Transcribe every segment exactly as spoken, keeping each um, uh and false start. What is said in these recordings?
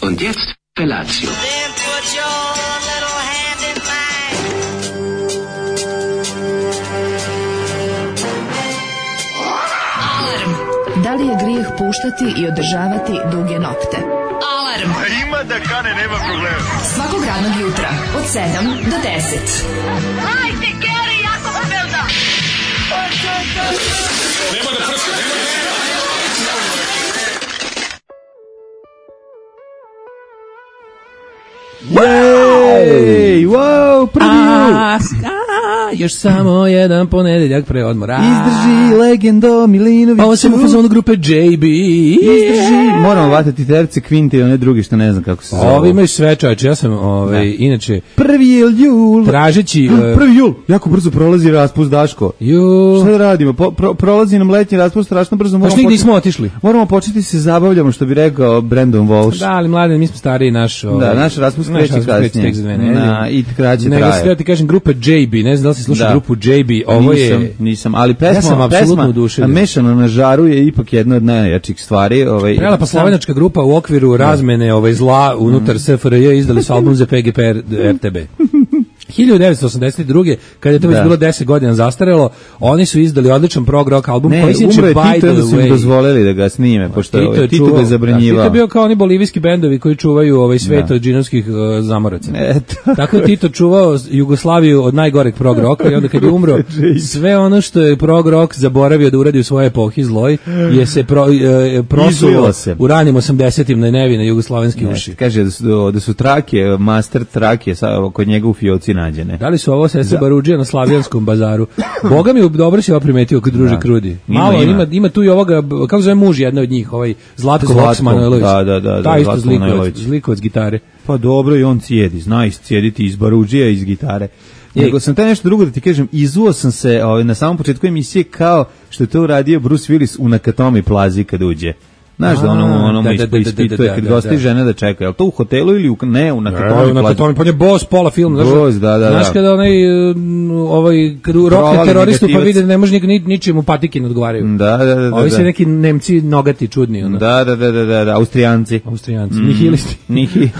Und jetzt Felatio. Da li je grijeh puštati i održavati duge nokte? Alarm! A ima da kane, nema problema. Svakog radnog jutra, od sedam do deset. Hajde, Geri, jako se velda! Nema da prska, nema da prska! Jej, wow, prvi a, a, još samo jedan ponedeljak pre odmora. Izdrži legendo Milinoviću. Ovo sam u fazonu grupe J B. Izdrži. Moramo vatati terce, kvinte i one drugi što ne znam kako se zove. Ovi imaju sve čovječe, ja sam ovaj, inače... Prvi je jul. Tražeći... Uh, prvi jul, jako brzo prolazi raspust, Daško. Jul. Šta da radimo? Po, pro, prolazi nam letnji raspust, strašno brzo. Baš nigdje nismo otišli. Moramo početi se zabavljamo, što bi rekao Brandon Walsh. Da, ali mladen, mi smo stariji, naš... Ovaj, da, naš raspust kreće kasnije. Na, i kraće traje. Nego sve ti kažem, grupa J B, ne znam da li si slušao da. grupu J B, ovo nisam, je... Nisam, ali pesma, ja sam apsolutno pesma Mešano na žaru je ipak jedna od najjačih stvari. Ovaj, Prelepa slovenačka grupa u okviru razmene ovaj, zla unutar mm. S F R J izdali su album za P G P R T B. hiljadu devetsto osamdeset druge kada je to već da. bilo deset godina zastarelo, oni su izdali odličan prog rock album ne, koji se umro je By Tito the da su im dozvolili da ga snime, pošto Tito, ovaj, Tito ga je zabranjivao. Tito je bio kao oni bolivijski bendovi koji čuvaju ovaj svet od džinovskih uh, zamoraca. Tako je Tito čuvao Jugoslaviju od najgoreg prog rocka i onda kad je umro, sve ono što je prog rock zaboravio da uradi u svojoj epohi zloj, je se pro, uh, prosulo u ranim osamdesetim na nevine jugoslovenski ne, uši. Kaže da su, da su trake, master trake sa, kod njega u fioci nađene. Da li su ovo sestre Barudžija na Slavijanskom bazaru? Boga mi dobro si ovo primetio kod druže da. Krudi. Malo ima, ima, ima tu i ovoga, kako zove muž jedna od njih, ovaj Zlatko Voks Manojlović. Da, da, da. Ta isto Zlikovac, Zlikovac gitare. Pa dobro i on cijedi, zna iscijediti iz Barudžija iz gitare. Nego sam taj nešto drugo da ti kažem, izuo sam se ovaj, na samom početku emisije kao što je to uradio Bruce Willis u Nakatomi plazi kad uđe. Znaš da ono ono da, da, ispituje kad gosti žene da čeka, jel to u hotelu ili u ne u Nakatomi plazi? Nakatomi, pa je boss pola film, znaš. Da, da, znaš kada onaj ovaj rokne teroristu pa vide da ne može ni ničemu patike ne odgovaraju. Da, da, da. Ovi se neki Nemci nogati čudni ono. Da, da, da, da, da, Austrijanci. Austrijanci, mm. nihilisti. Nihilisti.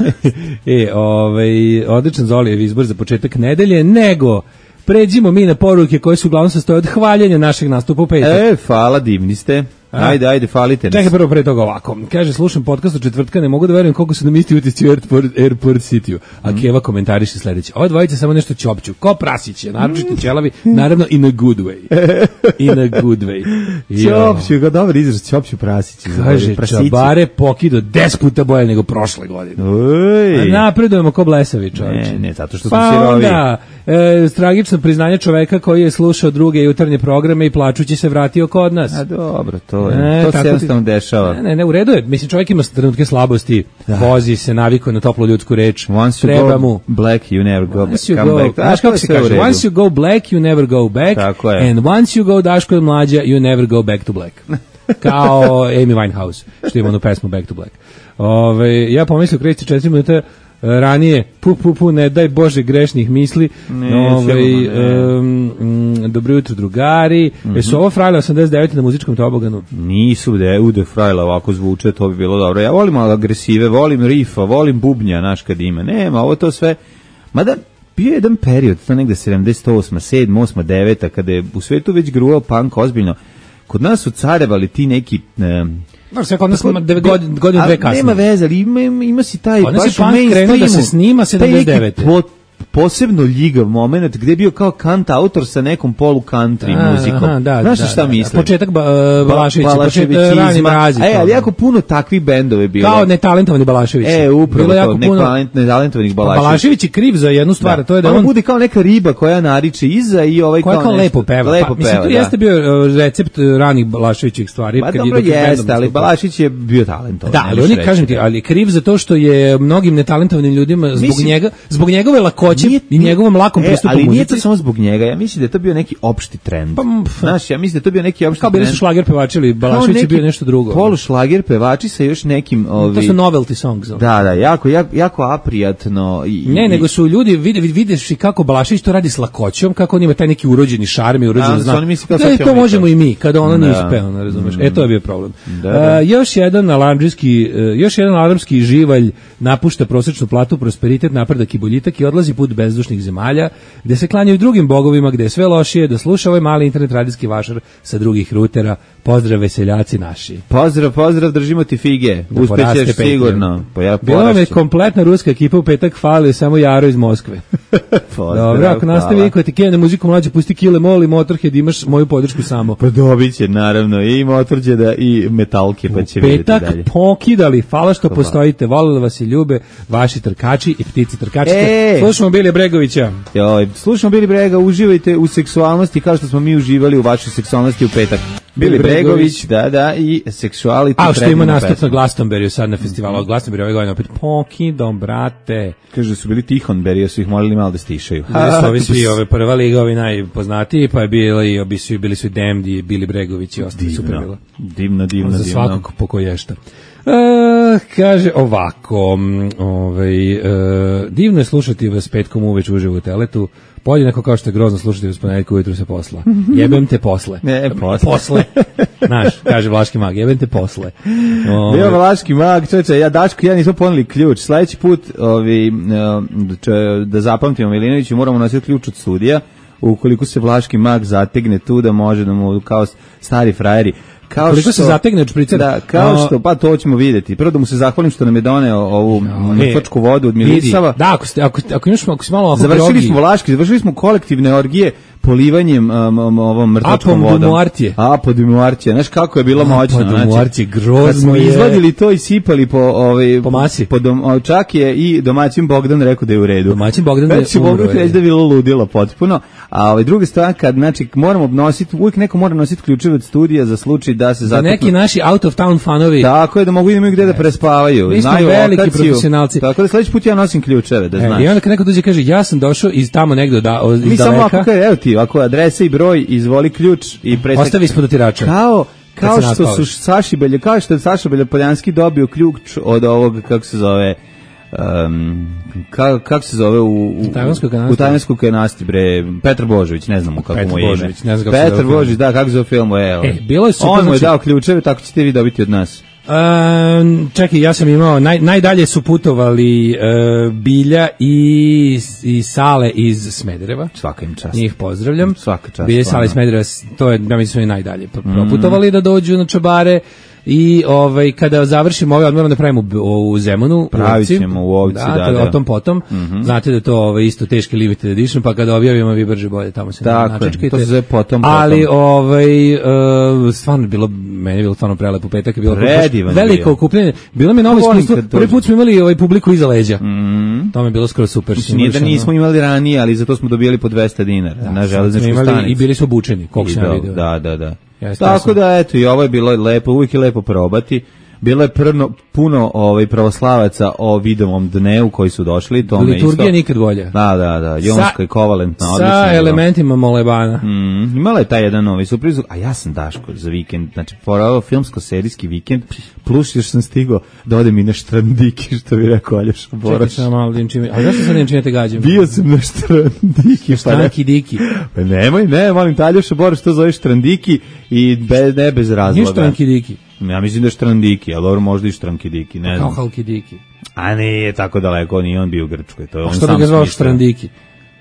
E, ovaj odličan Zolijev izbor za početak nedelje, nego pređimo mi na poruke koje su uglavnom sastoje od hvaljenja našeg nastupa u petak. E, hvala, divni ste. Ajde, ajde, falite nas. Čekaj prvo pre toga ovako. Kaže, slušam podcast od četvrtka, ne mogu da verujem koliko su nam isti utisci u Airport, Airport City-u. A mm. Keva komentariše sledeće. Ova dvojica samo nešto ćopću. Ko prasić je, naročito ćelavi, naravno in a good way. In a good way. Ćopću, ga dobar izraz, ćopću prasić. Kaže, čabare pokido deset puta bolje nego prošle godine. Oj. A napredujemo ko blesavi, čovječe. Ne, ne, zato što smo pa sirovi. Da, e, tragično priznanje čoveka koji je slušao druge jutarnje programe i plačući se vratio kod nas. A dobro, to To, je, to se jednostavno dešava. Ne, ne, ne, u redu je. Mislim, čovjek ima trenutke slabosti, da. Vozi se, navikuje na toplu ljudsku reč. Once you treba go mu. black, you never go back. Come go, back. Znaš kako se kaže? Once you go black, you never go back. Tako je. And once you go Daško je mlađa, you never go back to black. Kao Amy Winehouse, što ima onu pesmu Back to Black. Ove, ja pomislio, kreći četiri minuta ranije, pu, pu, pu, ne daj Bože grešnih misli. Ne, Ove, um, um, dobro jutro drugari. Mm-hmm. Jesu ovo Frajle osamdeset devet na muzičkom toboganu? Nisu, da ude Frajle ovako zvuče, to bi bilo dobro. Ja volim agresive, volim rifa, volim bubnja, naš kad ima. Nema, ovo to sve, mada bio je jedan period, to negde sedamdeset osma, sedma, osma, deveta, kada je u svetu već gruvao punk ozbiljno. Kod nas su carevali ti neki... Um, No, sve kod nas snima godinu dve kasnije. Nema veze, ali ima, ima si taj baš mainstreamu. Krenuo da se snima sedamdeset devete. Po, posebno ljigav moment gde je bio kao kant autor sa nekom polu country a, muzikom. Aha, da, znaš da, šta da, mislim? Početak ba, uh, Balaševića, početak Rani Mrazi. E, ali jako puno takvih bendova je bilo. Kao netalentovani Balašević. E, upravo to, netalentovanih Balašević. Balašević je kriv za jednu stvar, da. To je da on... on bude kao neka riba koja nariče iza i ovaj koja kao, kao nešto, lepo peva. Lepo pa, peva, mislim, to jeste bio uh, recept ranih Balaševićih stvari. Pa dobro jeste, ali Balašević je bio talentovan. Da, ali oni, kažem ti, ali kriv za to što je mnogim netalentovanim ljudima zbog njega, zbog njegove lakoće hoće nije, i njegovom lakom e, pristupu ali muzici. nije to samo zbog njega, ja mislim da je to bio neki opšti trend. Pa, znaš, ja mislim da je to bio neki opšti kao trend. Kao bili su šlager pevači, ili Balašević je bio nešto drugo. Polu šlager pevači sa još nekim... Ovi, to su novelty songs. Da, da, jako, jako, jako aprijatno. I, ne, i, nego su ljudi, vide, videš i kako Balašević to radi s lakoćom, kako on ima taj neki urođeni šarm i urođen znak. Da, to možemo i mi, kada ono nije uspeo, razumeš. E, to je bio problem. Da, da. Uh, još jedan alarmdžijski, uh, još jedan alarmski živalj napušta prosečnu platu, prosperitet, napredak i boljitak i odlazi put bezdušnih zemalja, gde se klanjaju drugim bogovima, gde je sve lošije, da sluša ovaj mali internet radijski vašar sa drugih rutera. Pozdrav veseljaci naši. Pozdrav, pozdrav, držimo ti fige. Da uspećeš sigurno. Pa ja bila me kompletna ruska ekipa u petak, fali samo Jaro iz Moskve. Dobro, ako nastavi Iko ti kene muziku mlađe, pusti Kile Mol i Motorhead, imaš moju podršku samo. Pa dobit će, naravno, i Motorheada i Metalke, pa će vidjeti dalje. Petak pokidali, hvala što hvala. Postojite, volili vas i ljube, vaši trkači i ptici trkačice. E! Slušamo Bili Bregovića. Joj, slušamo Bili Brega, uživajte u seksualnosti kao što smo mi uživali u vašoj seksualnosti u petak. Bili Bregović, da, da, i Sexuality. A što ima nastup na Glastonbury sad na festivalu od Glastonbury ove godine opet pokidom, brate. Kaže da su bili Tihonberija, su ih molili malo da stišaju. Bili su ovi svi, ove prva liga, ovi najpoznatiji, pa je bili, obi su, bili su i Damned i Bili Bregović i ostali super bilo. Divno, divno, za divno. Za svakog pokoješta. Uh, kaže ovako, ovaj, uh, divno je slušati vas petkom uveč uživo u teletu, podjednako kao što je grozno slušati vas ponedjeljkom ujutru se posla. Jebem te posle. Ne, posle. Posle. Znaš, kaže Vlaški mag, jebem te posle. Ove. Bio Vlaški mag, čoveče, ja Daško, ja nismo poneli ključ. Sledeći put ovi, če, da zapamtimo Milinoviću, moramo nositi ključ od studija, ukoliko se Vlaški mag zategne tu da može da mu kao stari frajeri. Kao koliko što se zategne od špricera? Da, kao no, što, pa to ćemo vidjeti. Prvo da mu se zahvalim što nam je doneo ovu no, mrtvačku vodu od Milisava. Da, ako, ste, ako, ako, imaš, ako si malo ovako završili drogi. smo Vlaški, završili smo kolektivne orgije polivanjem um, ovom mrtvačkom vodom. Apodumoartije. Apodumoartije. Znaš kako je bilo moćno. Apodumoartije, grozno kad smo je. izvadili to i sipali po, ovaj, po masi. Po dom, čak je i domaćin Bogdan rekao da je u redu. Domaćin Bogdan je umro. Bogdan reći da je bilo ludilo potpuno. A ovaj, druga stvar, kad znači, moramo nositi, uvijek neko mora nositi ključeve od studija za slučaj da se zateknu. Za neki naši out of town fanovi. Tako je, da mogu imati gde da prespavaju. Mi smo veliki lokaciju, profesionalci. Tako da sledeći put ja nosim ključeve, da e, znaš. I onda kad neko dođe kaže, ja sam došao iz tamo negde da, iz mi daleka. Mi samo ako kaže, evo ti, ako adresa i broj, izvoli ključ i presek. Ostavi ispod otirača. Kao, kao što su Saši Belje, kao što je Saša Beljopoljanski dobio ključ od ovog, kako se zove, um, kako kak se zove u, u, u Tajvanskoj kanasti, bre, Petar Božović, ne znamo kako mu je ime. Petar Božović, da, kako se zove film, evo. E, bilo je super, on mu je dao ključeve, tako ćete vi dobiti od nas. Um, čekaj, ja sam imao, naj, najdalje su putovali uh, Bilja i, i Sale iz Smedereva. Svaka im čast. Njih pozdravljam. Svaka čast. Bilja i Sale iz Smedereva, to je, ja mislim, su i najdalje proputovali mm. da dođu na Čabare. I ovaj kada završimo ovaj odmor da pravimo u, u Zemunu, pravit ćemo u Ovci, da, da, da. o tom potom. Mm-hmm. Znate da je to ovaj isto teški limited edition, pa kada objavimo vi brže bolje tamo se načečkajte. To se zove potom, potom. Ali ovaj uh, stvarno bilo meni je bilo stvarno prelepo petak, je bilo veliko okupljanje. Bilo mi novo iskustvo. Prvi put smo imali ovaj publiku iza leđa. Mm-hmm. To mi je bilo skoro super. Nije da nismo imali ranije, ali zato smo dobijali po dvesta dinara da, na železničkoj stanici. I bili su obučeni, koliko sam video. Da, da, da. Ja, tako da eto i ovo je bilo lepo, uvijek je lepo probati. Bilo je prno, puno ovaj pravoslavaca o Vidovom dnevu koji su došli, to me isto. Liturgija nikad bolja. Da, da, da, jonska i kovalentna, odlično. Sa elementima molebana. Mm, imala je taj jedan novi surpriz, a ja sam Daško za vikend, znači porao filmsko-serijski vikend, plus još sam stigao da odem i na Štrandiki, što bi rekao Aljoša Boraš. Čekaj sam malo dinčime, a zašto sad dinčime te gađam? Bio sam na Štrandiki. Štranki diki. Pa nemoj, ne, molim te Aljoša Boraš, to zove Štrandiki i be, ne bez razloga. Nije Štranki diki. Ja mislim da je Štrandiki, ali dobro možda i Štrankidiki, ne znam. Kao Halkidiki. A nije tako daleko, nije on bio u Grčkoj. To je on što sam bi ga zvao Štrandiki?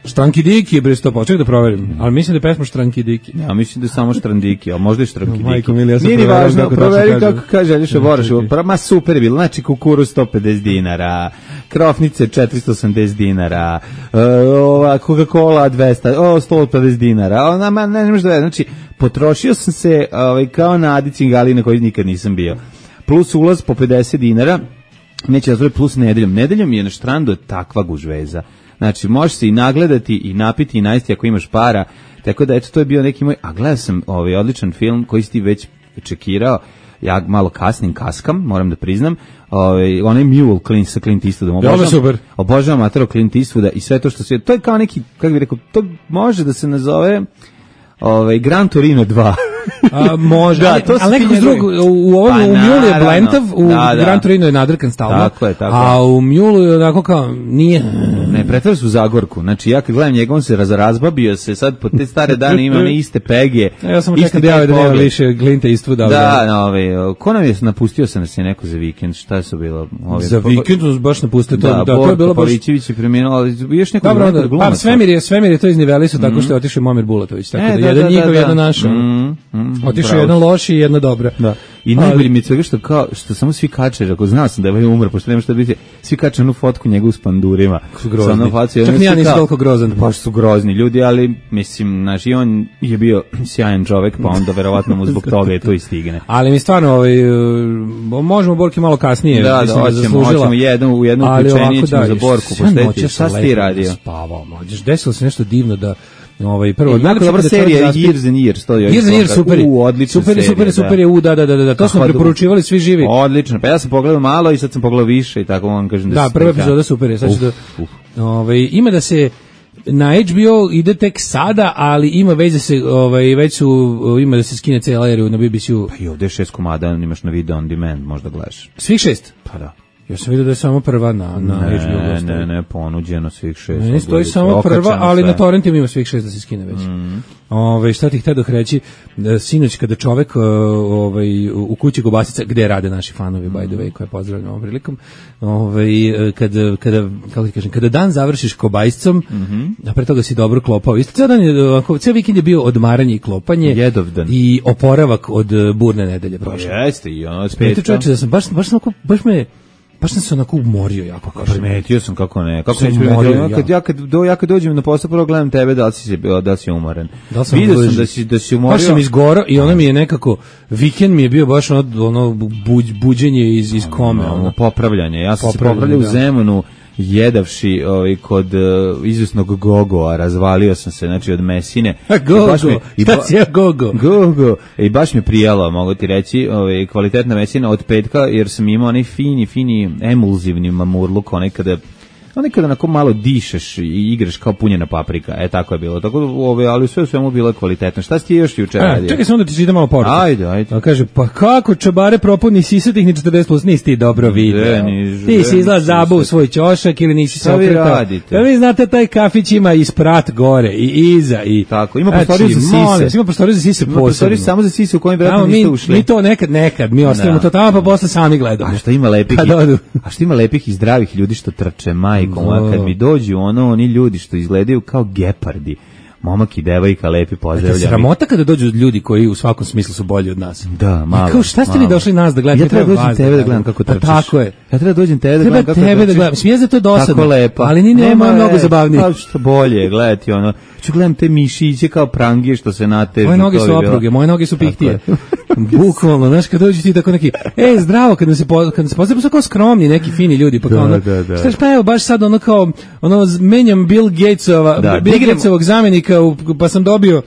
Štrankidiki je bre sto posto, čekaj da proverim. Ali mislim da je pesma Štrankidiki. Ja mislim da je samo Štrandiki, ali možda i Štrankidiki. Majko mili, ja sam nije proverio važno, kako proveri kako kaže Aljoša Boraš. Ma super je bilo, znači kukuruz sto pedeset dinara, krofnice četiristo osamdeset dinara, uh, ova Coca-Cola dvesta, o, sto pedeset dinara, ona, ma, ne, ne možda je, znači, potrošio sam se ovaj, kao na Adi Cingali na koji nikad nisam bio. Plus ulaz po pedeset dinara, neće da zove plus nedeljom. Nedeljom je na Štrandu takva gužveza. Znači, možeš se i nagledati i napiti i najsti ako imaš para. Tako da, eto, to je bio neki moj... A gledao sam ovaj odličan film koji si ti već čekirao. ja malo kasnim, kaskam, moram da priznam. Ovaj onaj Mule Clint sa Clint Eastwoodom. Obožavam, obožavam Matero Clint Eastwooda i sve to što se, to je kao neki, kako bih rekao, to može da se nazove ovaj Gran Torino dva. A, može, da, ali, ali nekako drug, u ovom pa, u Mulu je blentav, u da, da. Gran Torino je nadrkan stalno, tako je, tako a u Mulu je onako kao, nije... Ne, pretvara su Zagorku, znači ja kad gledam njega, on se raz, razbabio se, sad po te stare dane ima one iste pegije. Ja sam čekam da je da nema više Glinta Eastwooda. Da, no, ovaj, ko nam je napustio sam se neko za vikend, šta je su bilo? Ovaj, za vikend su baš napustili, to, da, da, to je bilo baš... Polićević je preminuo, ali još neko dobro, da, pa Svemir je, Svemir je to izniveli su tako što je otišao Momir Bulatović, tako da jedan njihov, jedan naš. Otišao jedan loš i jedna dobra. Da. I najbolje mi je svega što kao što samo svi kače, ako znao sam da je umro, pošto nema šta biti, svi kače onu fotku njega s pandurima. Su grozni. Čak nija nisi toliko grozan. Pa su grozni ljudi, ali mislim, znaš, i on je bio sjajan čovek, pa onda verovatno mu zbog toga je to i stigne. Ali mi stvarno, ovaj, možemo Borki malo kasnije. Da, da, hoćemo, hoćemo jednu, u jednu uključenje ćemo za Borku posteći. Šta si ti radio? Spavao, mlađeš, desilo se nešto divno da ovaj prvo e, jako dobra serija Years and Years, to je. Years and Years super. U, odlična super, serija. Super, super je. U, da, da, da, da. To smo preporučivali svi živi. Odlično. Pa ja sam pogledao malo i sad sam pogledao više i tako vam kažem da. Da, prva epizoda super je. Sad ću da ovaj ima da se na H B O ide tek sada, ali ima već da se ovaj već su ima da se skine cela erija na B B C-u. Pa i ovde šest komada imaš na video on demand, možda gledaš. Svih šest? Pa da. Ja sam vidio da je samo prva na, na ne, H B O. Ne, ne, ne, ponuđeno svih šest. Ne, stoji samo prva, ali sve. Na torrentima ima svih šest da se skine već. Mm. Ove, šta ti htio da reći, sinoć kada čovek ovaj, u kući Kobasica, gde rade naši fanovi, mm. by the way, koje pozdravljam ovom prilikom, ovaj, kada, kada, kako ti kažem, kada dan završiš Kobajscom, mm-hmm. a pre toga si dobro klopao. Isto cijel dan je, cijel vikend je bio odmaranje i klopanje. Jedovdan. I oporavak od burne nedelje prošle. Pa jeste, i ono spet. Da sam baš, baš, baš, baš me baš sam se onako umorio jako, kažem. Primetio sam kako ne. Kako sam primetio, kad ja kad do ja kad dođem na posao prvo gledam tebe da li si da li si umoran. Da sam vidio sam da si da si umorio. Baš sam izgorao i ono mi je nekako vikend mi je bio baš ono ono buđ, buđenje iz iz kome, ono, ono popravljanje. Ja sam se popravljao u Zemunu jedavši ovaj kod uh, izvesnog Gogoa, razvalio sam se znači od mesine. Gogo, i baš je Gogo. Gogo. I baš mi prijelo, mogu ti reći, ovaj kvalitetna mesina od petka jer sam imao onaj fini fini emulzivni mamurluk, onaj kada onaj kada onako malo dišeš i igraš kao punjena paprika. E tako je bilo. Tako ove, ali sve u svemu bilo kvalitetno. Šta si ti još juče radio? Čekaj samo da ti čita malo poruku. Ajde, ajde. A kaže, pa kako čabare propuni sisatih ni četrdeset plus, nisi ti dobro video. Ti si izlaz zabu u svoj ćošak ili nisi se okretao. Da vi znate, taj kafić ima i sprat gore i iza i... Tako, ima prostoriju za sise. Ima prostoriju za sise posebno. Ima prostoriju samo za sise u kojem vjerojatno niste ušli. Mi to nekad, nekad, mi ostavimo to tamo pa posle sami gledamo. A što ima lepih, a što ima lepih i zdravih ljudi što trče majkom, kad mi dođu ono oni ljudi što izgledaju kao gepardi, momak i devojka lepi pozdravljaju. Sramota kada dođu ljudi koji u svakom smislu su bolji od nas. Da, malo. I kao šta ste vi došli nas da gledate? Ja treba dođem tebe da gledam kako trčiš. Pa tako je. Ja treba dođem tebe da gledam kako tebe da gledam. Smije za to dosadno. Tako lepa. Ali ni nema mnogo zabavnije. Pa što bolje gledati ono. Ću gledam te mišiće kao prangije što se natežu. Moje noge su opruge, moje noge su pihtije. Bukvalno, znaš, kad dođu ti tako neki, ej, zdravo, kad se po, kad se pozdravimo, su kao skromni, neki fini ljudi, pa kao ono, da, da. Šta pa evo, baš sad ono kao, ono, menjam Bill Gatesova, da, Bill Gatesovog zamenika, pa sam dobio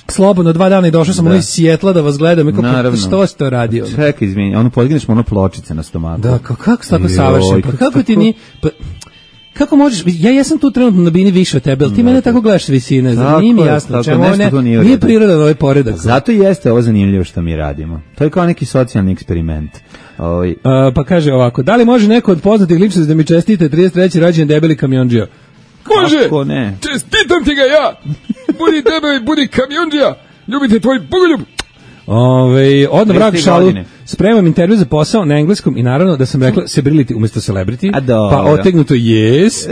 slobodno dva dana i došao sam ono iz Sijetla da vas gledam, i kako, što si to radio? Čekaj, izvini, ono podigneš ono pločice na stomaku. Da, kako, kako se tako savršen, pa kako ti ni... Pa, kako možeš, ja jesam tu trenutno na bini više od tebe, ali ti mene tako gledaš s visine, znači nije mi jasno, čemu ovo ne, nije, nije prirodan ovaj poredak. Zato jeste ovo zanimljivo što mi radimo. To je kao neki socijalni eksperiment. Ovaj. Uh, pa kaže ovako, da li može neko od poznatih ličnosti da mi čestite trideset treći rođendan debeli kamiondžija? Može, kako ne? Čestitam ti ga ja, budi debeli, budi kamiondžija, ljubite tvoj bogoljub. Ove, odno vrak šalu, spremam intervju za posao na engleskom i naravno da sam rekla celebrity umjesto celebrity, pa otegnuto yes,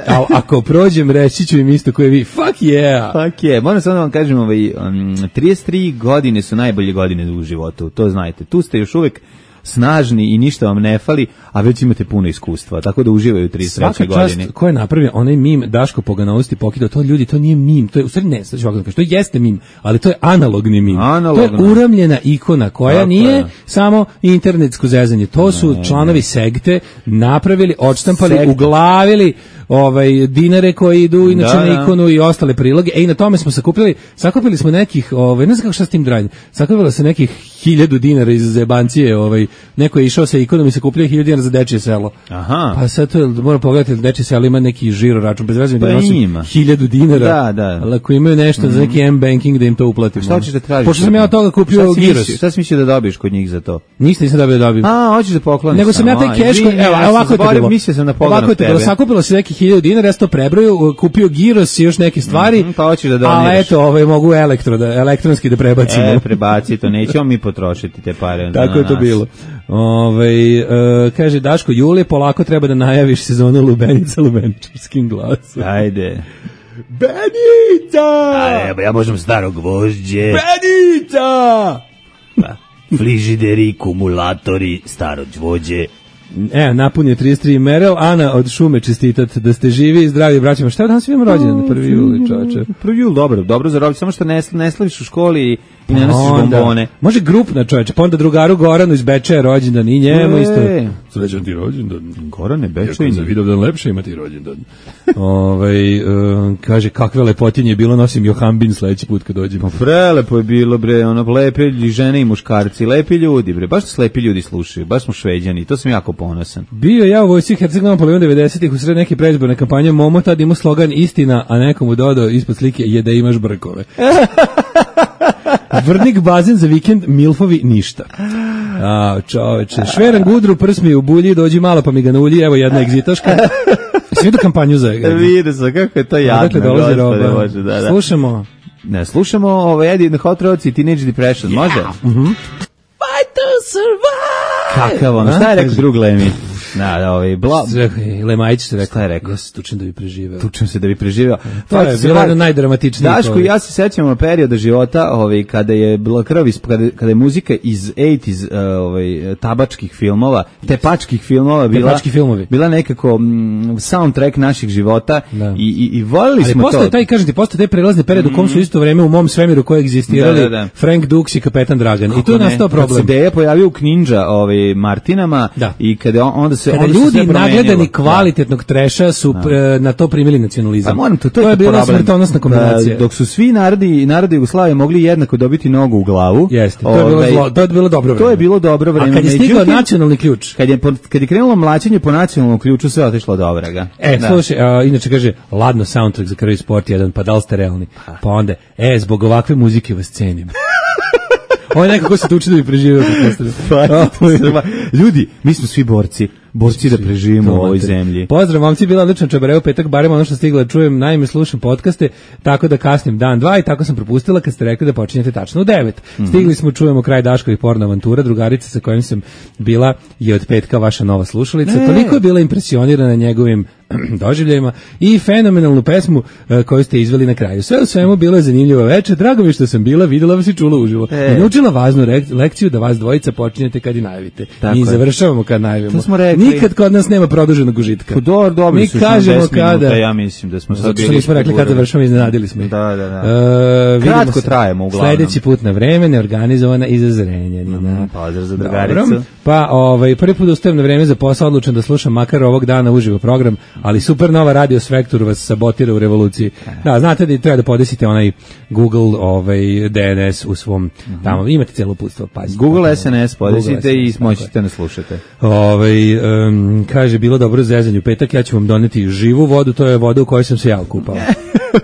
a ako prođem reći ću im isto koje vi, fuck yeah. Fuck yeah, moram samo da vam kažem, ovaj, um, trideset tri godine su najbolje godine u životu, to znajte, tu ste još uvek snažni i ništa vam ne fali, a već imate puno iskustva, tako da uživaju u trideset trećoj godine. Svaka čast ko je napravio onaj mim Daško Poganovosti pokidao, to ljudi, to nije mim, to je, u stvari ne, sad ću ovako da kažem, to jeste mim, ali to je analogni mim. Analogno. To je uramljena ikona koja tako nije je. Samo internetsko zezanje, to su ne, članovi ne. Segte napravili, odštampali, Sekt. uglavili, ovaj, dinare koji idu inače Da, na da. ikonu i ostale priloge. E, i na tome smo sakupili, sakupili smo nekih, ovaj, ne znam kako šta s tim dranje, sakupilo se nekih hiljadu dinara iz zebancije, ovaj, neko je išao sa ikonom i sakupljao hiljadu dinara za dečije selo. Aha. Pa sad to je, moram pogledati, dečije selo ima neki žiro račun, bez veze mi Pa da nosim ima. hiljadu dinara, Da, da. ali ako imaju nešto za neki M-banking da im to uplatimo. Šta hoćeš da tražiš? Pošto sam ja od toga kupio Šta si giros. mislio- Šta si mislio da dobiješ kod njih za to? Ništa nisam dobio da dobijem. A, hoćeš da pokloniš. Nego sam ja taj samo, keš, izvini, evo, ja sam ovako je to zaboravio, bilo. Mislio sam na Ovako pogledam je to bilo, tebe. sakupilo se neki hiljadu dinara, ja sam to prebrojio, kupio giros i još neke stvari. Mhm, pa hoćeš da A doniraš. eto, ovaj, mogu elektro, da, elektronski da prebacimo. E, prebaci to, nećemo mi potrošiti te pare. Tako na je to nas. bilo. Ove, e, kaže Daško, Julije, polako treba da najaviš sezonu Lubenica lubeničarskim glasom. Ajde. Benica! Ajde, ja možem starog gvožđe. Benica! Frižideri, kumulatori, staro đvođe. E, napunje trideset tri Merel, Ana od Šume čestitat da ste živi i zdravi braćima. Šta je danas imamo rođendan na prvi juli, čoveče? Prvi jul, dobro, dobro za rođendan, samo što ne, ne slaviš u školi i, i ne nosiš Onda- bombone. Može grupna, čoveče, pa onda drugaru Goranu iz Bečeja rođendan i njemu E. isto. Srećan ti rođendan. Gorane, Iako Bečejni. za Vidovdan lepše imati rođendan. Ovaj, um, kaže, kakve lepotinje je bilo, nosim Johambin sledeći put kad dođem. Pa prelepo je bilo, bre, ono, lepe žene i muškarci, lepi ljudi, bre, baš su lepi ljudi slušaju, baš smo Šveđani, to sam jako ponosan. Bio ja u vojsci Herceg-Novom poligon devedesetih u sred neke predizborne kampanje, Momo tad imao slogan istina, a nekomu dodao ispod slike je da imaš brkove. Vrnik bazen za vikend, milfovi ništa. A, čoveče, šveran gudru, prs mi je u bulji, dođi malo pa mi ga naulji, evo jedna egzitaška. Svi do kampanju za... Vide se, kako je to jadno, Dakle, dolazi gospode roba. Bože, da, da. Slušamo. Ne, slušamo ovaj Eddie and the Hot Rods i Teenage Depression, može? Fight to survive! Kakav ono, šta je rekao drug Lemi? Da, da, ovaj, bla... Lemajić se rekao. Šta je rekao? Ja se tučem da bi preživeo. Tučem se da bi preživeo. To je bilo jedno najdramatičnije. Daško, ja se sećam perioda života, ovaj, kada je bila krv, iz- kada, kada je muzika iz osamdesetih uh, ovaj, tabačkih filmova, tepačkih filmova bila, Tepački filmovi. bila bila nekako mm, soundtrack naših života Da. i, i, i volili Ali smo postoje to. taj, kažem ti, postoje taj prelazni period u kom su isto vreme u mom svemiru koje egzistirali Da, da, da. Frank Dux i Kapetan Dragan. I tu je Ne, nastao kad se problem. Deja pojavio u Kninja ovaj, Martinama Da. i kada on, onda se, Kada onda se ljudi sve promenilo. nagledani Da. kvalitetnog treša su pre, na to primili nacionalizam. Pa moram to, to, to je bila problem. smrtonosna kombinacija. Da, dok su svi narodi narodi Jugoslavije mogli jednako dobiti nogu u glavu. Jeste, to je bilo ovaj, zlo, to je bilo dobro vreme. To je bilo dobro vreme. A kad je stigao Međutim, nacionalni ključ. kad je po- kad je krenulo mlaćenje po nacionalnom ključu, sve je otišlo do vraga. E, Da. slušaj, a, inače kaže, ladno soundtrack za Krvi sport jedan, pa da li ste realni? Pa onda, e, zbog ovakve muzike vas cenim. Ovo je neko ko se tu uči da bi preživio. Pa, ljudi, mi smo svi borci, borci da preživimo u ovoj zemlji. Pozdrav, momci, bila odlična čabareo petak, barem ono što stigla da čujem, naime slušam podcaste, tako da kasnim dan, dva i tako sam propustila kad ste rekli da počinjete tačno u devet. Stigli smo, čujemo kraj Daškovih porno avantura, drugarica sa kojim sam bila je od petka vaša nova slušalica, Ne. toliko je bila impresionirana njegovim doživljajima i fenomenalnu pesmu e, koju ste izveli na kraju. Sve u svemu bilo je zanimljivo večer, drago mi je što sam bila, videla vas i čula uživo. E. I naučila važnu rek- lekciju da vas dvojica počinjete kad i najavite. Tako Mi je. završavamo kad najavimo. To smo rekli. Nikad kod nas nema produženog užitka. Pa dobro, dobro Mi su kažemo deset minuta, kada. ja mislim da smo sad Zato što bili nismo rekli kada pogurani. završamo, iznenadili smo ih. Da, da, da. E, vidimo Kratko se trajemo, uglavnom. Sledeći put na vreme, neorganizovana i za Zrenjanina. Mhm, pozdrav za Dobro. drugaricu. Pa, ovaj, prvi put ustajem na vreme za posao, odlučen da slušam makar ovog dana uživo program, ali super nova radio Svektor vas sabotira u revoluciji. Da, znate da treba da podesite onaj Google ovaj, D N S u svom, tamo, imate cijelo uputstvo, pazite. Google S N S Google podesite S N S, i tako moćete nas slušate. Ovaj em, kaže, bilo dobro zezanje u petak, ja ću vam doneti živu vodu, to je voda u kojoj sam se ja okupao.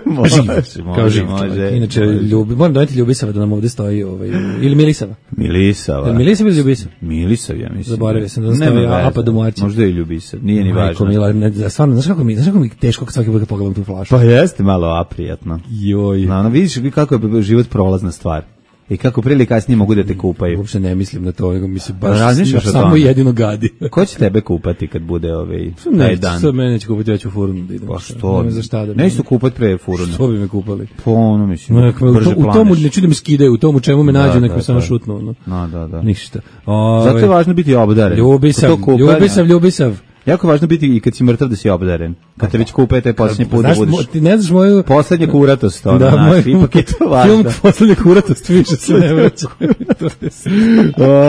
Može, Živ, može, kao živ može. čovjek. Inače, može. ljubi, moram doneti Ljubisava da nam ovde stoji, ovaj, ili Milisava. Milisava. Jel Milisav ili Ljubisav? Milisav, ja mislim. Zaboravio sam da Nema stoji veze. Apa Domaćin. Možda i Ljubisav, nije ni Majko važno. Mila, ne, da, stvarno, znaš kako mi, znaš kako mi teško kad svaki put kad pogledam tu flašu? Pa jeste malo aprijatno. Joj. No, ono, vidiš kako je život prolazna stvar. I kako prije ili kasnije mogu da te kupaju. Uopšte ne mislim na to, nego mi se baš Razmišljaš o samo tome? jedino gadi. Ko će tebe kupati kad bude ovaj taj Ne, dan? sad mene će kupiti, ja ću furnu da idem. Pa što? Nema za šta da... Ne su kupati pre furuna. Što bi me kupali? Po ono, mislim, No, u, brže to, u tomu planeš. ne čudim skidaju, u tomu čemu me nađu, Da, neko da, samo da. šutnu. No. No, da, da. Ništa. Ove, Zato je važno biti obdaren. Ljubisav, To kupanje- ljubisav, ljubisav. Jako je važno biti i kad si mrtav da si obdaren. Kad te već kupete, posljednji put da Znaš, budeš... mo- ti ne znaš moju... Poslednje kuratost, ono, Da, znaš, moj ipak je to važno. film poslednje kuratost više se ne vraća.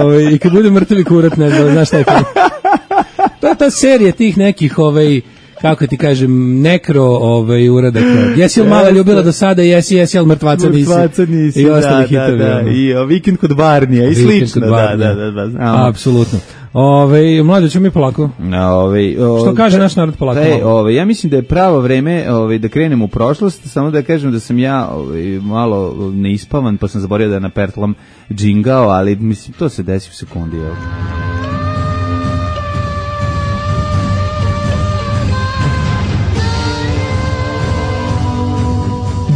Ove, I kad bude mrtavi kurat, ne znam, znaš šta je film? To je ta serija tih nekih, ovaj, kako ti kažem, nekro ovaj, uradak. Jesi li mala ljubila do sada, jesi, jesi, ali mrtvaca nisi. Mrtvaca nisi, I da, ostali da, hitovi. da, i o, vikend kod Barnija i slično. Da, da, da, da, znamo. Apsolutno. Ove, mlađe, ćemo mi polako. Ove, o, Što kaže naš narod polako? E, ove, ja mislim da je pravo vreme ove, da krenemo u prošlost, samo da kažem da sam ja ove, malo neispavan, pa sam zaboravio da napertlam džingao, ali mislim, to se desi u sekundi. Evo.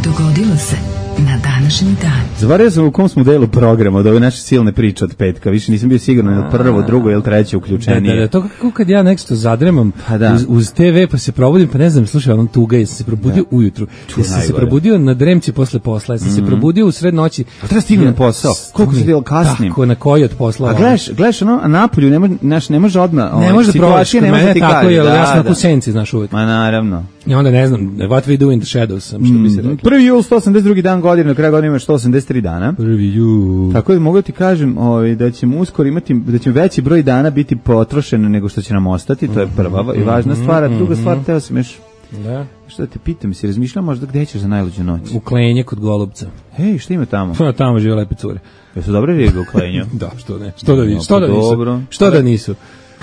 Dogodilo se na današnji dan. Zaboravio sam u kom smo delu programa od ove naše silne priče od petka. Više nisam bio siguran na prvo, drugo ili treće uključenije. Da, da, da, to kako kad ja nešto zadremam pa da. uz, uz te ve pa se probudim, pa ne znam, slušaj, onom tuga, jesam se probudio da. ujutru, jesam se probudio na dremci posle posla, jesam mm-hmm. se probudio u sred noći. A treba stignem na posao. Koliko se bilo kasnim? Tako, na koji od posla? A gledaš, gledaš ono, a napolju ne može, naš, ne može odmah. Ne može da probaš, ne može ti tako je, da, ja sam da. na senci, znaš uvijek. Ma naravno. I onda ne znam, what we do in the shadows, što bi se rekli. Prvi jul, sto osamdeset drugi dan godine, na kraju godine ima sto osamdeset tri dana. Prvi jul. Tako da mogu ti kažem ovaj, da ćemo uskoro imati, da će veći broj dana biti potrošen nego što će nam ostati, to je prva i važna stvar, a druga stvar, teo sam još, da. Što da te pitam, si razmišljao možda gde ćeš za najluđu noć? U Klenje kod Golubca. Hej, šta ima tamo? Pa tamo žive lepe cure. Jesu dobre ribe u Klenju? Da, što ne, što da nisu, što da nisu, dobro. Što da nisu.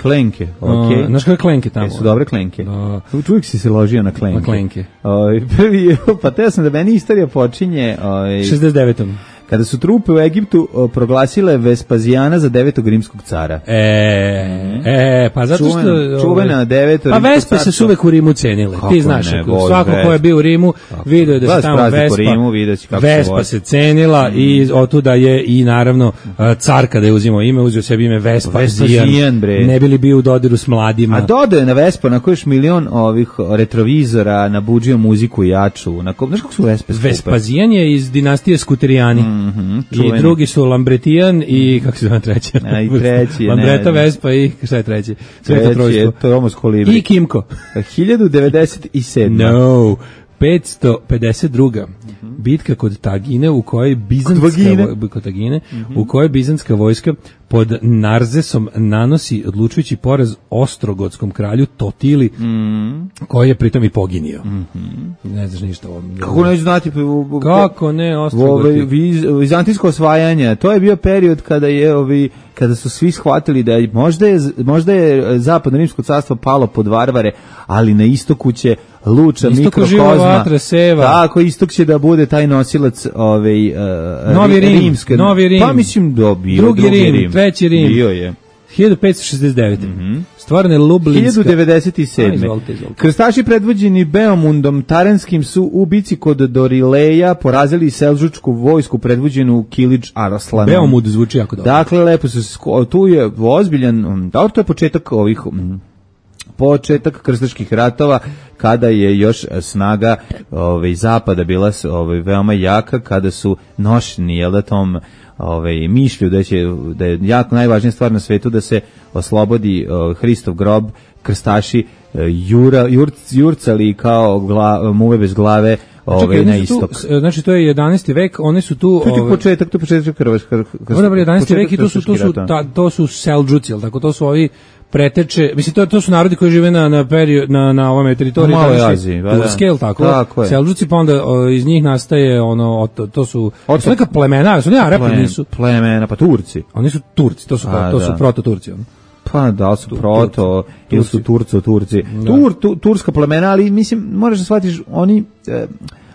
Klenke, okej. Okay. Znaš koje klenke tamo? Jesu dobre klenke. Da. Čuvijek si se ložio na klenke. Na klenke. O, prvi, pa teo sam da meni istorija počinje... O, šezdeset devetom kada su trupe u Egiptu o, proglasile Vespazijana za devetog rimskog cara. E, e, pa zato što... Čuvena, čuvena deveto pa rimskog Vespe se su uvek u Rimu cenile. Kako ti znaš, ne, ako, svako ko je bio u Rimu, vidio je da se tamo Vespa, Rimu, Vespa se cenila mm. i otuda je i naravno car kada je uzimao ime, uzeo sebi ime Vespazijan, ne bili bio u dodiru s mladima. A dodao je na Vespa na kojiš milion ovih retrovizora, nabuđio muziku jaču. Na ko, znaš kako su Vespe skupe? Vespazijan je iz dinastije Skuterijani. Mm. Mm-hmm, i drugi su Lambretijan i kako se zove treći? A i treći, Lambreta, Vespa i šta je treći? Sveto trojstvo. To je Omos Kolibri. I Kimko. hiljadu devedeset sedma No. petsto pedeset druga Mm-hmm. Bitka kod Tagine u kojoj bizantska kod, kod Tagine mm-hmm. u kojoj bizantska vojska pod Narzesom nanosi odlučujući poraz ostrogotskom kralju Totili mm-hmm. koji je pritom i poginio. Mm-hmm. Ne znaš ništa o ovom. Kako ne znati? Kako ne, Ostrogoti? Viz, vizantijsko osvajanje, to je bio period kada je ovi kada su svi shvatili da je, možda je možda je zapadno rimsko carstvo palo pod varvare, ali na istoku će Luča, mikrokozma. Tako, istok će da bude taj nosilac ovaj uh, Novi Rim, rimske. Novi Rim. Pa mislim da bio drugi, drugi Rim, Rim, treći Rim. Bio je. hiljadu petsto šezdeset devete Mm-hmm. Stvarno je Lublinska. hiljadu devedeset sedme. A, izvolite, izvolite. Krstaši predvođeni Beomundom Taranskim su u bici kod Dorileja porazili selđučku vojsku predvođenu Kilidž Araslanom. Beomund zvuči jako dobro. Dakle, lepo se tu je ozbiljan, da to je početak ovih početak krstaških ratova kada je još snaga ovaj zapada bila ovaj veoma jaka, kada su nošeni jel da tom ovaj mišlju da će da je jako najvažnija stvar na svetu da se oslobodi uh, Hristov grob, krstaši uh, jura jurc, jurcali kao gla, muve bez glave ovaj na istok. Tu, znači to je jedanaesti vek, oni su tu to je ovaj, početak, to je početak krstaškog. Dobro, jedanaesti vek i tu su tu su ta, to su Selđuci, tako to su ovi preteče, mislim to to su narodi koji žive na na period na na ovom teritoriji Aziji, da. Scale tako. tako Selđuci, pa onda o, iz njih nastaje ono to, to su to su neka plemena, su ne Arapi, Plem, nisu plemena, pa Turci. Oni su Turci, to su A, to da. su proto Turci, ono. Pa da su proto ili su Turco Turci. Tur, tu, turska plemena, ali mislim možeš da shvatiš oni eh,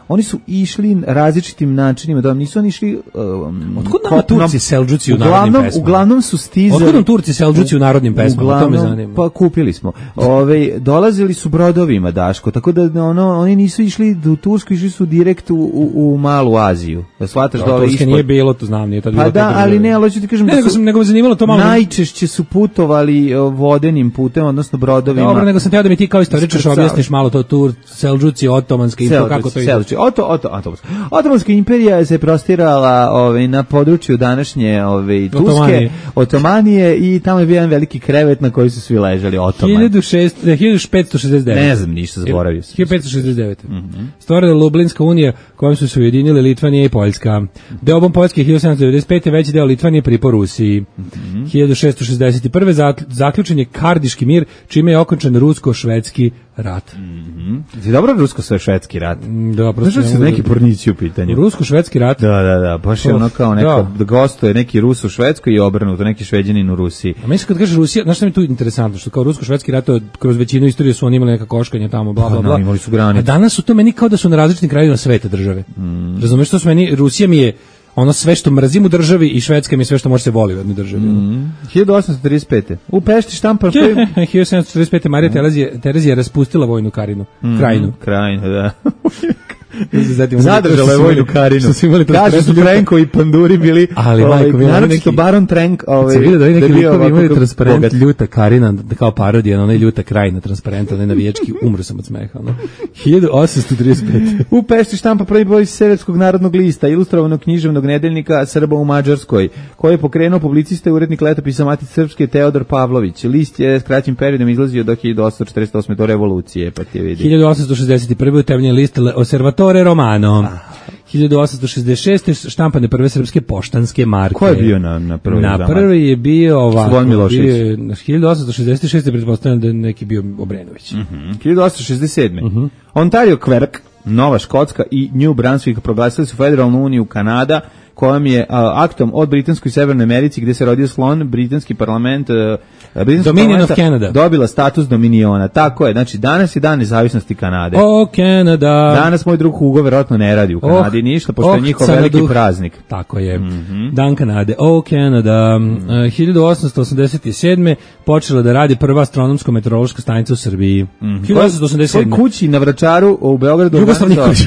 oni su išli različitim načinima, da nisu oni išli um, otkud nam Turci Selđuci u narodnim pesmama? Uglavnom su stizali. Otkud nam Turci Selđuci u narodnim pesmama? To me zanima. Pa kupili smo. Ove, dolazili su brodovima, Daško, tako da ono, oni nisu išli u Tursku, išli su direkt u, u, u Malu Aziju. Da shvataš dole ispod. Turske nije bilo, to znam, nije to bilo. Pa da, ali ne, ali ću ti kažem ne, da nego, sam, nego me zanimalo to malo. Najčešće su putovali vodenim putem, odnosno brodovima. Dobro, nego sam teo da mi ti kao istoričar objasniš malo to Tur, Selđuci, otomanski i to kako to ide. Oto, oto, Otomanska. Otomanska imperija se prostirala ovaj, na području današnje ovaj, Turske, Otomanije. Otomanije i tamo je bio jedan veliki krevet na koji su svi ležali Otoman. hiljadu petsto šezdeset devete Ne znam ništa, zaboravio sam. hiljadu petsto šezdeset devete Mm-hmm. Stvorena Lublinska unija kojom su se ujedinile Litvanija i Poljska. Deobom Poljske hiljadu sedamsto devedeset pete veći deo Litvanije pripo Rusiji. Mm-hmm. hiljadu šessto šezdeset prve zaključen je Kardiški mir, čime je okončan rusko-švedski rat. Mhm. Je dobro rusko-švedski rat. Da, prosto su neki pornici u pitanju. Rusko-švedski rat. Da, da, da, baš je ono kao neka da. Gostuje neki Rus u Švedskoj i obrnuto, neki Šveđanin u Rusiji. A mislim kad kažeš Rusija, znaš šta mi je tu interesantno, što kao rusko-švedski rat, kroz većinu istorije su oni imali neka koškanja tamo, bla, bla, bla. No, imali su granice. A danas su to meni kao da su na različitim krajevima sveta države. Mm. Razumeš što su meni, Rusija mi je ono sve što mrzim u državi i Švedska mi je sve što može se voli u jednoj državi. Mm. hiljadu osamsto trideset pete. U Pešti štampa... hiljadu sedamsto četrdeset pete. Marija Terezija, Terezija je raspustila vojnu karinu. Mm. Krajinu. Krajinu, da. Zadržala je vojnu karinu. Kažu su Trenko i Panduri bili, ali majko, naročito Baron Trenk, ovaj, se vidio da neki likovi imali transparent Ljuta Karina, kao parodija na onaj Ljuta Krajina transparent, onaj navijački, umro sam od smeha. No? hiljadu osamsto trideset pete. U Pešti štampa prvi broj Srpskog narodnog lista, ilustrovanog književnog nedeljnika Srba u Mađarskoj, koji je pokrenuo publicista i urednik letopisa Matice Srpske Teodor Pavlović. List je s kraćim periodom izlazio do hiljadu osamsto četrdeset osme do revolucije, pa ti vidi. hiljadu osamsto šezdeset prve utemeljen list Osservatore Romano. Ah. hiljadu osamsto šezdeset šeste štampane prve srpske poštanske marke. Ko je bio na na prvi? Na prvi je bio ovako, bio na hiljadu osamsto šezdeset šeste pretpostavljam da je neki bio Obrenović. Mhm. Mm hiljadu osamsto šezdeset sedme. Uh -huh. Ontario Quebec, Nova Škotska i New Brunswick proglasili su federalnu uniju Kanada, kojom je a, aktom od Britanskoj i Severnoj Americi gde se rodio slon, britanski parlament, a, britanski Dominion of Canada dobila status dominiona. Tako je, znači danas je dan nezavisnosti Kanade. O, Canada. Danas moj drug Hugo verovatno ne radi u Kanadi oh, ništa, pošto oh, je njihov veliki praznik. Tako je. Mm -hmm. Dan Kanade. O, Canada. Mm -hmm. uh, hiljadu osamsto osamdeset sedme počela da radi prva astronomsko-meteorološka stanica u Srbiji. Mm -hmm. hiljadu osamsto osamdeset sedme. U kući na Vračaru u Beogradu. Jugoslav Nikolić.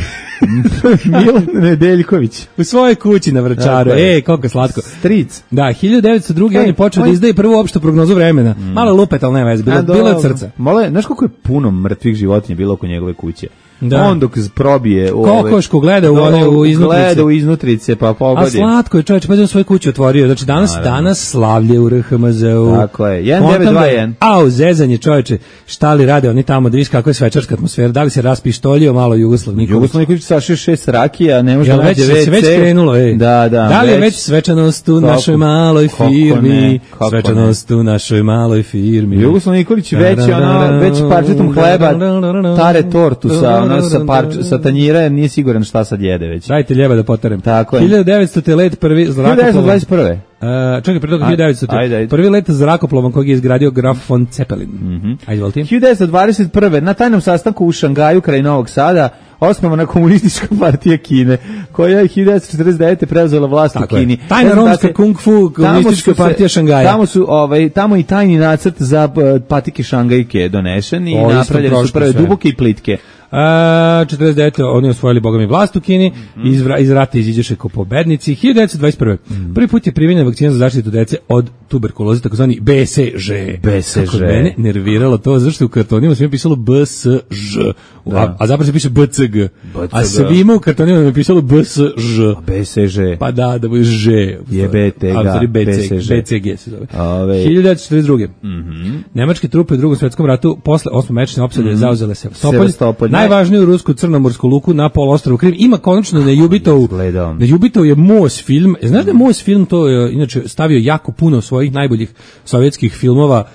Milan Nedeljković. U svojoj kući na Vračaru. E, koliko slatko. Stric. Da, hiljadu devetsto druge on je počeo da izdaje prvu opštu prognozu vremena. Mm. Malo lupet, ali ne veze, bilo, bilo je od srca. Mole, znaš koliko je puno mrtvih životinja bilo oko njegove kuće? Da. On dok probije u ove... Kokošku gleda u one u iznutrice. Gleda u iznutrice, pa pogodi. A slatko je čovječ, pa je svoju kuću otvorio. Znači danas, danas slavlje u R H M Z-u. Tako je, jedan devet dva jedan. Au, zezanje čovječe, šta li rade oni tamo, da viš kako je svečarska atmosfera, da li se raspištolio malo Jugoslav Nikolić. Jugoslav Nikolić sa šest šest rakija, ne može da nađe ve ce. Već krenulo, ej. Da, da. Da li je već svečanost u našoj maloj firmi? Svečanost u našoj maloj firmi. Jugoslav Nikolić već ono, već parčetom hleba tare tortu sa ono sa parč sa tanjira, jer nije siguran šta sad jede već. Dajte ljeba da poterem. Tako je. hiljadu devetsto let prvi zrakoplovan. hiljadu devetsto dvadeset prve. Uh, čekaj, pre toga hiljadu devetsto. Prvi let zrakoplovan kojeg je izgradio Graf von Zeppelin. Mm-hmm. Ajde, volti. hiljadu devetsto dvadeset prve. Na tajnom sastanku u Šangaju kraj Novog Sada osnovana komunistička partija Kine, koja je hiljadu devetsto četrdeset devete preuzela vlast u Kini. Tajna romska da kung fu komunistička partija Šangaja. Tamo su ovaj tamo i tajni nacrt za uh, patike Šangajke donešen i napravljene su prve duboke i plitke. A, četrdeset devete oni osvojili bogami vlast u Kini, mm. iz, iz rata iziđeše kao pobednici. hiljadu devetsto dvadeset prve. Mm. Prvi put je primenjena vakcina za zaštitu dece od tuberkuloze, takozvani B C Ž. B C Ž. Kako mene nerviralo to, zašto u kartonima sve je pisalo B S Ž, a, a zapravo se piše B C G. B C G. A svima u kartonima je pisalo B S Ž. B C Ž. Pa da, da bude Ž. Je B T G. B C G se zove. Ove. hiljadu devetsto četrdeset druge. Mm-hmm. Nemačke trupe u Drugom svetskom ratu posle osmomesečne opsade mm-hmm. zauzele Sevastopolj. Najvažniju rusku crnomorsku luku na poluostrvu Krim. Ima konačno na Jubitovu. Na Jubitovu je Mos film. Znaš da je Mos film to je inače stavio jako puno svojih najboljih sovjetskih filmova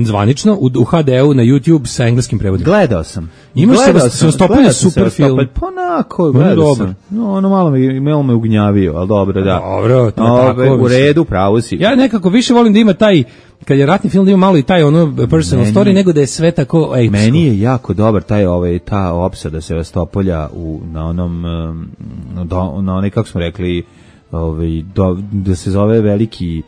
zvanično u, u ha de u na YouTube sa engleskim prevodom. Gledao sam. Imaš Sevastopolj je super film. Pa onako, gledao sam. No, ono malo me, malo me ugnjavio, ali dobro, da. Dobro, to Ove, tako. U redu, pravo si. Ja nekako više volim da ima taj kad je ratni film da ima malo i taj ono personal meni, story nego da je sve tako ejpsko. Meni je jako dobar taj ovaj ta opsada Sevastopolja u na onom do, na onaj kako smo rekli ovaj do, da se zove veliki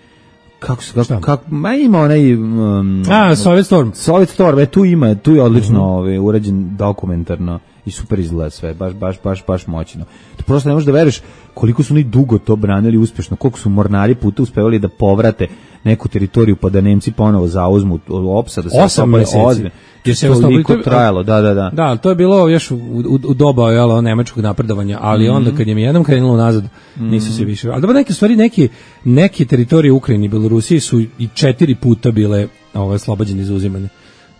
kako se kako, kako ma ima onaj um, a Soviet Storm. Soviet Storm, e, tu ima, tu je odlično uh-huh. ovaj urađen dokumentarno i super izgleda sve, baš baš baš baš moćno. To prosto ne možeš da veruješ koliko su oni dugo to branili uspešno, koliko su mornari puta uspevali da povrate neku teritoriju pa da Nemci ponovo zauzmu opsada sa osam meseci. Jer se toliko trajalo, da, da, da. Da, to je bilo još u, u, u doba jel, nemačkog napredovanja, ali mm-hmm. onda kad je mi jednom krenulo nazad, nisu se više. Ali dobro, neke stvari, neke, neke teritorije u Ukrajini i Belorusiji su i četiri puta bile ove, oslobođene iz uzimanja.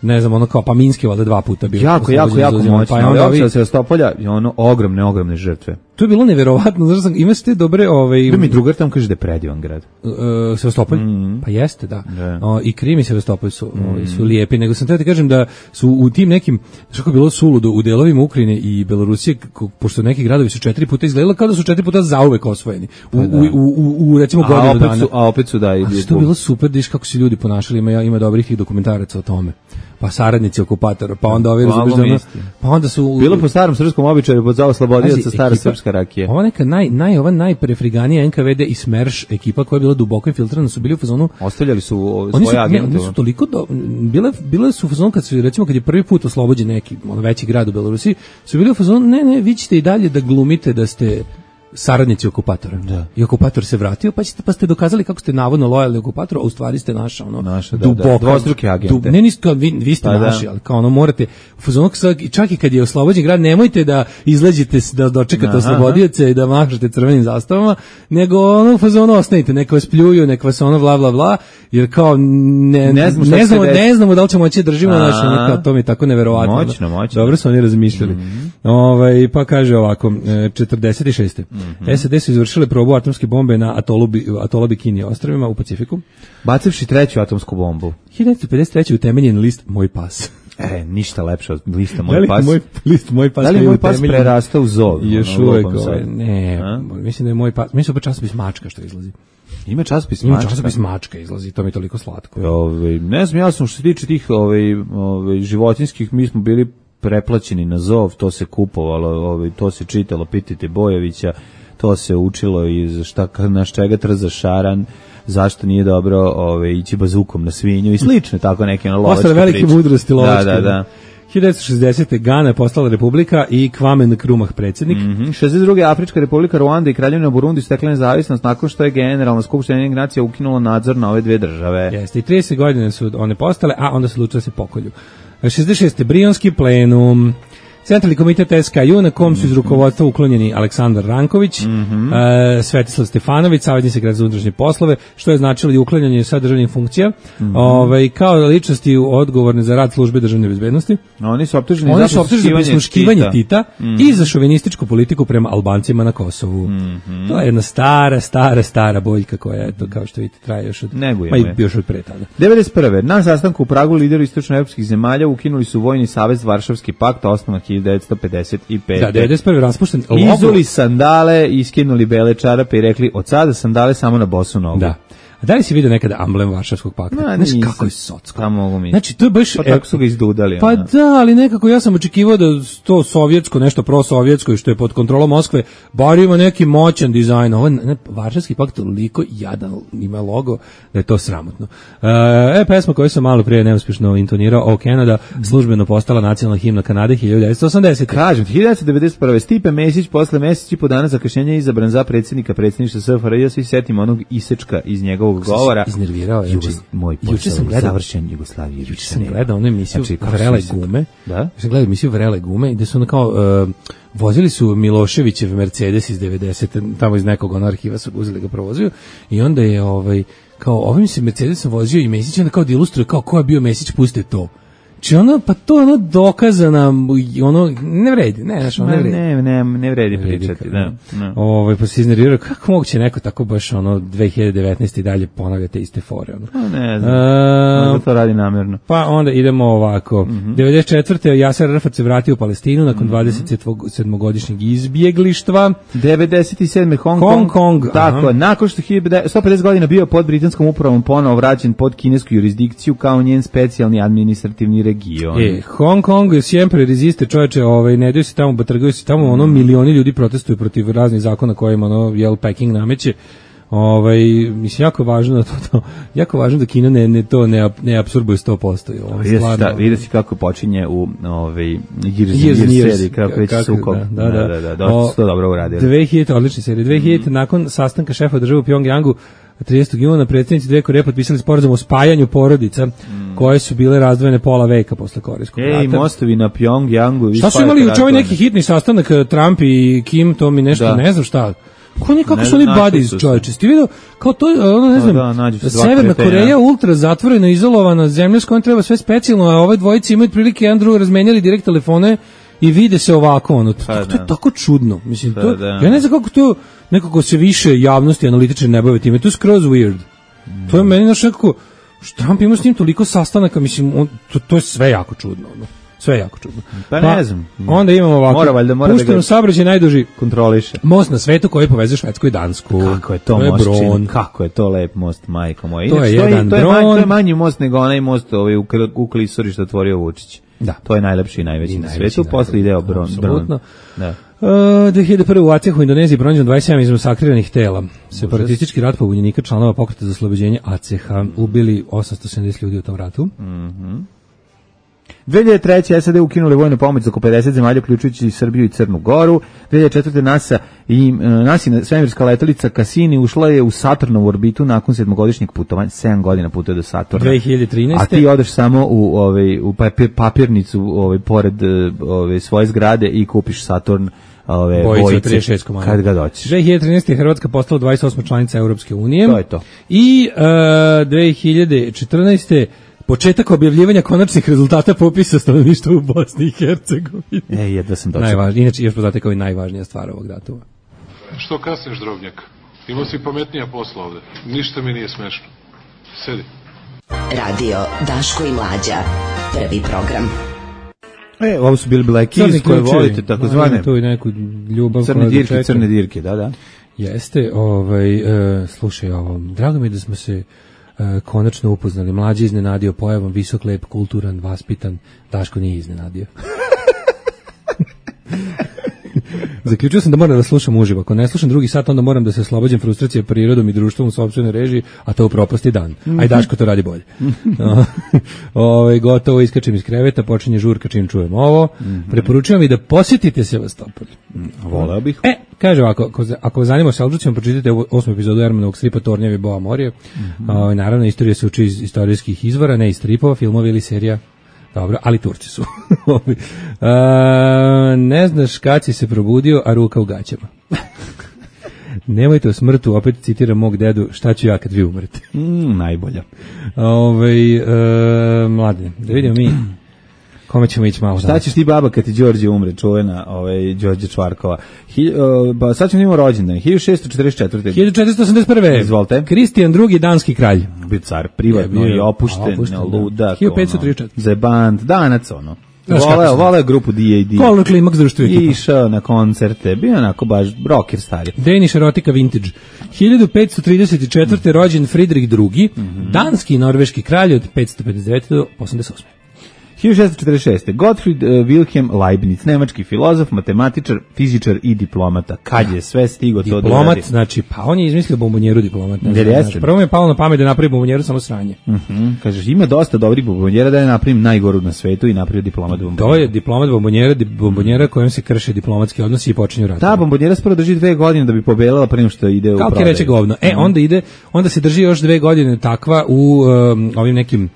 Ne znam, ono kao, pa Minske valjda dva puta bilo. Jako, jako, jako moćno, pa ali opcija Sevastopolja je ono ogromne, ogromne žrtve. to je bilo neverovatno, znači sam imaš te dobre ovaj da mi drugar tamo kaže da je predivan grad. Uh, Sevastopolj? Mm-hmm. Pa jeste, da. Yeah. O, i Krim i Sevastopolj su, mm-hmm. su lijepi, nego sam treba ti kažem da su u tim nekim, što je bilo suludo, u delovima Ukrajine i Belorusije, pošto neki gradovi su četiri puta izgledalo kao da su četiri puta zauvek osvojeni. U, pa da. u, u, u, u recimo a godinu opet dana. Su, a opet su da. A što je bilo super, da iš kako se ljudi ponašali, ima, ima dobrih tih dokumentaraca o tome. Pa saradnici okupatora, pa onda ovi razumiješ, pa onda su bilo po starom srpskom običaju pod za oslobodioca stara srpska rakija. Ova neka naj naj ova najprefriganija N K V D i Smerš ekipa koja je bila duboko infiltrirana, su bili u fazonu, ostavljali su o, svoje su, agente. Oni su toliko do, bile bile su u fazonu kad su recimo kad je prvi put oslobođen neki ono veći grad u Belorusiji, su bili u fazonu ne ne vi ćete i dalje da glumite da ste saradnici okupatora. Da. I okupator se vratio, pa ćete pa ste dokazali kako ste navodno lojalni okupatoru, a u stvari ste naša ono naša, duboka, da, da, dvostruki agente. Dub, ne niste vi, vi ste pa naši, da. Ali kao ono morate u fazonu čak i kad je oslobođen grad, nemojte da izleđete da dočekate oslobodioce i da mašete crvenim zastavama, nego ono u fazonu ostanite, neka vas pljuju, neka vas ono bla bla bla, jer kao ne ne znamo ne znamo, ne znamo da li ćemo moći držimo naš ono kao to mi je tako neverovatno. Moćno, moćno. Dobro su oni razmišljali. Mm-hmm. Ovaj pa kaže ovako četrdeset šeste Mm-hmm. S A D su izvršile probu atomske bombe na atolu, atolu Bikini ostrvima u Pacifiku. Bacivši treću atomsku bombu. hiljadu devetsto pedeset treće utemeljen list Moj pas. E, ništa lepše od lista Moj da pas. Moj list Moj pas. Da li Moj pas prerastao u zov? Još uvek, ne, a? Mislim da je Moj pas, mislim da je časopis Mačka što izlazi. Ima časopis Mačka. Ima časopis Mačka izlazi, to mi je toliko slatko. Ove, ne znam, ja sam što se tiče tih ove, ove, životinskih, mi smo bili preplaćeni na zov, to se kupovalo, ove, to se čitalo, pitajte Bojovića, to se učilo iz šta naš čega trza šaran, zašto nije dobro ove, ići bazukom na svinju i slično, tako neke na lovačke priče. Velike mudrosti lovačke. Da, da, da. hiljadu devetsto šezdesete Gana je postala republika i Kwame Nkrumah predsjednik. Mm-hmm. šezdeset druge Afrička republika Ruanda i Kraljevina Burundi stekla nezavisnost nakon što je Generalna skupština Ujedinjenih nacija ukinula nadzor na ove dve države. Jeste, i trideset godina su one postale, a onda se odlučilo da se pokolju. šezdeset šeste Brionski plenum. Centralni komitet S K U na kom su iz rukovodstva uklonjeni Aleksandar Ranković, mm-hmm. e, Svetislav Stefanović, savjetni sekretar za unutrašnje poslove, što je značilo i uklanjanje sa državnih funkcija, mm-hmm. ovaj, kao ličnosti odgovorne za rad službe državne bezbednosti. Oni su optuženi Oni za su optuženi za prisluškivanje Tita, Tita mm-hmm. i za šovinističku politiku prema Albancima na Kosovu. Mm-hmm. To je jedna stara, stara, stara boljka koja je to, kao što vidite, traje još od, pa i još od pre tada. devedeset prve Na sastanku u Pragu lideri istočnoevropskih zemalja ukinuli su vojni savez Varšavski pakt, osnovan hiljadu devetsto pedeset pete Da, devedeset prve raspušten. Izuli sandale, iskinuli bele čarape i rekli od sada sandale samo na bosu nogu. Da. A da li si vidio nekada amblem Varšavskog pakta? No, znaš kako je socko. Pa mogu mi. Znači, to je baš... Pa tako su ga izdudali. Pa ona. Da, ali nekako ja sam očekivao da to sovjetsko, nešto prosovjetsko i što je pod kontrolom Moskve, bar ima neki moćan dizajn. Ovo ne, Varšavski pakt toliko jadan ima logo da je to sramotno. E, pesma koju sam malo prije neuspješno intonirao, O Canada, službeno postala nacionalna himna Kanade hiljadu devetsto osamdesete Kažem, hiljadu devetsto devedeset prve Stipe Mesić posle mesec i po dana zakašnjenja je izabran za predsjednika predsjedništva S F R J. Ja se setimo onog isečka iz njegovog govora. Iznervirao je. Jugo, moj posao sam gledao, završen Jugoslavije. Juče sam gledao onu emisiju znači, Vrele gume. Da? Sam gledao emisiju Vrele gume gde su ono kao uh, vozili su Miloševićev Mercedes iz devedesete tamo iz nekog ono arhiva su uzeli ga provozio i onda je ovaj kao ovim se Mercedesom vozio i Mesić onda kao da ilustruje kao ko je bio Mesić, puste to. Či ono, pa to ono dokazana, ono, ne vredi, ne, znaš, ono ne vredi. Ne, ne, ne vredi pričati, da. No. Ovo, pa se iznervirao, kako moguće neko tako baš, ono, dve hiljade devetnaeste i dalje ponavlja te iste fore, ono. Pa ne znam, uh, onda to radi namjerno. Pa onda idemo ovako, mm-hmm. devedeset četvrte Jaser Arafat se vratio u Palestinu nakon mm-hmm. dvadeset sedmogodišnjeg izbjeglištva. devedeset sedme Hong, Hong Kong. Kong tako, aha. Nakon što sto pedeset godina bio pod britanskom upravom, ponovo vraćen pod kinesku jurisdikciju kao njen specijalni administrativni region. E, Hong Kong je siempre reziste, čoveče, ovaj, ne daju se tamo, batrgaju se tamo, ono, milioni ljudi protestuju protiv raznih zakona kojima, ono, jel, Peking nameće. Ovaj, mislim, jako važno da to, to jako važno da Kina ne, ne to ne, ne apsorbuje sto posto. Vidi si kako počinje u ovaj, Years and Years seriji, kako već sukob. Da, da, da, da, da, da, da, to dobro uradili. dve hiljade odlične serije. dve hiljade mm. nakon sastanka šefa države u Pjongjangu, tridesetog juna predsjednici dve Koreje potpisali sporazum o spajanju porodica mm. koje su bile razdvojene pola veka posle Korejskog rata. Ej, mostovi na Pjongjangu. Šta su imali juče ovaj neki hitni sastanak Trump i Kim, to mi nešto, da. Ne znam šta. Ko oni, kako ne, su oni buddies, čovječe? Ti vidio, kao to, ono, ne znam, da, da, Severna Koreja ultra zatvorena, izolovana zemlja s kojom treba sve specijalno, a ove dvojice imaju prilike jedan drugo razmenjali direkt telefone i vide se ovako, ono, to, Pa, to je da. tako čudno. Mislim, Pa, to, da. ja ne znam kako to, nekako se više javnosti analitičari ne bave time, to je skroz weird. To je meni naš nekako, što Trump ima s njim toliko sastanaka, mislim, on, to, to je sve jako čudno, ono. Sve jako čudno. Pa ne znam. Onda imamo ovako, Mora valjda, mora da pušteno ga- saobraćaj najduži Kontroliše. most na svetu koji povezuje Švedsku i Dansku. Kako je to, to je most Bron. čin, kako je to lep most, majko moja. To je Inače, jedan to je, manj, Bron. to je manji most nego onaj most ovaj, u, Kl- u Klisuri što otvorio Vučić. Da. To je najlepši i najveći I na najveći, svetu, posle ide Bron. apsolutno. Da. Uh, dve hiljade prve. u Acehu u Indoneziji pronađeno dvadeset sedam izmasakriranih tela. Separatistički rat pobunjenika članova pokreta za oslobođenje Aceha ubili osamsto sedamdeset ljudi u tom ratu. dve hiljade treće. SAD ukinuli vojnu pomoć za oko pedeset zemalja, uključujući i Srbiju i Crnu Goru. dve hiljade četvrte. NASA i uh, NASA svemirska letelica Cassini ušla je u Saturnovu orbitu nakon sedmogodišnjeg putovanja, sedam godina putuje do Saturna. dve hiljade trinaeste. A ti odeš samo u ovaj u papir, papirnicu ovaj pored ovaj svoje zgrade i kupiš Saturn ove Bojice od bojice trideset šest komada. kad ga doćeš. dve hiljade trinaeste. Hrvatska postala dvadeset osma članica Europske unije. To je to. I uh, dve hiljade četrnaeste. početak objavljivanja konačnih rezultata popisa stanovništva u Bosni i Hercegovini. E, jedva sam došao. Najvažnije, inače još poznate kao i najvažnija stvar ovog datuma. Što kasniš, drobnjak? Imao si pametnija posla ovde. Ništa mi nije smešno. Sedi. Radio Daško i Mlađa. Prvi program. E, ovo su bili Black Keys koje volite, tako zvane. Tu i neku ljubav. Crne dirke, crne dirke, da, da. Jeste, ovaj, uh, slušaj ovo, drago mi je da smo se uh, konačno upoznali. Mlađi iznenadio pojavom, visok, lep, kulturan, vaspitan. Daško nije iznenadio. Zaključio sam da moram da slušam uživo. Ako ne slušam drugi sat, onda moram da se oslobađam frustracije prirodom i društvom u sopstvenoj režiji, a to u propasti dan. Aj Daško to radi bolje. Ove, gotovo, iskačem iz kreveta, počinje žurka čim čujem ovo. Preporučujem i da posjetite Sevastopolj. Voleo bih. E, kaže ovako, ako, ako vas zanima Selđucima, pročitajte ovu osmu epizodu Ermanovog stripa Tornjevi Boa Morje. Mm-hmm. O, naravno, istorija se uči iz istorijskih izvora, ne iz stripova, filmovi ili serija. Dobro, ali Turci su. A, ne znaš kad si se probudio, a ruka u gaćama. Nemojte o smrtu, opet citiram mog dedu, šta ću ja kad vi umrete. Mm, najbolja. Ove, e, mladine, da vidimo mi kome ćemo ići malo. Šta ćeš ti baba kad ti Đorđe umre, čuvena, ovaj, Đorđe Čvarkova. Hi, uh, pa sad ćemo imamo rođendan, hiljadu šessto četrdeset četvrte. hiljadu četiristo osamdeset prve. Izvolite. Kristijan drugi, danski kralj. Bio car, privatno Je bio, i opušten, opušten, da. ludak. hiljadu petsto trideset četvrte. Ono, zebant, danac, ono. Znaš kako Voleo, sam. voleo grupu D A D. Kolor klimaks društvo ekipa. Išao na koncerte, bio onako baš rocker stari. Danish erotika vintage. hiljadu petsto trideset četvrte. rođen Fridrik drugi, Mhm. danski i norveški kralj od petsto pedeset devete do osamdeset osme. hiljadu šessto četrdeset šeste. Gottfried uh, Wilhelm Leibniz, nemački filozof, matematičar, fizičar i diplomata. Kad je sve stigo to da Diplomat, uradi? znači, pa on je izmislio bombonjeru diplomat. Ne znam, Jer jeste. znači, prvo mi je palo na pamet da napravi bombonjeru samo sranje. Mhm. Kažeš, ima dosta dobrih bombonjera da je napravim najgoru na svetu i napravio diplomat bombonjera. To je diplomat bombonjera, di- bombonjera kojom se krše diplomatski odnosi i počinju rat. Ta bombonjera skoro drži dve godine da bi pobelila pre nego što ide u Kao ti prodaju. reče govno. E, onda ide, onda se drži još dve godine takva u um, ovim nekim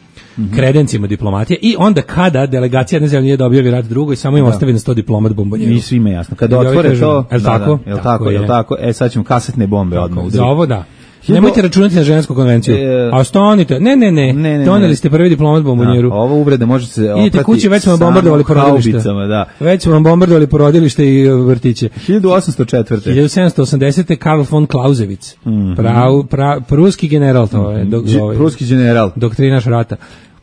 kredencima diplomatije i onda kada delegacija jedne zemlje da objavi rat drugoj, samo im ostavi na sto diplomat bombonjeru. I svima jasno. Kada I ovi otvore kažu, to, jel da, tako? da, jel Tako tako, jel je. tako, e sad ćemo kasetne bombe odmah udariti. Za ovo da. Hiljadu- Nemojte računati na žensku konvenciju. E, A ostanite. Ne, ne, ne. ne, ne, Doneli ne. ste prvi diplomat bombonjeru. Da, ovo uvrede može se Idite oprati kući, već smo vam samo bombardovali porodilište. haubicama, da. Već smo vam bombardovali porodilište i uh, vrtiće. hiljadu osamsto četvrte. hiljadu sedamsto osamdesete. Karl von Clausewitz. Prav, pra, pruski general, to je. Dok, Dž- ovaj, Pruski general. doktrinaš rata.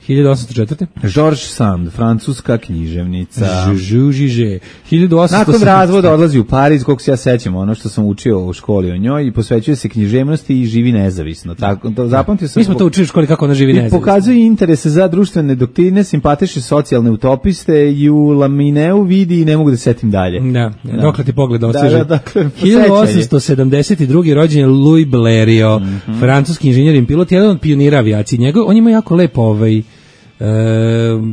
hiljadu osamsto četvrte. Georges Sand, francuska književnica. Žužiže. hiljadu osamsto Nakon osamdeset. razvoda odlazi u Pariz, koliko se ja sećam, ono što sam učio u školi o njoj, i posvećuje se književnosti i živi nezavisno. Tako, to, zapamtio sam. Mi smo to učili u školi kako ona živi I nezavisno. pokazuje interese za društvene doktrine, simpatiše socijalne utopiste i u Lamineu vidi i ne mogu da setim dalje. Da, Da. dokle ti pogled Da, ostiže. da, dakle, hiljadu osamsto sedamdeset druge. rođen je Louis Blériot, Mhm. francuski inženjer i pilot, jedan od pionira avijacije. Njegov, on ima jako lepo ovaj, e,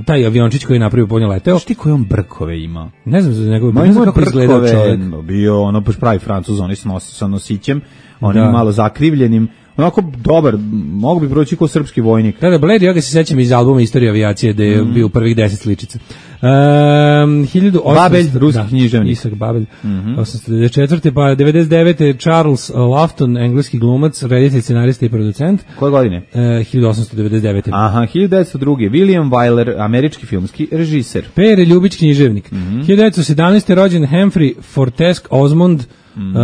taj aviončić koji je napravio po njoj leteo. Znaš ti koje on brkove ima? Ne znam za njegove, Ma ne znam ima kako izgledao brkove, čovjek. bio ono baš pravi Francuz, oni s, nos, sa nosićem, onim Da. malo zakrivljenim, onako dobar, mogu bi proći kao srpski vojnik. Da, da, Blériot, ja ga se sećam iz albuma Istorija avijacije, da je bio u prvih deset sličica. Um, hiljadu osamsto Babelj, ruski da, književnik. Isak Babelj. Mm-hmm. osamsto devedeset četvrte pa devedeset devete Charles Laughton, engleski glumac, reditelj, scenarista i producent. Koje godine? Uh, hiljadu osamsto devedeset devete Aha, hiljadu devetsto druge. William Wyler, američki filmski režiser. Pere Ljubić, književnik. Mm-hmm. hiljadu devetsto sedamnaeste rođen Humphrey Fortesque Osmond, mm-hmm.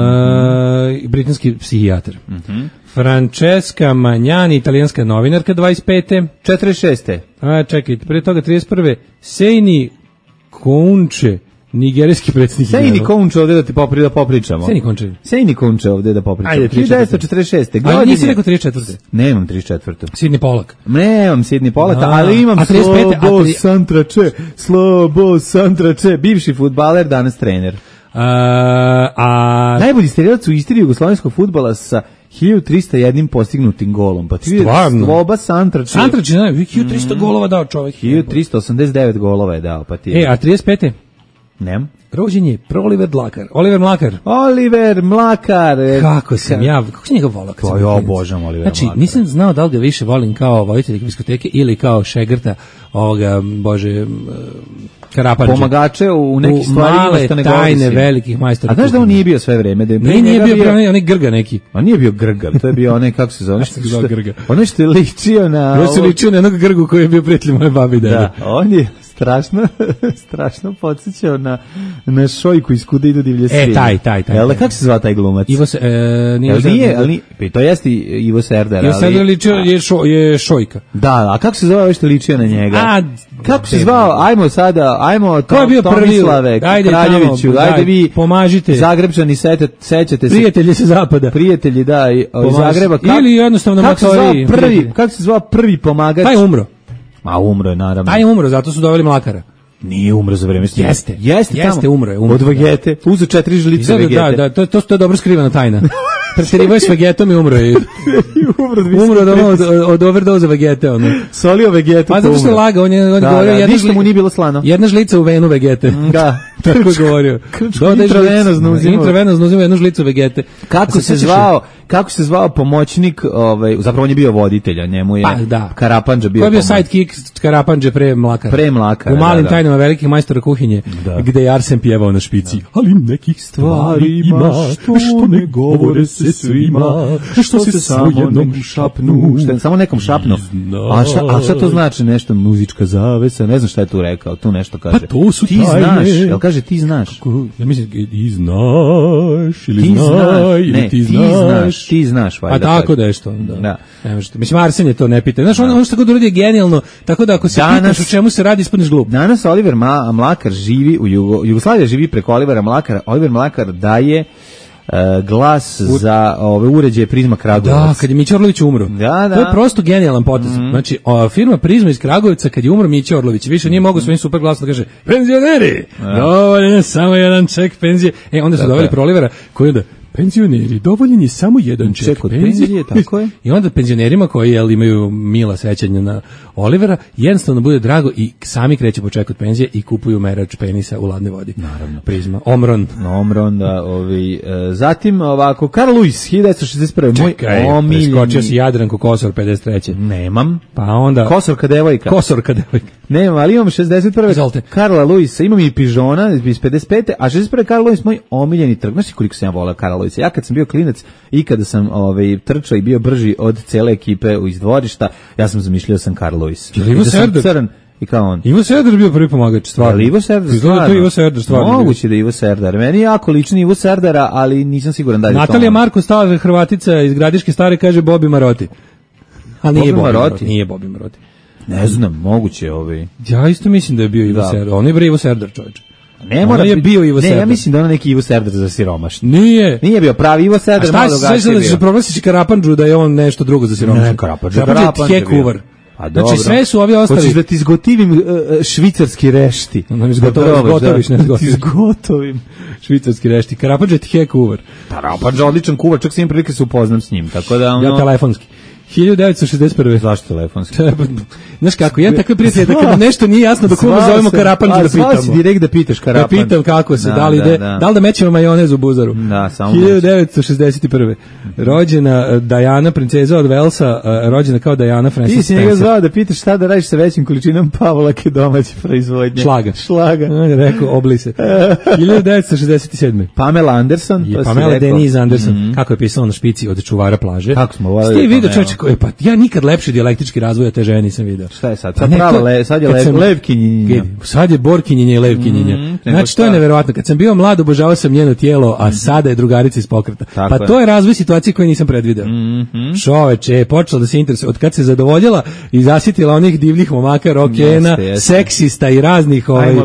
uh, britanski psihijatar. Mm-hmm. Francesca Magnani, italijanska novinarka, dvadeset pete četrdeset šeste A, čekajte, pre toga trideset prve Seini Kounče, nigerijski predsjednik. Sejni Konče ovde da ti popri, da popričamo. Sejni Konče. Sejni Konče ovde da popričamo. Ajde, hiljadu devetsto četrdeset šeste Ali nisi rekao trideset četvrte Nemam trideset četvrte Sidney Pollack. Nemam Sidney Pollack, A, ali imam a trideset pete a Slobo tri- Santrače, Slobo Santrače, bivši fudbaler, danas trener. A, a Najbolji strelac u istoriji jugoslovenskog fudbala sa hiljadu trista jedan postignutim golom. Pa ti vidiš, Stvarno? Sloba Santrače. Santrač je hiljadu trista golova dao čovjek. hiljadu trista osamdeset devet golova je dao, pa ti. E, a trideset pete Nem. rođen je Oliver Mlakar. Oliver Mlakar. Oliver Mlakar. e, Kako sam ja, kako sam njega volao kad To sam ja bio klinac. obožavam Olivera Znači, Mlakara. nisam znao da li ga više volim kao voditelja diskoteke ili kao šegrta ovoga, bože, m, Karapanđe. Pomagače u nekih U stvarima male što ne tajne govori. velikih majstora. A znaš da on kuhinje. nije bio sve vreme? Da je pre Ne, nije njega bio, bio onaj, onaj grga neki. On nije bio grgav, to je bio onaj, kako se zove, onaj što, se zove grga? onaj što je ličio na... Još se ovo- ličio na jednog grgu koji je bio prijatelj moje babi i dede. Da, on je strašno, strašno podsjećao na, na Šojku iz Kuda idu divlje svinje. taj, taj, taj, Jel da, taj. kako se zva taj glumac? Ivo se, e, nije, Jel nije, Serdar- ali nije, pa to jeste Ivo Serdar, Ivo ali... Serdar ličio je, šo, je Šojka. Da, a kako se zove ovaj što ličio na njega? A, kako se debil. zvao? Ajmo sada, ajmo Ko je bio prvi? Tomislave, Ajde Kraljeviću, tamo, ajde daj, vi, pomažite. Zagrebčani, sete, sećate se. Prijatelji sa zapada. Prijatelji, da, i- iz Pomaž- Zagreba. Kak- Ili jednostavno kako se zvao matori, prvi, prijatelji. kako se zvao prvi pomagač? Taj je umro. Ma umro je, naravno. Taj je umro, zato su doveli Mlakara. Nije umro za vreme snimanja. Jeste. Jeste, Jeste, tamo. umro je, umro. Od vegete. Uzo četiri žlice Izgleda, vegete. da, da, to, to, to je dobro skrivana tajna. Preterivao je s vegetom i umro je. umro, Umro od, ono, od, od overdoza vegete. Ono. Solio vegetu. Pa zato što je lagao, on je, on je Da, govorio da, jedna, ništa mu nije bilo slano. jedna žlica u venu vegete. Da. Tako je govorio. Dodaj intravenozno žlicu- uzimao. Intravenozno uzimao jednu žlicu vegete. Kako A se sećaš zvao, kako se zvao pomoćnik, ovaj, zapravo on je bio voditelj, a njemu je Pa, da. Karapanđa bio Ko je bio pomoćnik. sidekick Karapanđe pre Mlakara? Pre Mlakara, U malim da, da. tajnama velikih majstora kuhinje, Da. gde je Arsen pjevao na špici. Ali nekih stvari ima, što ne govore se svima, što se samo jednom šapnu. Šta je, samo nekom šapnu. A šta, a šta to znači nešto, muzička zavesa, ne znam šta je tu rekao, tu nešto kaže. Pa to su ti tajne. znaš, jel kaže ti znaš? Ko- Ja mislim, ti znaš, ili Ti znaj, znaš, ili ne, ti ti znaš. znaš, ti znaš, A valjda tako kaže. da je što. Da. Da. Ne možete. Mislim, Arsen je to ne pita. Znaš, ono, ono što god uradi je genijalno, tako da ako se Danas- pitaš o čemu se radi, ispadneš glup. Danas Oliver Ma, Mlakar živi u Jugo, Jugoslavija živi preko Olivera Mlakara. Oliver Mlakar daje e, glas za ove uređaje Prizma Kragujevac. Da, kad je Mića Orlović umro. Da, da. To je prosto genijalan potez. Mm. Znači, o, firma Prizma iz Kragujevca, kad je umro Mića Orlović, više nije mogao svojim super glasom da kaže penzioneri, dovoljen je samo jedan ček penzije. E, onda su Tako doveli je. Prolivera koji onda penzioneri, dovoljen je samo jedan ček, Ček od penzije, tako je. I onda penzionerima koji jel, imaju mila sećanja na Olivera, jednostavno bude drago i sami kreće po ček od penzije i kupuju merač penisa u ladnoj vodi. Naravno. Prizma. Omron. Omron, da, ovi, e, zatim ovako, Carl Lewis, hiljadu devetsto šezdeset prve. Moj Čekaj, omiljeni. preskočio si Jadranku Kosor pedeset treće Nemam. Pa onda... Kosorka devojka. Kosorka devojka. Nemam, ali imam šezdeset prve. Izvolite. Karla Lewisa, imam i Pižona iz pedeset pete. A šezdeset prve. Karl Lewis, moj omiljeni trk. Znaš ti koliko sam ja volao Karla Lewisa? Ja kad sam bio klinac i kada sam ovaj, trčao i bio brži od cele ekipe iz dvorišta, ja sam zamišljao sam Karl Lewis. Je li Ivo I da sam Serdar? crn i kao on. Ivo Serdar bio prvi pomagač, stvarno. Ali Ivo Serdar Izgleda stvarno. to Ivo Serdar stvarno. Moguće da je Ivo Serdar. Meni je jako lični Ivo Serdara, ali nisam siguran da je to Natalija on. Marko Stava, Hrvatica iz Gradiške Stare, kaže Bobi Maroti. Ali nije Bobi Bobi Maroti? Maroti. Nije Bobi Maroti. Ne znam, moguće ovaj. Ja isto mislim da je bio Ivo Da. Serdar. On je bre Ivo Serdar, čovječe. Ne mora je biti- bio Ivo Ne, Serdar. ja mislim da on neki Ivo Serdar za siromašni. Nije. Nije bio pravi Ivo A Serdar, šta malo se drugačije sve da se bio. proglasiš Karapanđu da je on nešto drugo za siromašne? Ne, Karapanđa, Karapanđa Karapanđa je bio. tjekuvar. A dobro. Znači sve su ovi ostali. Hoćeš da ti izgotivim uh, švicarski rešti. No, ne Da to izgotoviš, probaš, izgotoviš, da. ne Da ti izgotoviš. izgotovim. Švicarski rešti. Karapanđa je tjekuvar. Karapanđa, odličan kuvar, čak sam imam prilike se upoznam s njim, tako da ono... Ja telefonski. hiljadu devetsto šezdeset prve. Zašto telefonski? Znaš kako, ja tako prijatelj da kada nešto nije jasno da kuma zovemo Karapan da pitamo. Zvao si direkt da pitaš Karapan. Da pitam kako se, da, da li da, ide, da. da li da mećemo majonez u buzaru. Da, samo hiljadu devetsto šezdeset prve. Rođena Diana, princeza od Velsa, rođena kao Diana Francis Ti si njega Spencer. zvao da pitaš šta da radiš sa većim količinom pavlake domaće proizvodnje. Šlaga. Šlaga. On je rekao, obli se. hiljadu devetsto šezdeset sedme. Pamela Anderson. Je Pamela Denise Anderson. Mm-hmm. Kako je pisala na špici od čuvara plaže. Kako smo voleli. Ste vidio čoveče koji pa ja nikad lepši dijalektički razvoj te žene nisam video. Šta je sad? Sad prava le, sad je lev, levkinjinja. Sad je borkinjinja i levkinjinja. Mm, znači to je neverovatno. Kad sam bio mlad obožavao sam njeno tijelo, a sada je drugarica iz pokreta. Tako pa je. To je razvoj situacije koju nisam predvideo. Mm-hmm. Čoveče, počela da se interesuje od kad se zadovoljila i zasitila onih divljih momaka, rokena, jeste, jeste. Seksista i raznih ovaj.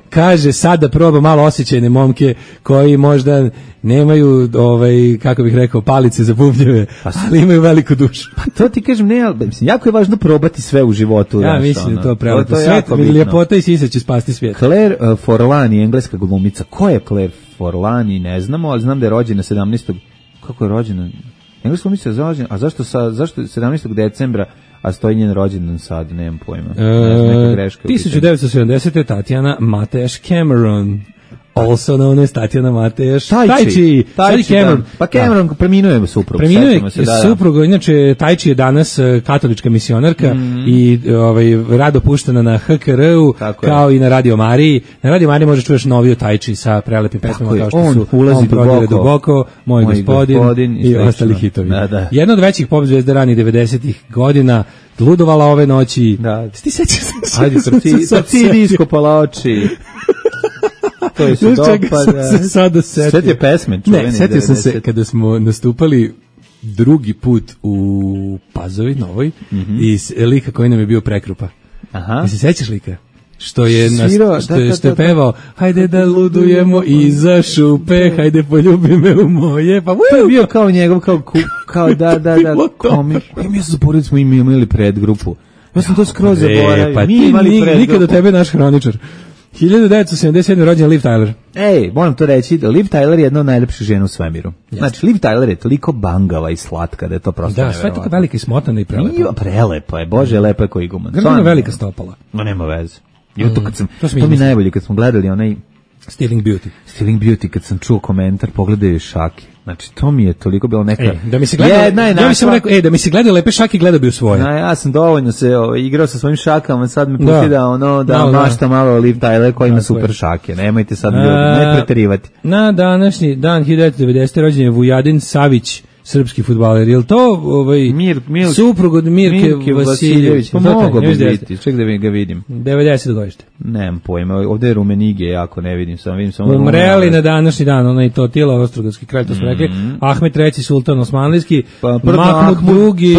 Kaže sad da proba malo osjećajne momke koji možda nemaju, ovaj, kako bih rekao, palice za bubnjeve, pa, ali imaju veliku dušu. Pa to ti kažem, ne, mislim, jako je važno probati sve u životu. Ja mislim da to prelepo. Svet, ljepota i sisa će spasti svijet. Claire uh, Forlani, engleska glumica. Ko je Claire Forlani? Ne znamo, ali znam da je rođena sedamnaestog Kako je rođena? Engleska glumica je rođena, a zašto, sa, zašto sedamnaestog decembra, a stoji njen rođendan sad, nemam pojma. Ne znam, neka greška. hiljadu devetsto sedamdesete. Tatjana Mateš Cameron. Also known as Tatjana Mateš. Tajči. Tajči Cameron. Pa Cameron preminuo je suprug. Preminuo je suprug, inače Tajči je danas katolička misionarka mm. i ovaj, rado puštena na H K R-u, kao i na Radio Mariji. Na Radio Mariji možeš čuješ noviju Tajči sa prelepim pesmama kao što on su ulazi On prodire duboko, duboko, Moj, moj gospodin, gospodin i, i ostali hitovi. Da, da. Jedna od većih pop zvezda ranih devedesetih godina, ludovala ove noći. Da. Ti sećaš se? Ajde, srci iskopala oči. To je se dopada. Se sada setio. Setio pesme. Ne, setio sam se kada smo nastupali drugi put u Pazovi Novoj mm-hmm. i lika koji nam je bio Prekrupa. Aha. I se sećaš lika? Što je, nas, Sviro, što, da, je, da, što je da, pevao, hajde da ludujemo iza šupe, hajde poljubi me u moje, pa to je bio kao njegov, kao, kao da, da, da, komik. Pa mi ja sam zaboravili smo im imali predgrupu. Ja sam to skroz zaboravio. Pa mi imali predgrupu. Nikad do tebe naš hroničar. hiljadu devetsto sedamdeset sedme. rođen Liv Tyler. Ej, moram to reći, Liv Tyler je jedna od najlepših žena u svemiru. Yes. Znači, Liv Tyler je toliko bangava i slatka da je to prosto da, sve je tako velika i smotana i prelepa. Nije, prelepa je, bože, lepa je ko iguman. Grano velika stopala. No, nema veze. I to kad sam, mm, to, to mi najbolje, kad smo gledali onaj Stealing Beauty. Stealing Beauty, kad sam čuo komentar, pogledaju šake. Znači, to mi je toliko bilo neka... E, da mi se gleda, jedna je našla... Ja sam rekao, e, da mi se gleda lepe šake, gleda bi u svoje. Na, ja sam dovoljno se o, igrao sa svojim šakama, sad me pusti da, da ono, da no, mašta malo Liv Tyler koji ima super šake. Nemojte sad ljudi, ne preterivati. Na današnji dan hiljadu devetsto devedesete. rođen je Vujadin Savić, srpski fudbaler. Je li to ovaj, Mir, Mil, suprug od Mirke, Mirke Vasiljević? Pa mogo bi biti, ček da ga vidim. devedeset godište. Nemam pojma, ovdje je Rumenige, jako ne vidim, samo vidim samo Umreli na današnji dan, onaj to Tila, Ostrogarski kralj, to smo mm-hmm. rekli, Ahmet treći. sultan Osmanlijski, pa, Mahmud drugi.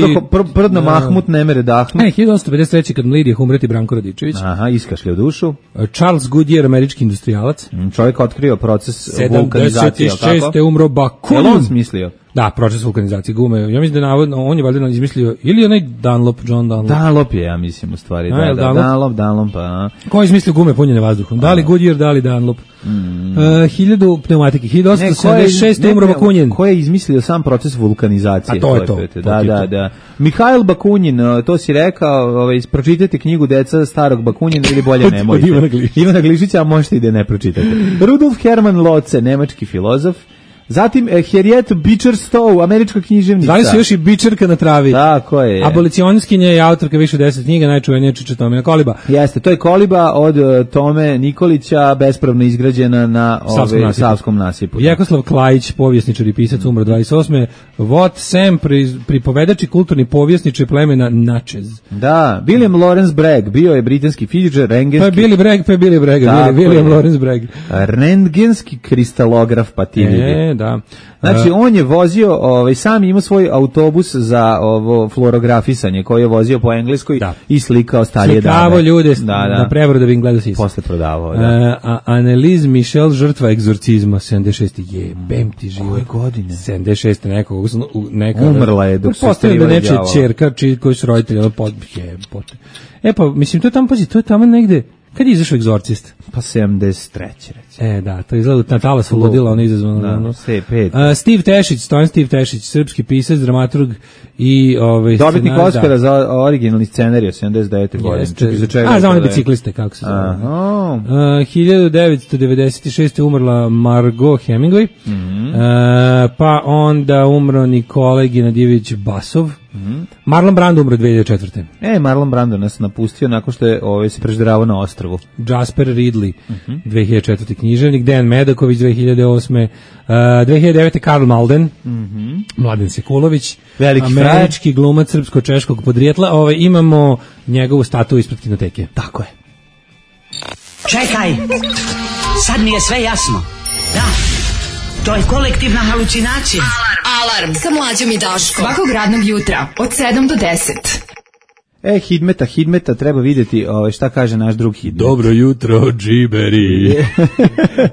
Prdno Mahmud, ne mere Dahmut. Ne, hiljadu osamsto pedeset treće. kad Lidija umreti Branko Radičević. Aha, iskašlja dušu. Charles Goodyear, američki industrijalac. Mm, čovjek otkrio proces vulkanizacije, sedamdeset šeste. umro Bakunin. Je on smislio? Da, proces vulkanizacije gume. Ja mislim da navodno on je valjda izmislio ili onaj Dunlop, John Dunlop. Dunlop je, ja mislim u stvari. Da, da, Dunlop, Dunlop, Dunlop pa. Ko je izmislio gume punjene vazduhom? Da li Goodyear, da li Dunlop? Mm. Uh, hiljadu pneumatike, hiljadu osamsto sedamdeset šeste. umro Bakunin. Ko je izmislio sam proces vulkanizacije? A to je to. to. Da, da, da. Mihajl Bakunin, to si rekao, ovaj, pročitajte knjigu Deca starog Bakunina ili bolje nemojte. Od Ivana Glišića. Ivana Glišića, a možete i da ne pročitate. Rudolf Hermann Lotze, nemački filozof. Zatim eh, Harriet Beecher Stowe, američka književnica. Zvali su još i Bičerka na travi. Da, ko je? Abolicionistkinja i autorka više od deset knjiga, najčuvenija Čiča Tomina Koliba. Jeste, to je Koliba od uh, Tome Nikolića, bespravno izgrađena na Savskom nasipu. Savskom nasipu. Jekoslav Klajić, povjesničar i pisac, umro dvadeset osme. Vot Sam, pri, pripovedač i kulturni povjesničar plemena Natchez. Da, William Lawrence Bragg, bio je britanski fizičar, rentgenski... Pa je Billy Bragg, pa je Billy Bragg, William Lawrence Bragg. Rentgenski kristalograf, pa ti vidi. E, da. Znači, on je vozio, ovaj, sam imao svoj autobus za ovo fluorografisanje, koji je vozio po Engleskoj da. I slikao starije dame. Slikavo ljude da, da. na prevodu da bi im gledao sisa. Posle prodavao, da. Uh, Anneliese Michel, žrtva egzorcizma, sedamdeset šeste. Jebem ti život. Koje godine? sedamdeset šeste. nekog, neka... Umrla je dok se postavljeno da nečija čerka, čiji koji su roditelji, ono pod... Jebote. E pa, mislim, to je tamo, pazi, to je tamo negde... Kad je izašao Egzorcist? Pa sedamdeset treće recimo. E, da, to izgleda na talasu ludila, ono izazvano. Da, ono. sve pet. Uh, Steve Tešić, Stojan Steve Tešić, srpski pisac, dramaturg i ovaj dobitnik scenar, Oskara da. za originalni scenarij sedamdeset devete godine. Jeste. Za čega? A, za one bicikliste, kako se zove. Aha. Uh, hiljadu devetsto devedeset šeste umrla Margot Hemingway, Mhm. uh, pa onda umro Nikola Genadijević Basov, Mhm. Marlon Brando umro dve hiljade četvrte. E, Marlon Brando nas napustio nakon što je ovaj, se prežderavao na ostrvu. Jasper Ridley, Mhm. dve hiljade četvrte književnik, Dejan Medaković, dve hiljade osme. Uh, dve hiljade devete Karl Malden, Mhm. Mladen Sekulović, Veliki američki glumac srpsko-češkog podrijetla. Ovaj, imamo njegovu statu ispred kinoteke. Tako je. Čekaj, sad mi je sve jasno. Da, to je kolektivna halucinacija. Alarm sa mlađom i Daškom. Svakog radnog jutra od sedam do deset. E, Hidmeta, Hidmeta, treba vidjeti ovaj, šta kaže naš drug Hidmet. Dobro jutro, džiberi.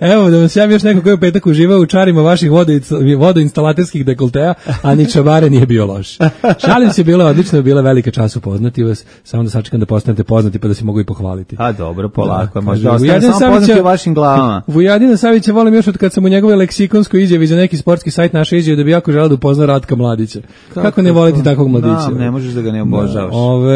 Evo, da vam se javim još neko koji je u petak uživao u čarima vaših vodoinst- vodoinstalaterskih dekolteja, a ni čabare nije bio loš. Šalim se, bilo je odlično, bila je velika čast upoznati vas, samo da sačekam da postanete poznati pa da se mogu i pohvaliti. A dobro, polako, Da, možda kaže, ostane Vujadin samo poznati Savića- u vašim glavama. Vujadina Savića volim još od kad sam u njegove leksikonskoj izjavi za neki sportski sajt naše izjave da bi jako želeo da upozna Ratka Mladića. Kako, ne voliti takvog mladića? Da, ne možeš da ga ne obožavaš. Ove,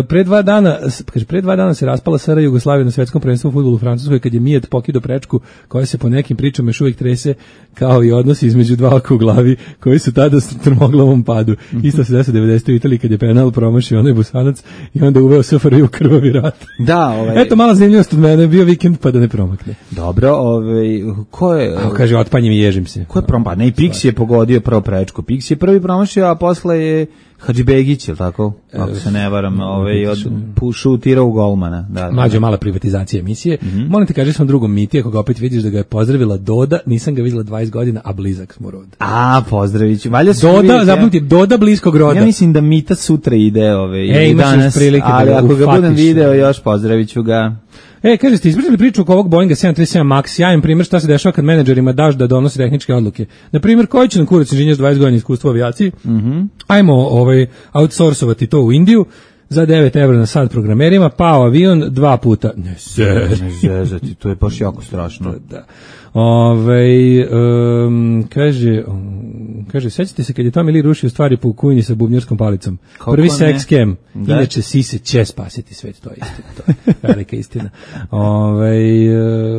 pre dva dana, s- kaže, pre dva dana se raspala S R Jugoslavija na svetskom prvenstvu u fudbalu u Francuskoj kad je Mijat pokido prečku koja se po nekim pričama još uvijek trese kao i odnosi između dva oka u glavi koji su tada s trmoglavom padu. Isto se desilo devedesete u Italiji kad je penal promašio onaj Busanac i onda uveo S F R J u krvavi rat. Da, ovaj... Eto, mala zanimljivost od mene, bio vikend pa da ne promakne. Dobro, ovaj, ko je... A kaže, otpanjem i ježim se. Ko je prom... Pa ne, i Pix je pogodio prvo prečku. Pix je prvi promašio, a posle je Hadžibegić, je li tako? Ako se ne varam, ovaj, od, pu- šutirao u golmana. Da, da, Mlađo, da. mala privatizacija emisije. Molim te, kaži svom drugom Miti, ako ga opet vidiš da ga je pozdravila Doda, nisam ga vidjela dvadeset godina, a blizak smo rod. A, pozdravić. Valja se Doda, vidjeti, zapamti, Doda bliskog roda. Ja mislim da Mita sutra ide ove, E, i imaš još danas, prilike da ali ga ako ga budem ufatiš. video još pozdravit ću ga. E, kaže, ste ispričali priču oko ovog Boeinga sedam trideset sedam Max, sjajan primjer šta se dešava kad menadžerima daš da donose tehničke odluke. Na primjer, koji će nam kurac inženjer s dvadeset godina iskustva u avijaciji? Ajmo ovaj, outsourcovati to u Indiju za devet evra na sad programerima, pao avion dva puta. Ne, se. Ne zezati, to je baš jako strašno. Da. Ove, um, kaže, um, kaže, sećate se kad je Tommy Lee rušio stvari po kujni sa bubnjarskom palicom. Kako Prvi ne? sex scam. Da. Inače, sise će spasiti svet, to je istina. To je velika istina. Ove,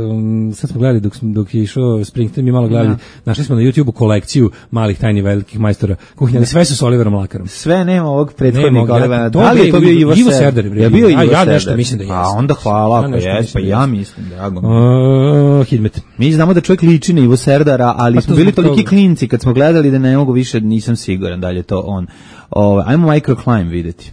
um, sad smo gledali dok, smo, dok je išao Springsteen, mi malo gledali, našli smo na YouTubeu kolekciju malih tajni velikih majstora kuhinja, ali sve su s Oliverom Lakarom. Sve nema ovog Nema prethodnika. ovog, Olivera. ja- to Da li je je to bio Ivo- Ivo Ivo Serdar? Serdar, bre. Je bio A, Ivo ja Serdar? nešto mislim da jeste. A onda hvala Ja ako nešto jeste, mislim pa da ja jeste. mislim, drago mi je. Uh, Hidmet. Mi znamo da čovjek liči na Ivo Serdara, ali Pa smo to bili zbog toliki toga. klinci kad smo gledali da ne mogu više, nisam siguran da li je to on. O, ajmo Microclimb vidjeti.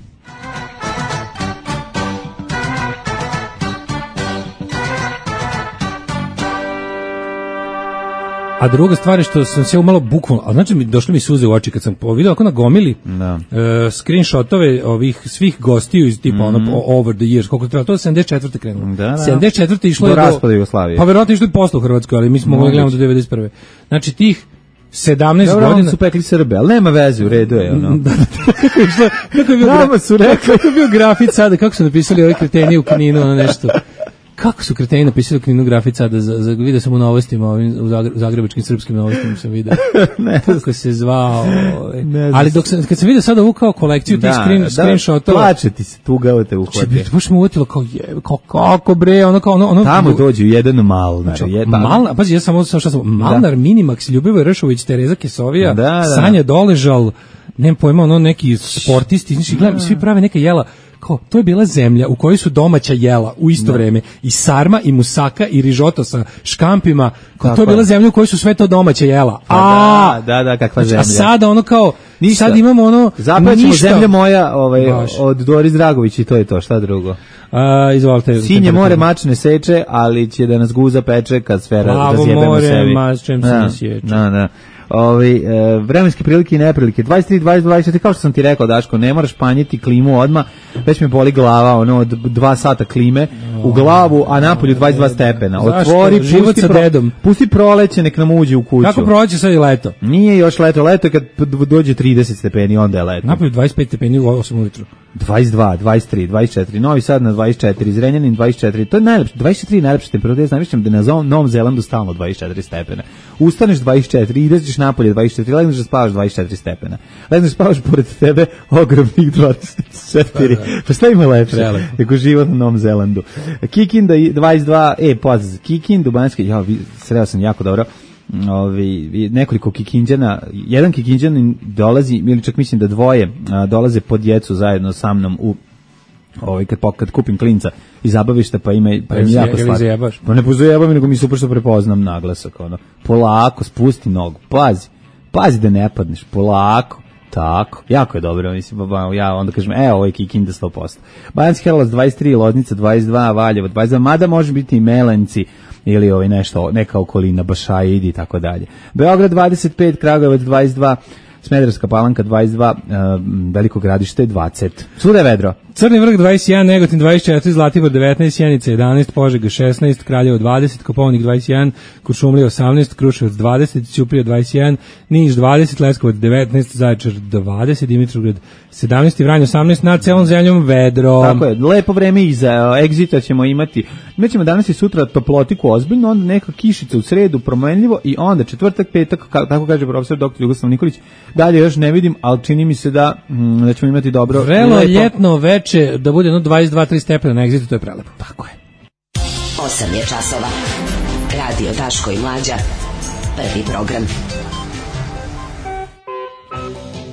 A druga stvar je što sam se umalo bukvalno, a znači mi došli mi suze u oči kad sam vidio ako na gomili Da. e, screenshotove ovih svih gostiju iz tipa ono o- over the years, koliko je trebalo, to je sedamdeset četvrte krenulo. Da, da. sedamdeset četvrte išlo Do je raspada Jugoslavije. Pa verovatno išlo i posle u Hrvatskoj, ali mi smo mogli Moguće. gledamo do devedeset prve. Znači tih sedamnaest Dobro, godina oni su pekli Srbe, ali nema veze, u redu je. Ono. kako je išlo, kako je bio Nama gra- su rekli. kako je bio grafit sada, kako su napisali ovi kreteni u Kninu, ono nešto. Kako su kreteni napisali u Kninu grafit sada, za, za, vidio sam u novostima, ovim, u Zagre- u zagrebačkim srpskim novostima sam vidio. Ne Kako se zvao. ovaj. Ne znam. Ali dok sam, kad sam vidio sada ovu kao kolekciju tih screen, screenshotova, plače ti se, tuga te će uhvate. biti, baš me uvjetilo kao je, kao kako bre, ono kao ono, ono Tamo dođu jedan Malnar. Je, pa- Malnar, pazi, ja sam ovo šta sam, Malnar, Minimax, Ljubivoje Ršović, Tereza Kesovija, Da, da. Sanja Doležal, nemam pojma, ono neki sportisti, znači gledam, svi prave neka jela, kao, to je bila zemlja u kojoj su domaća jela u isto vreme, i sarma, i musaka, i rižoto sa škampima, kao, to Tako je bila je. zemlja u kojoj su sve to domaća jela. Pa A, da, da, da, kakva znači, a zemlja. sada ono kao, Ništa. sad imamo ono, Zapravo ćemo ništa. zemlja moja ovaj, Baš. od Doris Dragović i to je to, šta drugo. A, izvolite. Sinje more mačne seče, ali će da nas guza peče kad sve ra- Plavo razjebemo more, sebi. mačem se Da, ne sječe. Da, da. Ovi, e, vremenske prilike i neprilike dvadeset tri, dvadeset, dvadeset četiri, kao što sam ti rekao, Daško, ne moraš panjiti klimu odmah, već me boli glava, ono, od dva sata klime u glavu, a napolju dvadeset dva stepena. Zašto? Otvori, Život pusti, sa pro, dedom. pusti proleće, nek nam uđe u kuću. Kako prođe sad i leto? Nije još leto, leto je kad p- dođe trideset stepeni, onda je leto. Napolju dvadeset pet stepeni u osam ujutru. dvadeset dva, dvadeset tri, dvadeset četiri, Novi Sad na dvadeset četiri, Zrenjanin dvadeset četiri, to je najlepše, dvadeset četiri je najlepša temperatura, ja znam da je na Novom Zelandu stalno dvadeset četiri stepena. Ustaneš dvadeset četiri, ideš napolje dvadeset četiri, legneš da spavaš dvadeset četiri stepena. Legneš da spavaš pored tebe ogromnih dvadeset četiri. Pa, da. Pa šta ima lepše nego život na Novom Zelandu? Kikinda dvadeset dva, e, pozdrav, Kikinda, Banjski, ja, sreo sam jako dobro. Ovi, nekoliko Kikinđana, jedan Kikinđanin dolazi, ili čak mislim da dvoje a, dolaze po djecu zajedno sa mnom u ovaj kad kad kupim klinca iz zabavišta, pa ima pa mi jako slatko. Pa ne pozujebam, nego mi super što prepoznam naglasak, ono. Polako spusti nogu. Pazi. Pazi da ne padneš. Polako. Tako. Jako je dobro, mislim, ja onda kažem, e, ovo je Kikinda sto posto. Banjski Karlovac dvadeset tri, Loznica dvadeset dva, Valjevo dvadeset dva, mada može biti i Melenci ili ovaj nešto, neka okolina, Bašaidi i tako dalje. Beograd dvadeset pet, Kragujevac dvadeset dva, Smederevska Palanka dvadeset dva, uh, Veliko Gradište dvadeset. Svuda je vedro. Crni vrh dvadeset jedan, Negotin dvadeset četiri, Zlatibor devetnaest, Sjenica jedanaest, Požega šesnaest, Kraljevo dvadeset, Kopaonik dvadeset jedan, Kuršumlija osamnaest, Kruševac dvadeset, Ćuprija dvadeset jedan, Niš dvadeset, Leskovac devetnaest, Zaječar dvadeset, Dimitrovgrad sedamnaest i Vranje osamnaest, nad celom zemljom vedro. Tako je, lepo vreme iza Exita ćemo imati. Mi ćemo danas i sutra toplotiku ozbiljno, onda neka kišica u sredu, promenljivo i onda četvrtak, petak, tako kaže profesor doktor Jugoslav Nikolić. Dalje još ne vidim, ali čini mi se da, mm, da ćemo imati dobro. Vrelo ljetno veče, da bude no dvadeset dva tri stepena na Exitu, to je prelepo. Tako je. osam je časova. Radio Daško i Mlađa. Prvi program.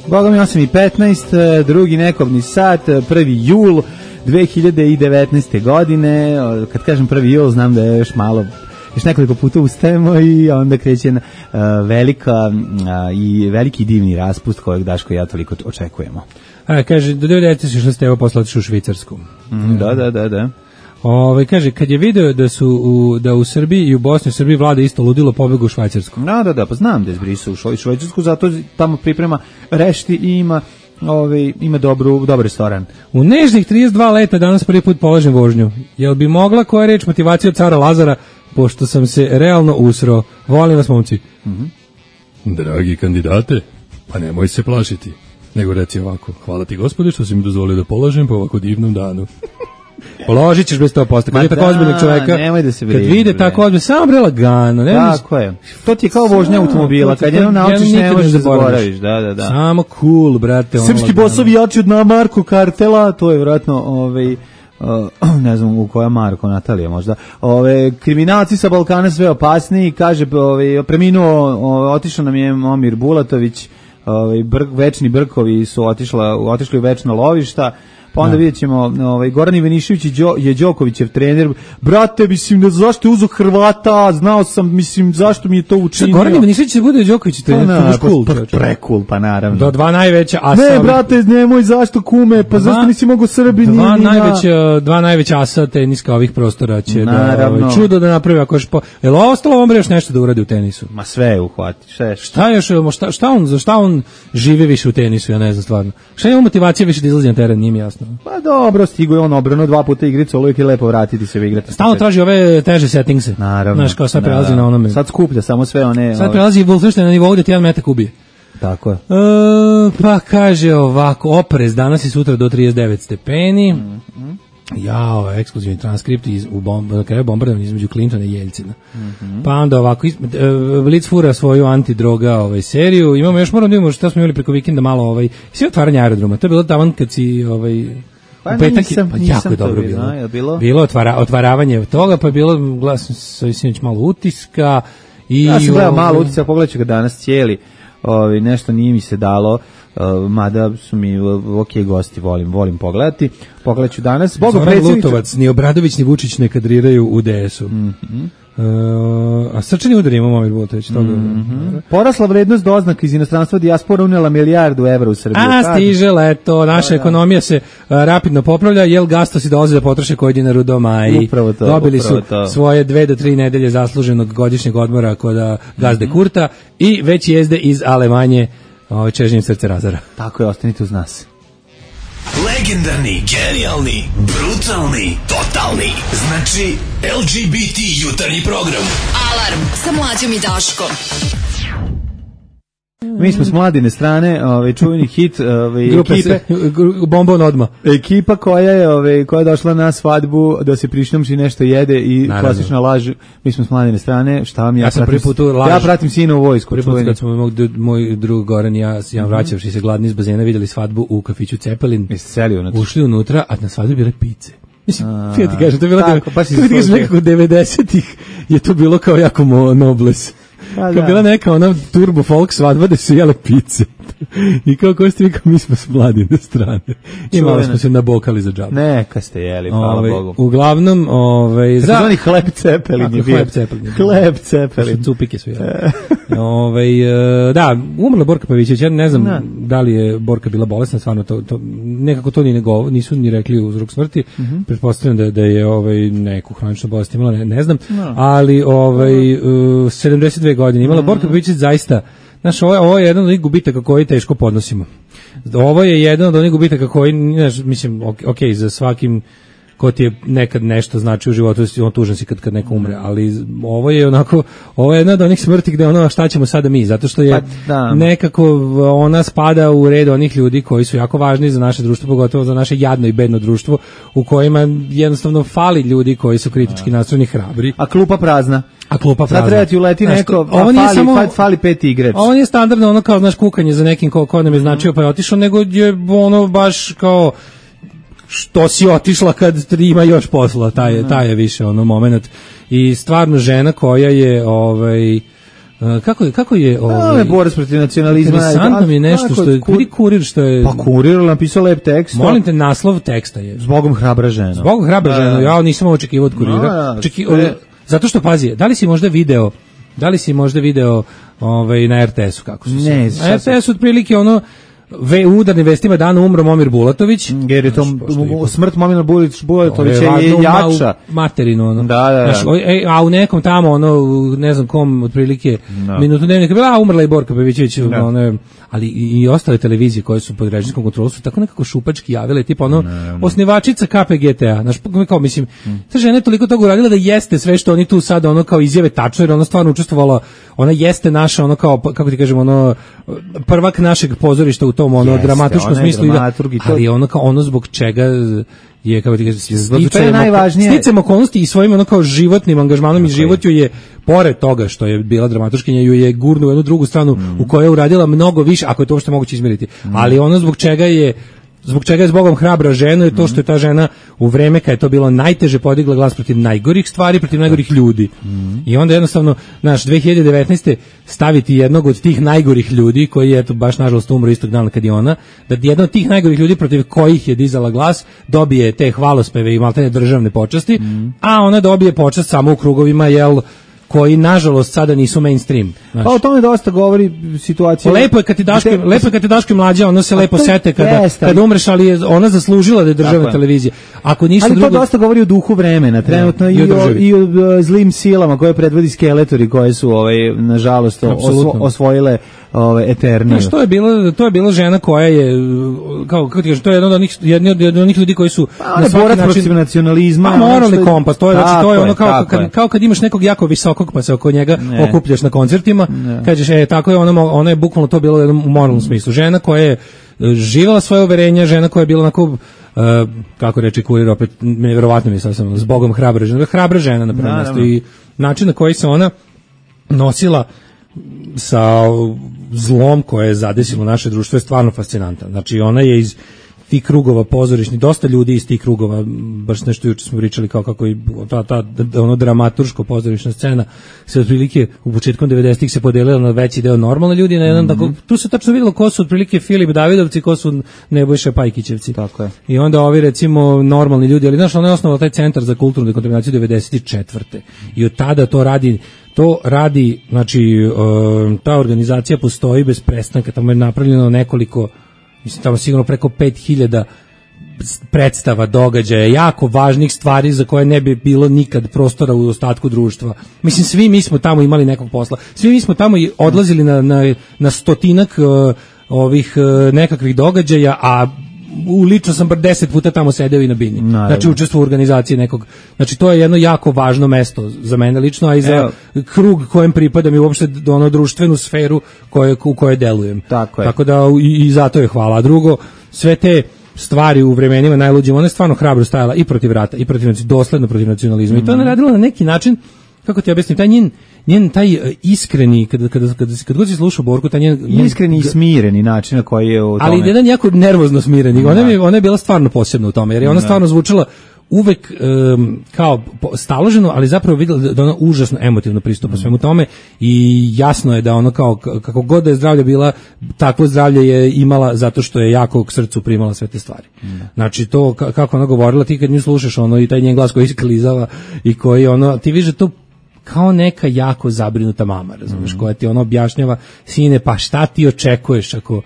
Boga mi osam i petnaest, drugi nekobni sat, prvi jul dve hiljade devetnaeste. godine. Kad kažem prvi jul, znam da je još malo, još nekoliko puta ustajemo i onda kreće na, uh, velika uh, i veliki divni raspust kojeg Daško i ja toliko očekujemo. A, kaže, do devedeset šeste ste evo posle otišli u Švicarsku. Mm, da, da, da, da. Ove, kaže, kad je video da su u, da u Srbiji i u Bosni u Srbiji vlada isto ludilo, pobegu u Švajcarsku. Da, da, da, pa znam da je zbrisu u Švajcarsku, zato tamo priprema rešti i ima, ove, ima dobru, dobar restoran. U nežnih trideset dva leta danas prvi put polažem vožnju. Jel bi mogla koja reč motivacija od cara Lazara, pošto sam se realno usro? Volim vas, momci. Mm-hmm. Dragi kandidate, pa nemoj se plašiti. Nego reci ovako, hvala ti Gospode što si mi dozvolio da polažem po ovako divnom danu. Položit ćeš bez sto posto. Kad je tako ozbiljnog čoveka, nemoj da se vredi, kad vide tako ozbiljno, samo bre lagano. Tako je. To ti je kao vožnja automobila, kad jednom naučiš ne možeš da zaboraviš. Da, da, da. Samo cool, brate. Srpski bosovi jači od na Marko Kartela, to je vjerojatno ovaj, Uh, ne znam u koja Marko, Natalija možda. Ove kriminalci sa Balkana sve opasniji, kaže, ovaj preminuo, otišao nam je Momir Bulatović, ovaj brk, večni brkovi su otišla, otišli u večna lovišta. Pa onda vidjet ćemo, ovaj, Goran Ivanišević je Đokovićev trener. Brate, mislim, da zašto je uzeo Hrvata, znao sam, mislim, zašto mi je to učinio. Goran Ivanišević će bude Đoković trener, pa, to cool, pa, pa, pre-cool, pa naravno. Do dva najveća, a ne, brate, nemoj, zašto kume, pa dva, zašto nisi mogo Srbi, dva, najveća, dva najveća asa teniska ovih prostora će naravno. Da, ovaj, čudo da napravi, ako još po... Jel ostalo vam još nešto da uradi u tenisu? Ma sve je uhvati, sve. Šta još, šta, šta on, za šta on živi više u tenisu, ja ne znam stvarno. Šta je motivacija više da izlazi na teren, nije mi jasno. Pa dobro, stigo je on obrano dva puta igricu, uvijek je lepo vratiti se u igrati. Stalno traži ove teže settingse. Naravno. Znaš, kao sad prelazi na onome. Sad skuplja samo sve one... Sad prelazi Wolfenstein na nivou da ti jedan metak ubije. Tako je. E, pa kaže ovako, oprez danas i sutra do trideset devet stepeni. Mm-hmm. Jao, ekskluzivni transkript iz, u bomb, na kraju bombardovanja između Clintona i Jeljcina. Mm-hmm. Pa onda ovako, iz, e, Blitz fura svoju antidroga ovaj, seriju. Imamo još, moram da imamo šta smo imali preko vikenda malo, ovaj, sve otvaranje aerodroma. To je bilo taman kad si... Ovaj, Pa u petak nisam, pa nisam jako je dobro bilo. bilo. bilo? Bilo otvara, otvaravanje toga, pa je bilo glasno sa sinoć malo utiska. I ja sam gledao malo utiska, pogledat ću ga danas cijeli. Ovi, nešto nije mi se dalo, uh, mada su mi ok gosti, volim, volim pogledati. Pogledat ću danas. Zoran predsjednicu... Lutovac, ni Obradović, ni Vučić ne kadriraju u D S-u. Mm-hmm. Uh, a srčani udar ima Momir Bulatović toga. Mm-hmm. Porasla vrednost doznaka iz inostranstva, dijaspora unela milijardu evra u Srbiju. A stiže leto, naša da, ekonomija se uh, rapidno popravlja, jel gastosi dolaze da potroše koji dinaru doma i to, dobili su to. Svoje dve do tri nedelje zasluženog godišnjeg odmora kod gazde mm-hmm. Kurta i već jezde iz Alemanje ovaj čežnjem srce razara. Tako je, ostanite uz nas. Legendarni, genijalni, brutalni, totalni. Znači L G B T jutarnji program. Alarm sa Mlađom i Daškom. Mi smo s Mladine strane, ovaj čuveni hit, ovaj ekipe Bombon odma. Ekipa koja je ovaj koja je došla na svadbu da se prišnomči nešto jede i naravno. Klasična laž. Mi smo s Mladine strane, šta vam ja, ja sam prvi put laž. Ja pratim sina u vojsku, prvi put kad smo moj, moj drug Goran i ja, ja vraćavši se gladni iz bazena videli svadbu u kafiću Cepelin. Ušli unutra, a na svadbi bile pice. Mislim, ja ti kažem, to je bilo tako, pa ti kažem nekako devedesetih je to bilo kao jako nobles. Kao da. Bila neka ona turbo folk svadba da su jele pice. I kao ko ste vi, kao mi smo s Mladine strane. I malo smo se nabokali za džabu. Neka ste jeli, hvala ove, Bogu. Uglavnom, ovaj za zvani hleb cepelin je bio. Hleb cepelin. Hleb cepelin. Cupike su jeli. Ovaj da, umrla Borka Pavićević, ja ne znam ne. da li je Borka bila bolesna, stvarno to, to nekako to ni ne govor, nisu ni rekli uzrok smrti. Mm -hmm. Pretpostavljam da da je ovaj neku hroničnu bolest imala, ne, ne znam, no. ali ovaj uh, sedamdeset dve godine imala mm -hmm. Borka Pavićević zaista. Znaš, ovo je, ovo je jedan od onih gubitaka koji teško podnosimo. Ovo je jedan od onih gubitaka koji, znaš, mislim, ok, za svakim ko ti je nekad nešto znači u životu, on tužan si kad, kad neko umre, ali ovo je onako, ovo je jedna od onih smrti gde ono, šta ćemo sada mi, zato što je pa, nekako ona spada u red onih ljudi koji su jako važni za naše društvo, pogotovo za naše jadno i bedno društvo, u kojima jednostavno fali ljudi koji su kritički nastrojeni, hrabri. A klupa prazna. A klupa prazna. Sad treba ti uleti neko, a fali, samo, fali pet igrač. Ovo nije standardno ono kao, znaš, kukanje za nekim ko, ko nam je značio pa je otišao, nego je ono baš kao što si otišla kad ima još posla, taj je, taj je više ono moment. I stvarno žena koja je ovaj kako je kako je ovaj no, borac protiv nacionalizma. Interesantno mi je nešto što je kur, kurir što je pa kurir napisao lep tekst. Molim te, naslov teksta je Zbogom hrabra žena. Zbogom hrabra žena. Ja nisam očekivao od kurira. Čeki, zato što pazi, da li si možda video da li si možda video ovaj na er te esu kako su se. Ne, na er te esu otprilike ono ve udarnim vestima dana umro Momir Bulatović. Jer je to smrt Momira Bulatovića je jača. Materinu ono. Da, da, da. Znaš, a u nekom tamo ono, ne znam kom, otprilike no. minutu dnevnika bila, a umrla i Borka Pavićević, no. ono, ali i, i ostale televizije koje su pod režimskom kontrolom su tako nekako šupački javile, tipa ono, no. osnivačica ka pe ge te a. Znaš, kao mislim, mm. ta žena je toliko toga uradila da jeste sve što oni tu sad ono kao izjave tačno, jer ona stvarno učestvovala, ona jeste naša ono kao, kako ti kažemo, ono, prvak našeg pozorišta u tom ono jeste, dramatuškom smislu, da, ali ono kao ono zbog čega je kao ti sticamo okolnosti i svojim ono kao životnim angažmanom okay. i život ju je pored toga što je bila dramatuškinja ju je gurnu u jednu drugu stranu mm. u kojoj je uradila mnogo više, ako je to uopšte moguće izmeriti, mm. ali ono zbog čega je zbog čega je zbogom hrabra žena je to što je ta žena u vreme kad je to bilo najteže podigla glas protiv najgorih stvari, protiv najgorih ljudi. Mm. I onda jednostavno, znaš, dve hiljade devetnaeste staviti jednog od tih najgorih ljudi, koji je eto baš nažalost umro istog dana kad je ona, da jedan od tih najgorih ljudi protiv kojih je dizala glas dobije te hvalospeve i maltene državne počasti, mm. a ona dobije počast samo u krugovima, jel, koji nažalost sada nisu mainstream. Znači. Pa o tome dosta govori situacija. Lepo je kad ti Daško, lepo je kad ti Daško mlađa, ona se lepo sete kada kada umreš, ali je ona zaslužila da je državna televizija. Ako ništa ali drugo. Ali to dosta govori o duhu vremena, trenutno i, i, o, i o zlim silama koje predvodi Skeletori, koje su ovaj nažalost osvo, osvojile ove eternije. Što je bilo, to je bila žena koja je kao kako ti kažeš, to je jedan od onih jedni od onih ljudi koji su pa, na svaki način protiv nacionalizma, pa, moralni je, kompas, to je znači to je ono kao kad, kao kad imaš nekog jako visokog pa se oko njega ne. okupljaš na koncertima, ne. kažeš e tako je ono, ono je bukvalno to bilo u jednom moralnom smislu. Žena koja je živela svoje uverenja, žena koja je bila onako uh, kako reče kurir, opet nevjerovatno mi je sam zbogom hrabra žena, hrabra žena na prvom mjestu i način na koji se ona nosila sa zlom koje je zadesilo naše društvo je stvarno fascinantan. Znači ona je iz tih krugova pozorišni, dosta ljudi iz tih krugova, baš nešto juče smo pričali kao kako i ta, ta ono dramaturško pozorišna scena se otprilike u početkom devedesetih se podelila na veći deo normalne ljudi, na jedan, mm-hmm. tako, tu se tačno vidjelo ko su otprilike Filip Davidovci, ko su Nebojša Pajkićevci. Tako je. I onda ovi recimo normalni ljudi, ali znaš, ona je osnovala taj centar za kulturnu dekontaminaciju devedeset četvrte i od tada to radi To radi, znači, uh, ta organizacija postoji bez prestanka, tamo je napravljeno nekoliko, mislim, tamo sigurno preko pet hiljada predstava, događaja, jako važnih stvari za koje ne bi bilo nikad prostora u ostatku društva. Mislim, svi mi smo tamo imali nekog posla, svi mi smo tamo odlazili na, na, na stotinak uh, ovih uh, nekakvih događaja, a u lično sam bar deset puta tamo sedeo i na bini. Naravno. Znači učestvovao u organizaciji nekog. Znači to je jedno jako važno mesto za mene lično, a i za Evo. krug kojem pripadam i uopšte ono društvenu sferu koje, u kojoj delujem. Tako je. Tako da i, i zato je hvala. A drugo, sve te stvari u vremenima najluđim, ona je stvarno hrabro stajala i protiv rata, i protiv, dosledno protiv nacionalizma. Mm. I to je ona radila na neki način, kako ti objasnim, taj njen, njen taj uh, iskreni, kada, kada, kada, kad god si slušao Borku, taj njen... njen iskreni i smireni način na koji je u tome. Ali jedan jako nervozno smireni. Ona je, ona je bila stvarno posebna u tome, jer je ona Da. stvarno zvučala uvek um, kao po- staloženo, ali zapravo videla da ona užasno emotivno pristupa svemu tome i jasno je da ono kao k- kako god da je zdravlje bila, takvo zdravlje je imala zato što je jako k srcu primala sve te stvari. Znači to ka- kako ona govorila, ti kad nju slušaš ono i taj njen glas koji sklizava i koji ono, ti vidiš da to kao neka jako zabrinuta mama, razumeš, koja ti ono objašnjava, sine, pa šta ti očekuješ ako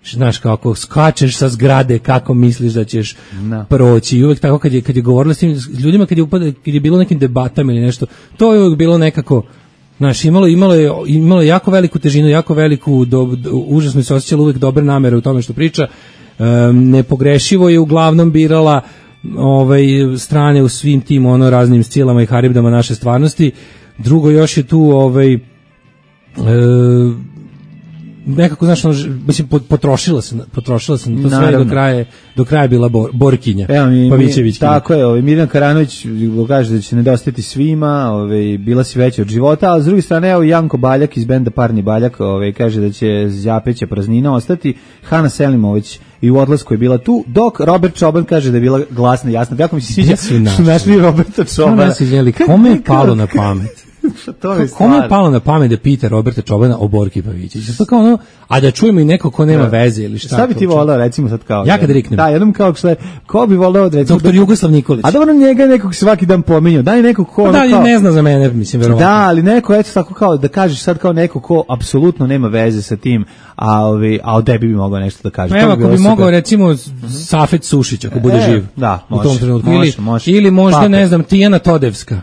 znaš, kako skačeš sa zgrade, kako misliš da ćeš No. proći. I uvek tako kad je, kad je govorila s tim ljudima, kad je, upada, kad je bilo nekim debatama ili nešto, to je uvek bilo nekako, znaš, imalo, imalo, je, imalo je jako veliku težinu, jako veliku, do, do, užasno se osjećala uvek dobre namere u tome što priča. Um, nepogrešivo je uglavnom birala ovaj, strane u svim tim ono raznim scilama i haribdama naše stvarnosti. Drugo, još je tu ovaj, e, nekako, znaš, ono, mislim, potrošila se, potrošila se na to sve i Naravno. do kraja, do kraja je bila bor, Borkinja, Evo mi, mi Pavićevićkinja. tako je, ovaj Mirjana Karanović kaže da će nedostajati svima, ovaj bila si veća od života, a s druge strane evo Janko Baljak iz benda Parni Baljak, ovaj kaže da će Zjapeća praznina ostati, Hana Selimović i u odlasku je bila tu, dok Robert Čoban kaže da je bila glasna i jasna. Jako mi se sviđa Jesu našli. što našli Roberta Čobana. Ono nas izjeli, kome je palo na pamet? To je Kome je palo na pamet da pita Roberta Čobana o Borki Pavićeviću? To kao ono, a da čujemo i neko ko nema veze ili šta. Šta bi ti to volao recimo sad kao? Ja kad riknem. Da, jednom kao što je, ko bi volao da recimo Doktor Jugoslav Nikolić. A dobro, njega nekog svaki dan pominjao. Daj nekog ko Pa ono da, kao, ne zna za mene, mislim, verovatno. Da, ali neko eto tako kao da kažeš sad kao neko ko apsolutno nema veze sa tim, a ovi a o tebi bi mogao nešto da kaže. Pa To evo, ako bilo bi super. mogao recimo Safet Sušić, ako bude E, živ. da, u može, tom trenutku. može, Ili, može. ili možda, Pape. ne znam, Tijana Todevska.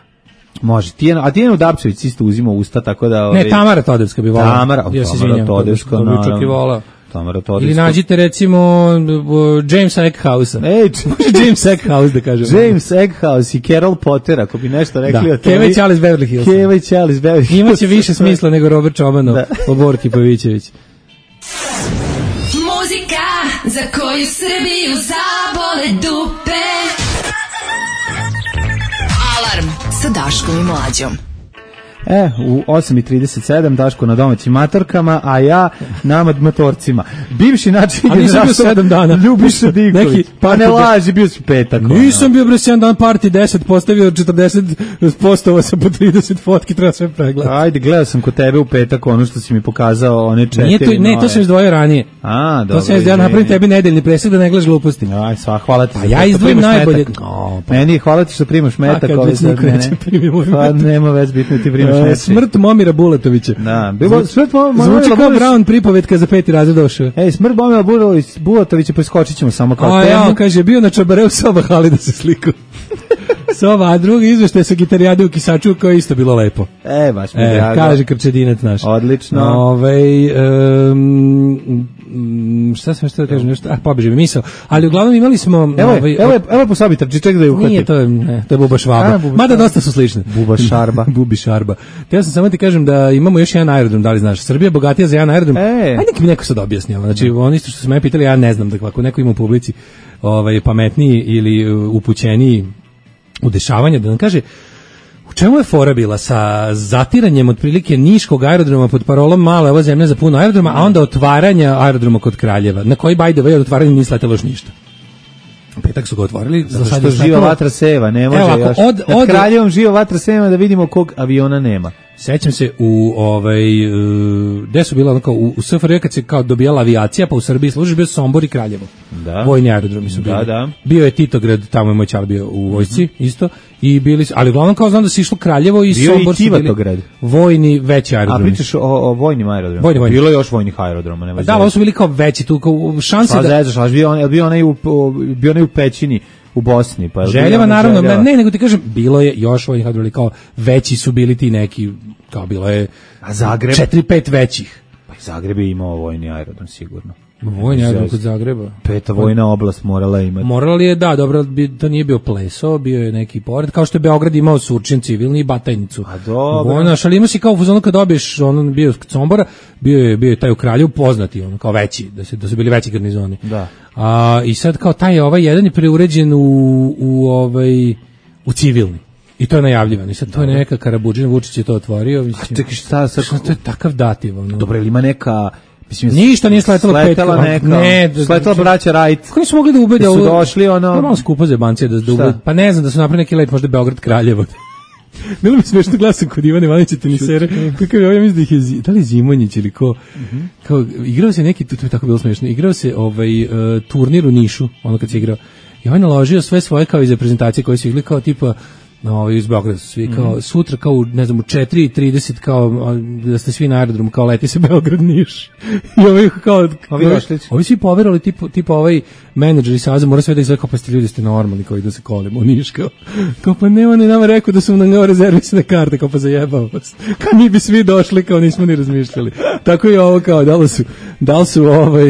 Može. Tijena, a Tijena Dapčević isto uzima usta, tako da ovaj Ne, Tamara Todevska bi volala. Tamara, ja se Tamara izvinjam. Todevska, To bi čak i naravno. volao. Tamara Todevska. Ili nađite recimo uh, Jamesa Eckhouse-a. Ej, Može James Eckhouse da kažem. James Eckhouse i Carol Potter, ako bi nešto rekli Da, o tome. Keva i Charles Beverly Hills. Keva i Charles Beverly Hills. Imaće više smisla nego Robert Čobanov Da. o Borki Pavićević. Muzika za koju Srbiju zabole dupe. Alarm sa Daškom i Mlađom. E, u osam i trideset sedam Daško na domaćim matorkama, a ja na motorcima. Bivši način A nisam bio sedam dana. Ljubiša Diković. Neki Pa ne party- laži, bio si petak. Nisam bio bre sedam dan party deset, postavio četrdeset postova sa po trideset fotki, treba sve pregledati. Ajde, gledao sam kod tebe u petak ono što si mi pokazao, one četiri. Nije to, ne, to nove. sam izdvojio ranije. A, dobro. To sam izdvojio, izvini. napravim tebi nedeljni presek da ne gledaš gluposti. Aj, sva, hvala ti. A za ja to što izdvojim primaš najbolje. metak. O, pa- Meni je hvala ti što primaš metak. kad ovaj već sad niko mene. neće primiti moj Pa metak. nema već bitno ti primaš E, metak. Smrt Momira Bulatovića. Da, bilo smrt Momira Zvuči kao Bulatovića. Brown pripovetka za peti razred došao. Ej, smrt Momira Bulatovića, Bulatovića preskočit ćemo samo kao A ja, temu. kaže, bio na Čabareu soba hali da se sliku. Soba, a drugi izveštaj sa gitarijade u Kisaču koje je isto bilo lepo. E, baš mi je E, drago. kaže Krčedinac naš. Odlično. Ovaj um, šta sam što da kažem, nešto, ah, pobeže mi misao. Ali uglavnom imali smo... Evo je, ovaj, evo je, evo je po sobi trči, ček da je uhvati. Nije, to je, ne, to je Buba Švaba. A, Buba Mada Švaba. dosta su slične. Buba Šarba. Bubi Šarba. Te ja sam samo ti kažem da imamo još jedan aerodrom, da li znaš? Srbija je bogatija za jedan aerodrom. E. Ajde nek mi neko sad objasni ovo. Znači, oni što su me pitali, ja ne znam, da ako neko ima u publici ovaj, pametniji ili uh, upućeniji u dešavanje, da nam kaže u čemu je fora bila sa zatiranjem otprilike niškog aerodroma pod parolom mala ova zemlja za puno aerodroma, a onda otvaranja aerodroma kod Kraljeva, na koji by the way od otvaranja nije sletelo još ništa. U petak su ga otvorili, za Zato sad što je živa sletelo- vatra seva, ne može Evo ovako, još. od- Nad od- Kraljevom živa vatra seva da vidimo kog aviona nema. Sećam se u ovaj uh, gde su bila onako u, u S F R J kad se kao dobijala avijacija, pa u Srbiji služi bio Sombor i Kraljevo. Da. Vojni aerodromi su bili. Da, da. Bio je Titograd, tamo je moj čar bio u vojsci isto i bili su, ali uglavnom kao znam da se išlo Kraljevo i Bio je i Sombor su bili Tivatograd. vojni veći A aerodromi. pričaš o, o vojnim aerodromima? Vojni, vojni. Bilo je još vojnih aerodroma, nema. Da, ali ovo su bili kao veći tu kao šanse Pa da zezaš, ali bio on, bio onaj u, u- bio onaj u Pećini u Bosni, pa je bio Željeva onaj naravno, Željeva. ne, nego ti kažem, bilo je još vojnih aerodroma, kao veći su bili ti neki, kao bilo je A Zagreb? četiri pet većih. Pa i Zagreb je imao vojni aerodrom sigurno. Vojni aerodrom kod Zagreba. Peta vojna oblast morala imati. Morala li je, da, dobro, to nije bio Pleso, bio je neki pored, kao što je Beograd imao Surčin civilni i Batajnicu. A dobro. Vojna, ali ima si kao u fazonu kad dobiješ, on bio kod Sombora, bio je, bio je taj u Kraljevu poznati, on kao veći, da su, da su bili veći garnizoni. Da. A, i sad kao taj ovaj jedan je preuređen u, u, ovaj, u civilni. I to je najavljivano. I sad to je neka Karabuđin, Vučić je to otvorio. Mislim, a čekaj, šta sad? To je takav dativ. Ono. Dobro, ili ima neka... Mislim, ništa nije sletalo pet. Sletala neka. Ne, sletala braća Rajt. Kako su mogli da ubede? Su došli ono... Malo skupo za jebancije da ubede. Pa ne znam, da su napravili neki let, možda Beograd Kraljevo. Bilo mi smešno glasam kod Ivana Ivanića tenisere. Kako je, ja mislim da ih je, da li Zimonjić ili ko, mm-hmm. kao, igrao se neki, to je tako bilo smešno, igrao se ovaj, uh, turnir u Nišu, ono kad se igrao, i on je naložio sve svoje kao iz reprezentacije koje su igli kao tipa, no, ovaj, iz Beograda su svi kao, mm-hmm. sutra kao, ne znam, u četiri i trideset kao, da ste svi na aerodromu, kao leti se Beograd-Niš. I ovi kao, ovi, ovi svi poverali, tipa, tipa ovaj menadžer i saza, mora sve da izgleda kao, pa ste ljudi, ste normalni, kao i da se kolimo u Niš, kao, kao pa ne, on je nama rekao da su nam kao rezervisne karte, kao pa zajebao vas. Kao mi bi svi došli, kao nismo ni razmišljali. Tako i ovo, kao, da li su, da li su, ovaj,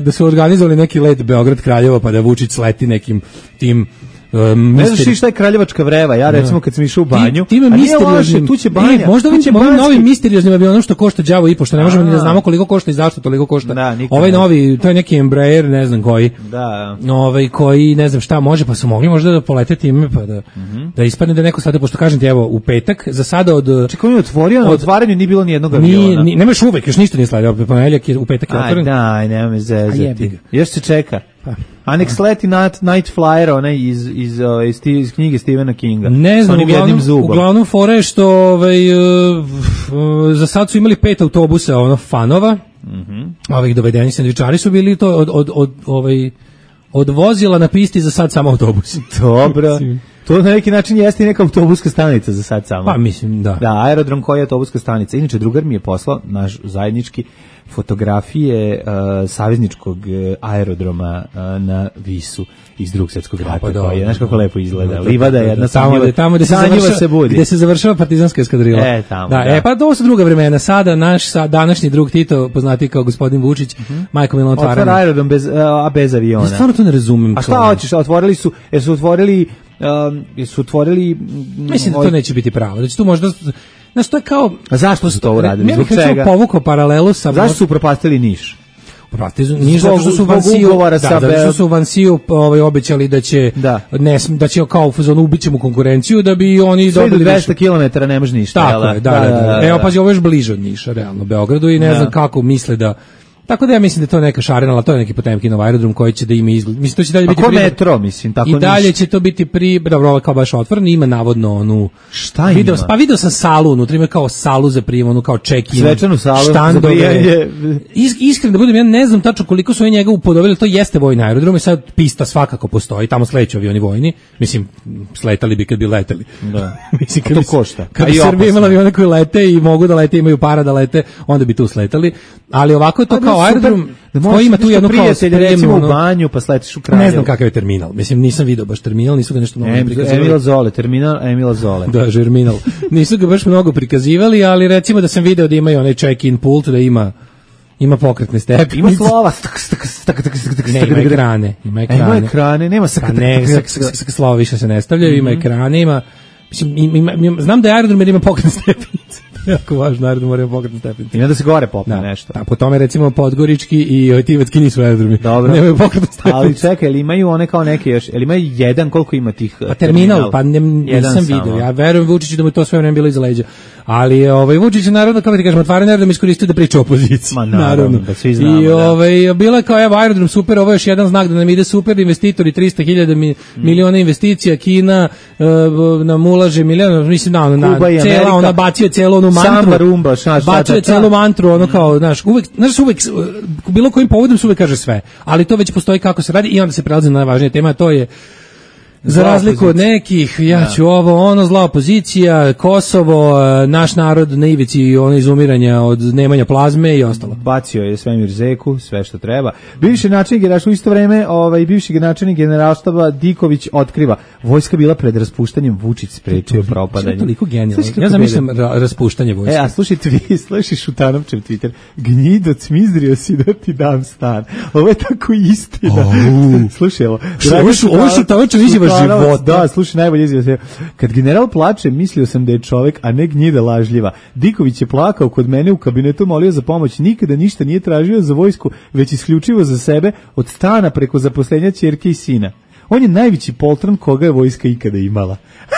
da su organizovali neki let Beograd-Kraljevo, pa da Vučić sleti nekim tim Um, ne znaš šta je Kraljevačka vreva, ja recimo kad sam išao u banju, ti, time misterioznim, tu će banja, e, možda ovim novim misterioznim avionom što košta đavo i po, što ne možemo ni da znamo koliko košta i zašto toliko košta. Da, ovaj novi, to je neki Embraer, ne znam koji, da. Ovaj koji ne znam šta može, pa su mogli možda da polete time, pa da, mm-hmm. da ispadne da neko sada, pošto kažem ti, evo, u petak, za sada od... Čekaj, on je otvorio, na otvaranju nije bilo ni jednog aviona. Ni, nemaš uvek, još ništa nije sledio, ponedjeljak je, u petak je otvoren. Aj, daj, nema me zezati. Još se čeka. Pa. A nek sleti Night, Night Flyer, onaj iz, iz, iz, iz knjige Stephena Kinga. Ne znam, uglavnom, uglavnom fora je što ovaj, uh, uh, za sad su imali pet autobusa ono, fanova, mm-hmm. ovih dovedeni sandvičari su bili to od, od, od, ovaj, od vozila na pisti za sad samo autobusi. Dobro. To na neki način jeste i neka autobuska stanica za sad samo. Pa mislim, da. Da, aerodrom koji je autobuska stanica. Inače, drugar mi je poslao, naš zajednički, fotografije uh, savezničkog uh, aerodroma uh, na Visu iz Drugog svjetskog rata, pa koji je, znaš kako lepo izgleda. Da, Livada je jedna tamo gde tamo gde se završava se budi. Gde se završava partizanska eskadrila. E, tamo. Da, da. E pa to su druga vremena. Sada naš sa današnji drug Tito, poznati kao gospodin Vučić, uh-huh. majko Milan otvaranje. Otvara aerodrom bez a bez aviona. Ja stvarno to ne razumem. A šta hoćeš? Otvorili su, jesu otvorili um, jesu otvorili mislim da to neće biti pravo. Da će tu možda znaš, to je kao... A zašto su to uradili? Zbog čega? Ja bih povukao paralelu sa... Zašto su propastili Niš? Propastili Niš zato što su Vansiju... Da, zato što su Vansiju ovaj, obećali da će... Da. Ne, da će kao u fazonu ubićemo konkurenciju da bi oni sve dobili... Sve do dvesta kilometara ne može ništa. Tako je, da, da, da, da, da. Evo, pazi, ovo je još bliže od Niša, realno, Beogradu i ne da. znam kako misle da... Tako da ja mislim da to je neka šarena, ali to je neki Potemkinov aerodrom koji će da ima izgled. Mislim to će dalje biti pri metro, mislim, tako i dalje će to biti pri dobro, kao baš otvoren, ima navodno onu šta video, ima? Pa video sam salu, unutra ima kao salu za prijem, onu kao check-in. Svečanu salu za prijemanje. Is, iskreno da budem, ja ne znam tačno koliko su oni njega upodobili, to jeste vojni aerodrom i sad pista svakako postoji, tamo sleću avioni vojni. Mislim sletali bi kad bi leteli. Da. Mislim kad to bi, košta. Kad bi Srbija imala avione koji lete i mogu da lete, imaju para da lete, onda bi tu sletali. Ali ovako je to kao aerodrom koji ima tu jednu kao spremnu, recimo u banju, pa sletiš u Kraljevo. Ne znam kakav je terminal. Mislim, nisam video baš terminal, nisu ga nešto mnogo em, prikazivali. Emila Zole, terminal Emila Zole. Da, terminal. Nisu ga baš mnogo prikazivali, ali recimo da sam video da imaju onaj check-in pult, da ima ima pokretne stepenice. Ima slova. Ne, ima ekrane. Ima ekrane. Ima ekrane, nema sak. Ne, slova više se ne stavljaju, ima ekrane, ima... Mislim, ima, ima, znam da je aerodrom jer ima pokretne stepenice. Jako važno, aerodrom mora ima pokretne stepenice. I da se gore popne da, nešto. Da, po tome recimo Podgorički i Tivatski nisu aerodromi. Dobro. Nemaju pokretne stepenice. Ali čekaj, ili imaju one kao neke još, ili imaju jedan, koliko ima tih pa terminal? Pa ne, nisam vidio. Ja verujem Vučiću da mu to sve vreme bilo iza leđa. Ali ovaj Vučić je naravno, kako ti kažem, otvaranje aerodrom iskoristio da priča o opoziciji. Ma naravno, da svi znamo. I ovaj bilo je kao evo aerodrom super, ovo je još jedan znak da nam ide super, investitori trista hiljada mi, mm. miliona investicija, Kina uh, nam ulaže miliona, mislim da ona cela ona bacio celu onu mantru. Rumba, šta, šta, bacio celu mantru, ono kao, znaš, uvek, znaš, uvek bilo kojim povodom se uvek kaže sve, ali to već postoji kako se radi i onda se prelazi na najvažnije tema, to je Za razliku od nekih, ja ću da. ovo, ono, zla opozicija, Kosovo, naš narod na ivici ono izumiranja od nemanja plazme i ostalo. Bacio je svemir zeku, sve što treba. Bivši načelnik generalštaba u isto vreme, ovaj bivši načelnik generalštaba Diković otkriva, vojska bila pred raspuštanjem, Vučić sprečio propadanje. To je toliko genijalno. Ja zamišljam ra raspuštanje vojske. E, a slušaj tvi, slušaj Šutanovčev Twitter. Gnjido, cmizdrio si da ti dam stan. Ovo je tako istina. Oh. Slušaj, ovo. Ovo je Šutanovčev izjava života. Da, slušaj, najbolje izjava. Kad general plače, mislio sam da je čovek, a ne gnjida lažljiva. Diković je plakao kod mene u kabinetu, molio za pomoć, nikada ništa nije tražio za vojsku, već isključivo za sebe, od stana preko zaposlenja ćerke i sina. On je najveći poltron koga je vojska ikada imala.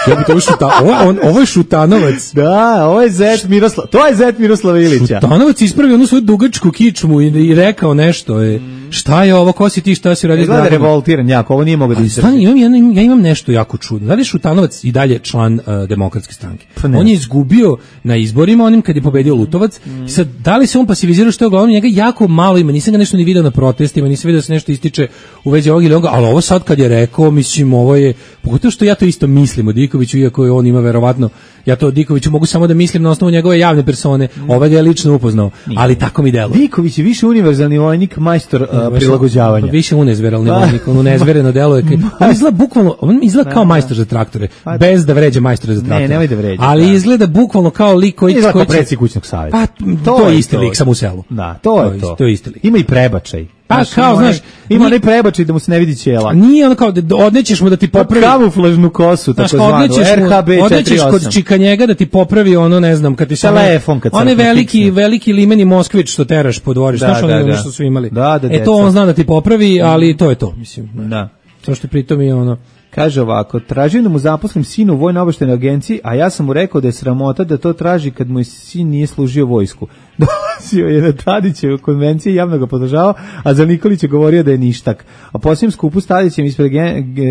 Ja bi to šuta, ovo, on, ovo je Šutanovac. Da, ovo je zet Miroslav, to je zet Miroslava Ilića. Šutanovac ispravio onu svoju dugačku kičmu i, i rekao nešto. Je, šta je ovo, ko si ti, šta si radio? Gleda revoltiran jako, ovo nije mogao da izdrži. Imam, imam, ja imam nešto jako čudno. Da li je Šutanovac i dalje član uh, demokratske stranke? On je izgubio na izborima, onim kad je pobedio Lutovac. Mm. Sad, da li se on pasivizirao, što je uglavnom njega jako malo ima, nisam ga nešto ni video na protestima, nisam video da se nešto ističe u vezi ovog ili ovoga, ali ovo sad kad je rekao, mislim, ovo je, pogotovo što ja to isto mislim o Dikoviću, iako je on ima verovatno, ja to o Dikoviću mogu samo da mislim na osnovu njegove javne persone, mm. ovaj ga je lično upoznao, ali tako mi deluje. Diković je više univerzalni vojnik, majstor uh, prilagođavanja. Više unezveralni vojnik, on unezvereno deluje. On izgleda bukvalno, on izgleda kao majstor za traktore, bez da vređa majstora za traktore. Ne, nemoj da vređa. Ali da. Izgleda bukvalno kao lik koji izgleda kao predsjednik kućnog savjeta. Pa to, to je isti lik, samo u selu. Da, to je to. To je isti lik. Ima i prebačaj. Pa znaš, kao, znaš, ima onaj prebačaj da mu se ne vidi ćela. Nije ono kao da odnećeš mu da ti popravi kamuflažnu kosu, tako zvanu, R H B četrdeset osam. Odnećeš kod čika njega da ti popravi ono, ne znam, kad ti se telefon, kad one veliki, fiksne. veliki limeni Moskvić što teraš po dvorištu, znaš ono da, što su imali. Da, da, e to on zna da ti popravi, ali to je to, mislim. Da. To što pritom je ono... Kaže ovako, tražim da mu zaposlim sinu u vojno-obaveštajnoj agenciji, a ja sam mu rekao da je sramota da to traži kad mu je sin nije služio vojsku. Dolazio je na Tadićevu konvenciji, javno ga podržavao, a za Nikolić je govorio da je ništak. A posljednjem skupu s Tadićem ispred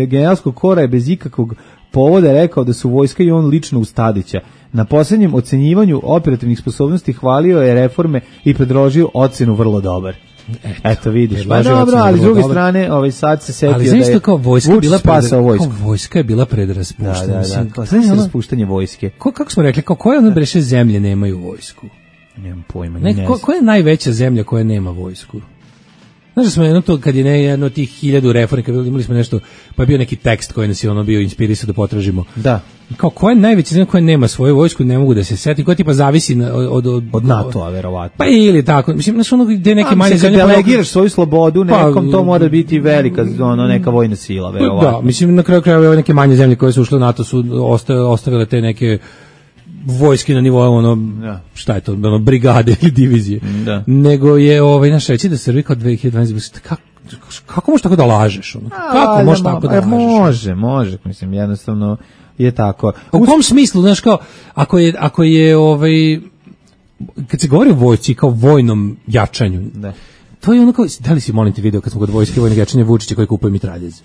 generalskog kora je bez ikakvog povoda rekao da su vojska i on lično uz Tadića. Na posljednjem ocenjivanju operativnih sposobnosti hvalio je reforme i predložio ocenu vrlo dobar. Eto, Eto vidiš, pa dobro, ali s druge strane, ovaj sad se setio ali da je kao vojska bila pred, vojsku. Kao vojska je bila pred raspuštanjem. Da, da, da, kao sve se raspuštanje vojske. Ko, kako smo rekli, kao koje one breše zemlje nemaju vojsku? Nemam pojma, ne, ne ko, koja je najveća zemlja koja nema vojsku? Znaš da smo jedno to, kad je ne, jedno od tih hiljadu reformika, imali smo nešto, pa je bio neki tekst koji nas je ono bio inspirisao da potražimo. Da. Kao koja je najveća zemlja koja nema svoju vojsku, ne mogu da se setim, koja tipa zavisi na, od, od, od NATO-a, verovatno. Pa ili tako, mislim, znaš ono gde neke manje zemlje... Kad delegiraš svoju slobodu nekom, pa, to mora biti velika, ono, neka vojna sila, verovatno. Da, mislim, na kraju krajeva neke manje zemlje koje su ušle u NATO su ostavile, ostavile te neke vojske na nivou ono ja. šta je to ono brigade ili divizije da. Nego je ovaj naš reći da Srbija kao dve hiljade dvanaeste kako kako možeš tako da lažeš ono kako možeš tako da lažeš može može mislim jednostavno je tako u kom smislu znaš kao ako je ako je ovaj kad se govori o vojsci kao vojnom jačanju da. To je ono kao da li si molim te video kad smo kod vojske vojnog jačanja Vučića koji kupuje mitraljez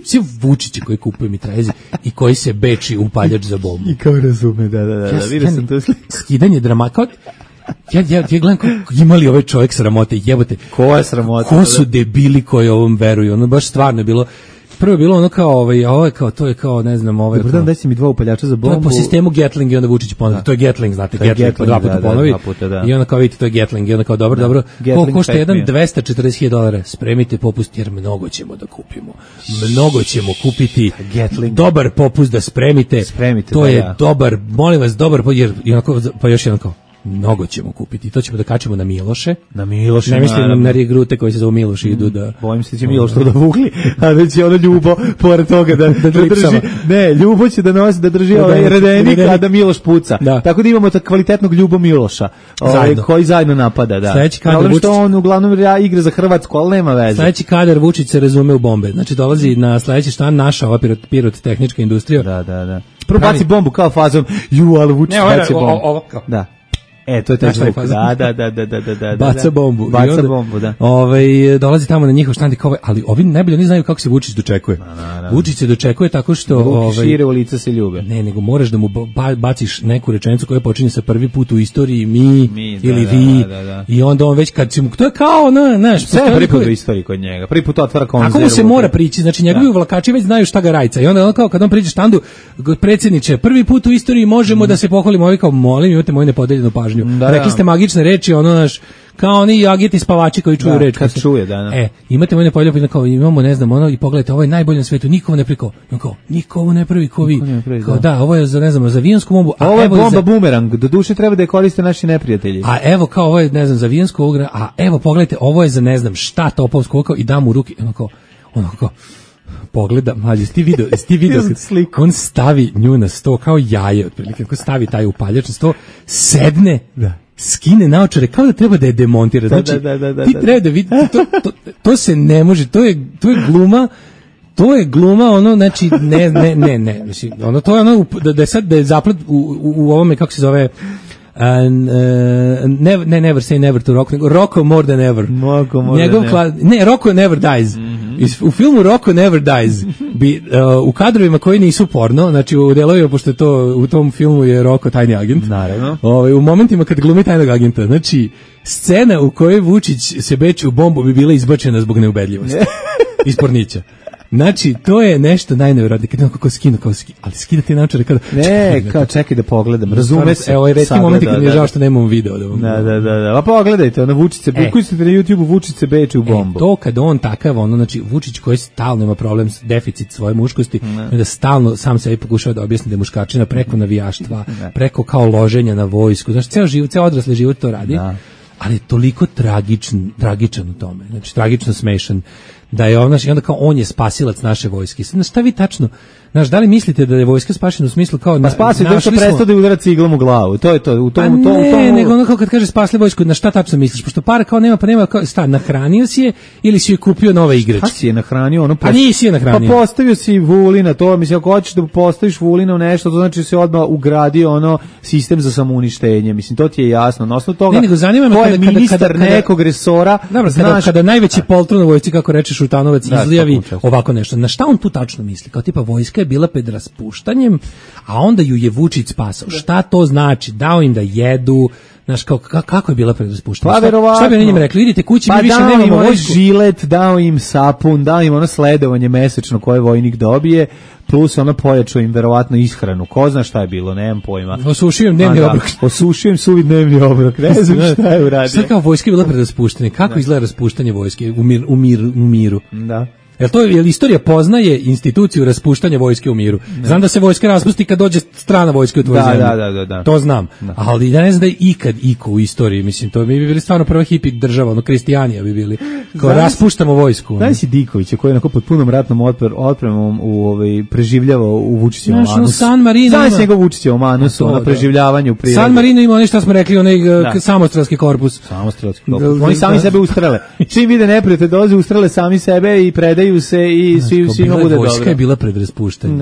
svi Vučići koji kupuje mitraljeze i koji se beči upaljač za bombu. I kao razume, da, da, da, da vidio sam to sliku. Skidanje drama, kao, ja, ja, ja gledam kao, imali ovaj čovjek sramote, jebote. Ko je sramota? Ko su debili koji ovom veruju, ono baš stvarno je bilo, prvo je bilo ono kao, ovaj, a ovo je kao, to je kao, ne znam, ovaj. Dobar dan, daj si mi dva upaljača za bombu. To je po sistemu Gatling i onda Vučić ponovi, to je Gatling, znate, Gatling, Gatling po dva puta da, ponovi, da, puta, da. I onda kao vidite, to je Gatling, i onda kao, dobro, da. dobro, ko košta jedan dvesta četrdeset hiljada dolara, spremite popust, jer mnogo ćemo da kupimo, mnogo ćemo kupiti, Gatling. Dobar popust da spremite, spremite to da, je ja. dobar, molim vas, dobar, jer, onako, pa još jedno kao, mnogo ćemo kupiti. To ćemo da kačemo na Miloše. Na Miloše. Ne mislim na, na regrute koji se zove Miloš i idu da... Bojim se da će Miloš to da vukli, a da će ono Ljubo pored toga da, da, da drži... Ne, Ljubo će da nosi, da drži da, ovaj redenik, a da Miloš puca. Da. Tako da imamo tak kvalitetnog Ljubo Miloša, ovaj, koji zajedno napada. Da. Sledeći kadar Vučić... što on uglavnom igra za Hrvatsku, ali nema veze. Sledeći kadar Vučić se razume u bombe. Znači dolazi na sledeći štan naša ova pirot, pirotehnička industrija. Da, da, da. Prvo baci bombu kao fazom, ju, ali Vučić baci bombu. Ovo kao. Da. E, to je taj zvuk. Da, da, da, da, da, da, da. Baca bombu. Baca onda, bombu, da. Ovaj dolazi tamo na njihov štand i kao, ali ovi najbolje oni znaju kako se Vučić dočekuje. Na, na, na. Vučić se dočekuje tako što Ruki ovaj šire, u lica se ljube. Ne, nego moraš da mu ba, baciš neku rečenicu koja počinje sa prvi put u istoriji mi, mi da, ili da, vi da, da, da. i onda on već kad si mu, to je kao, na, znaš, sve prvi put u istoriji kod njega. Prvi put otvara konzervu. Tako mu se mora prići, znači njegovi uvlakači već znaju šta ga rajca i onda on kao kad on priđe štandu, predsjedniče, prvi put u istoriji možemo mm. da se pohvalimo, ovi kao molim, imate moju nepodeljenu pažnju. Da, rekli ste magične reči, ono naš kao oni agiti spavači koji čuju da, reč. Kad čuje, da, da. E, imate moje nepodeljeno, kao imamo, ne znam, ono i pogledajte, ovo je najbolje na svetu, niko ne priko. Kao, niko ovo ne pravi ko vi. Pravi, kao, da. da, ovo je za, ne znam, za avionsku bombu. A ovo je bomba za... bumerang, do duše treba da je koriste naši neprijatelji. A evo kao ovo je, ne znam, za avionsku ugra, a evo pogledajte, ovo je za, ne znam, šta topovsko, kao i dam u ruke, ono kao, ono kao, pogleda, mlađe, jesi ti video, jesi ti video on stavi nju na sto kao jaje, otprilike, kako stavi taj upaljač na sto, sedne, da. Skine naočare, kao da treba da je demontira. Znači, da, da, da, da, ti treba da vidi, to, to, to se ne može, to je, to je gluma, to je gluma, ono, znači, ne, ne, ne, ne, mislim, ono, to je ono, da, da je sad, da je zaplet u, u, u ovome, kako se zove, And, uh, never, ne, never say never to Rocco, nego Rocco more than ever. Rocco more Njegov than kla, ne, Rocco never dies. Mm-hmm. Is, u filmu Rocco never dies. Bi, uh, u kadrovima koji nisu porno, znači u delovima, pošto je to, u tom filmu je Rocco tajni agent. Naravno. Ovaj, u momentima kad glumi tajnog agenta, znači, scena u kojoj Vučić se beči u bombu bi bila izbačena zbog neubedljivosti. Iz pornića. Znači, to je nešto najnevjerojatnije, kad kako skinu, kao skinu, ali skidate naočare kada... Ne, kao čekaj da pogledam, razume se. Evo, retki momenti kad mi je žao što nemamo video. Da, da, da, da, da, a pogledajte, ono Vučić se, e, bukujte na YouTube-u, Vučić se beči u bombu. E, to kad on takav, ono, znači, Vučić koji stalno ima problem s deficit svoje muškosti, ne. Da stalno sam sebi pokušava da objasni da je muškačina preko navijaštva, ne. Preko kao loženja na vojsku, znači, ceo život, ceo odrasli život to radi, da. Ali je toliko tragičan, tragičan u tome, znači, tragično smešan, da je on, znači, onda kao on je spasilac naše vojske. Znači, šta vi tačno, znaš, da li mislite da je vojska spašena u smislu kao... Pa spasi to što prestao da udara ciglom u glavu, to je to. U tom, pa to, ne, u tom... nego ono kao kad kaže spasli vojsku, na šta tačno misliš? Pošto para kao nema, pa nema, kao, sta, nahranio si je ili si je kupio nove igračke? Pa si je nahranio, ono... Pa nisi je nahranio. Pa postavio si Vulina, to, mislim, ako hoćeš da postaviš Vulina u nešto, to znači da se odmah ugradio ono sistem za samouništenje, mislim, to ti je jasno. Na osnovu toga, ne, nego zanima me kada, ministar kada, kada, nekog resora, dobro, znaš... Kada, kada najveći poltron u vojsci, kako reče Šutanovac, da, izlijavi ovako nešto. Na šta on tu tačno misli? Kao tipa, vojska je bila pred raspuštanjem, a onda ju je Vučić spasao. Šta to znači? Dao im da jedu, znaš, kao, kako je bila pred raspuštanjem? Pa verovatno. Šta bi na njim rekli? Idite kući, pa mi više nemamo vojsku. Žilet, dao im sapun, dao im ono sledovanje mesečno koje vojnik dobije, plus ono pojačao im verovatno ishranu. Ko zna šta je bilo, nemam pojma. Osušio im dnevni obrok. Osušio im suvi dnevni obrok, ne znam šta je uradio. Šta kao vojska je bila pred raspuštanjem? Kako da. Izgleda raspuštanje vojske u, mir, u, mir, u miru? Da. Jel to je istorija poznaje instituciju raspuštanja vojske u miru? Ne. Znam da se vojska raspusti kad dođe strana vojska u tvoju da, zemlju. Da, da, da, da. To znam. Da. Ali ja ne znam da je ikad iko u istoriji, mislim, to mi bi bili stvarno prva hipi država, ono kristijanija bi bili. Kao znaš, raspuštamo vojsku. Znaš si Dikovića koji je onako pod punom ratnom otpor, otpremom u ovaj preživljavao u Vučićevom manusu. San Marino. Znaš njegov Vučićevom manusu, na preživljavanju u prirodi. San Marino ima ono što smo rekli, onaj samostrelski korpus. Samostrelski korpus. Oni sami sebe ustrele. Čim vide neprijatelj dolaze ustrele sami sebe i predaju se i svi svima bude dobro. Vojska je bila pred raspuštanjem.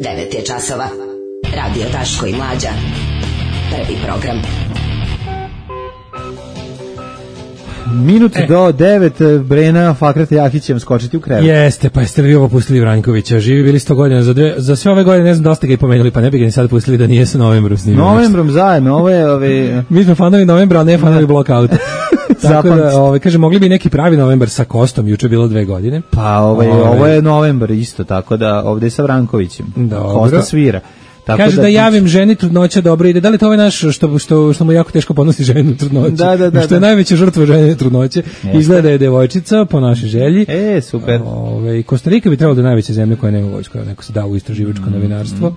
devet je časova. Radio Daško i Mlađa. Prvi program. Minut e. do devet, Brena Fakrata Jahić će vam skočiti u krevet. Jeste, pa jeste li ovo pustili Vranjkovića? Živi bili sto godina, za, dve, za sve ove godine ne znam da ste ga i pomenuli, pa ne bi ga ni sad pustili da nije sa novembrom snimao. Novembrom zajedno, ovo je... Ove... Mi smo fanovi novembra, a ne fanovi blokauta. Tako da, ove, kaže, mogli bi neki pravi novembar sa Kostom, juče bilo dve godine. Pa ove, ove. ovo je novembar isto, tako da ovde je sa Vrankovićem. Dobro. Kosta svira. Tako kaže da, da javim ženi trudnoća dobro ide. Da li to ovaj naš što, što, što mu jako teško podnosi ženu trudnoću? Da, da, da. Što je da. Najveća žrtva žene trudnoće. Jeste. Izgleda je devojčica po našoj želji. E, super. Ove, Kostarika bi trebalo da je najveća zemlja koja nema vojsku. Neko se da u istraživačko mm, novinarstvo. Mm.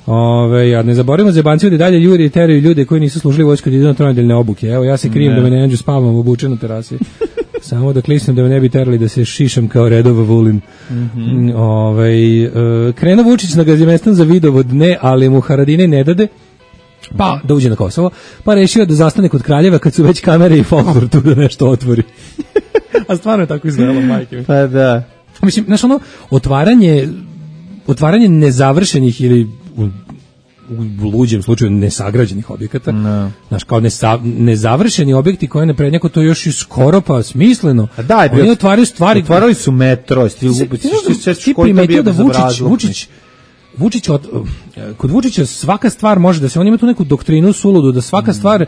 Ove, a ne zaboravimo zebanciju da dalje ljudi teraju ljude koji nisu služili vojsku da idu na tronedeljne obuke. Evo, ja se krijem ne. Da me ne nađu spavam obučen na terasi. Samo da klisnem da me ne bi terali da se šišam kao redova Vulin. Mm-hmm. Ove, e, krenuo Vučić na Gazimestan za vidovod, ne, ali mu Haradine ne dade. Pa, da uđe na Kosovo. Pa rešio da zastane kod Kraljeva kad su već kamere i folklor tu da nešto otvori. A stvarno je tako izgledalo, majke. Pa da. Mislim, znaš ono, otvaranje, otvaranje nezavršenih ili u luđem slučaju nesagrađenih objekata, no. Znaš, kao nesa, nezavršeni objekti koje ne prednjako to još i skoro pa smisleno. A daj, oni otvaraju stvari. Otvarali su metro, stil ti primetio da Vučić, Vučić, Vučić od, kod Vučića svaka stvar može da se, on ima tu neku doktrinu suludu, da svaka mm. stvar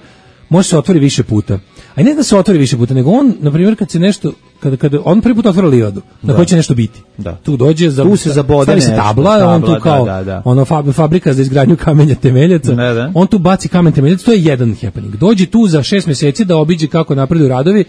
može se otvori više puta. A ne da se otvori više puta, nego on, na primjer, kad se nešto, kada, kada on prvi put otvara livadu, na kojoj će nešto biti. Da. Tu dođe, za, tu se zabode stavi se tabla, tabla, on tu kao, da, da, da. ono fab, fabrika za izgradnju kamenja temeljaca, da, da. On tu baci kamen temeljac, to je jedan happening. Dođe tu za šest mjeseci da obiđe kako napreduju radovi,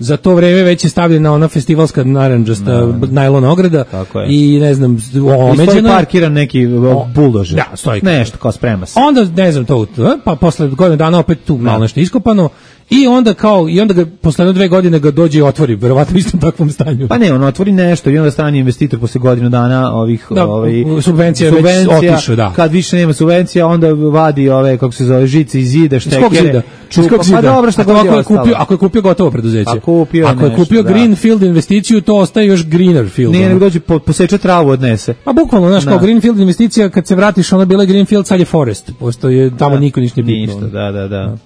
za to vreme već je stavljena ona festivalska naranđasta no, najlon ograda i ne znam, omeđeno. I stoji parkiran neki buldožer. Da, stoji. Nešto kao sprema se. Onda, ne znam, to, pa posle godine dana opet tu malo nešto iskopano i onda kao, i onda ga, posle dve godine ga dođe i otvori, verovatno u istom takvom stanju. Pa ne, on otvori nešto i onda strani investitor posle godinu dana ovih, da, ovaj, subvencija, subvencija već otišao, da. Kad više nema subvencija, onda vadi ove, kako se zove, žice iz zida, štekere. Čupa, pa dobro, šta god je ostalo. Kupio, ako je kupio gotovo preduzeće. A kupio ako je nešto, kupio da. Greenfield investiciju, to ostaje još Greenerfield. Nije, nego dođe, po, poseče travu odnese. Pa bukvalno, znaš, kao Greenfield investicija, kad se vratiš, ona bila Greenfield, sad je Forest. Posto je, tamo da. Niko ništa nije bitno. Ništa, da, da, da.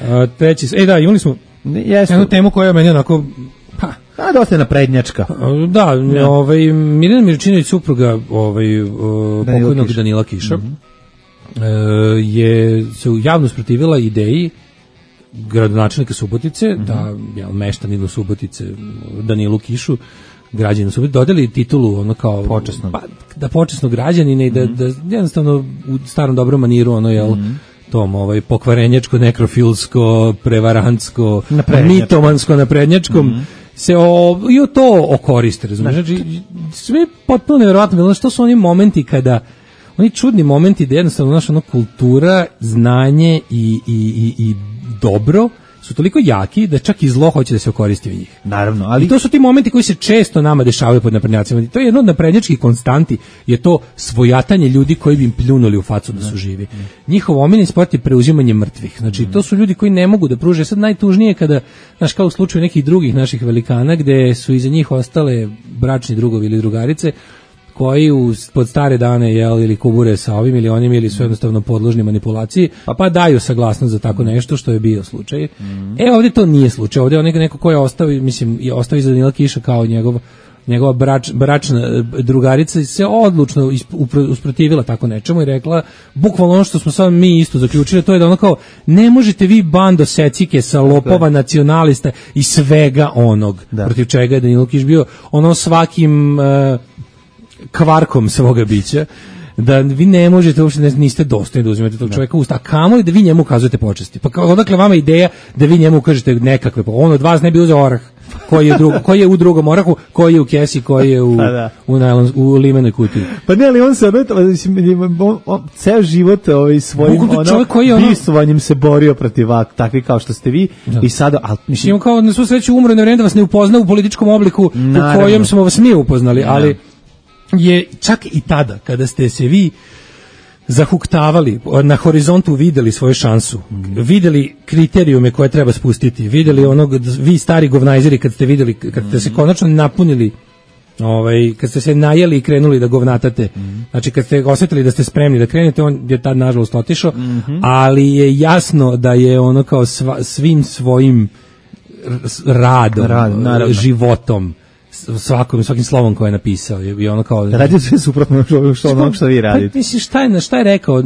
A, treći, e da, imali smo Jesu. jednu temu koja je meni onako, pa, a dosta naprednjačka. Da, ja. ovaj, Mirjana Mirčinović, supruga ovaj, uh, pokojnog Danila Kiša, mm-hmm. uh, je se javno sprotivila ideji gradonačelnika Subotice, mm-hmm. da jel, meštaninu Subotice, Danilu Kišu, građaninu Subotice, dodali titulu ono kao počasno. Pa, da počasno građanine i da, mm-hmm. da jednostavno u starom dobrom maniru ono, jel, mm-hmm. tom ovaj pokvarenjačko, nekrofilsko, prevarantsko, mitomansko naprednjačkom mm-hmm. se o, i o to okoriste, razumiješ? Znači, sve potpuno nevjerovatno, bilo što su oni momenti kada, oni čudni momenti da jednostavno naša ono, kultura, znanje i, i, i, i dobro su toliko jaki da čak i zlo hoće da se okoristi u njih. Naravno, ali i to su ti momenti koji se često nama dešavaju pod naprednjacima. To je jedno od naprednjačkih konstanti, je to svojatanje ljudi koji bi im pljunuli u facu da su živi. Njihov omiljeni sport je preuzimanje mrtvih. Znači, to su ljudi koji ne mogu da pruže. Sad najtužnije kada, znaš, kao u slučaju nekih drugih naših velikana, gde su iza njih ostale bračni drugovi ili drugarice, koji u, pod stare dane jel, ili kubure sa ovim ili onim ili su jednostavno podložni manipulaciji, pa, pa daju saglasnost za tako nešto što je bio slučaj. Mm. E ovdje to nije slučaj, ovdje je neko, neko ko je ostao, mislim, je ostao iza Danila Kiša kao njegov, njegova brač, bračna drugarica se odlučno usprotivila tako nečemu i rekla, bukvalno ono što smo sad mi isto zaključili, to je da ono kao, ne možete vi bando secike sa lopova, nacionalista i svega onog, da. Protiv čega je Danilo Kiš bio ono svakim uh, kvarkom svoga bića, da vi ne možete uopšte, niste dostojni da uzimate tog čovjeka u usta, a kamoli da vi njemu ukazujete počasti. Pa odakle vama ideja da vi njemu ukažete nekakve, on od vas ne bi uzeo orah, koji je, drugo, koji je u drugom orahu, koji je u kesi, koji je u, da. u, najlon, u limenoj kutiji. Pa ne, ali on se, mislim, on, on, ceo život ovaj, svojim ono, bistovanjem se borio protiv takvi kao što ste vi, da. I sada, ali, mislim, kao na svu sreću umro na vreme da vas ne upozna u političkom obliku naravno. U kojem smo vas mi upoznali, ali da. Je čak i tada, kada ste se vi zahuktavali, na horizontu videli svoju šansu, videli kriterijume koje treba spustiti, videli onog, vi stari govnajzeri kad ste videli, kad ste se konačno napunili, ovaj, kad ste se najeli i krenuli da govnatate, znači kad ste osjetili da ste spremni da krenete, on je tad nažalost otišao, ali je jasno da je ono kao sva, svim svojim radom, Rad, životom, svakom svakim slovom koje je napisao je ono kao radio sve suprotno što ono što vi radite. Pa, misliš šta je šta je rekao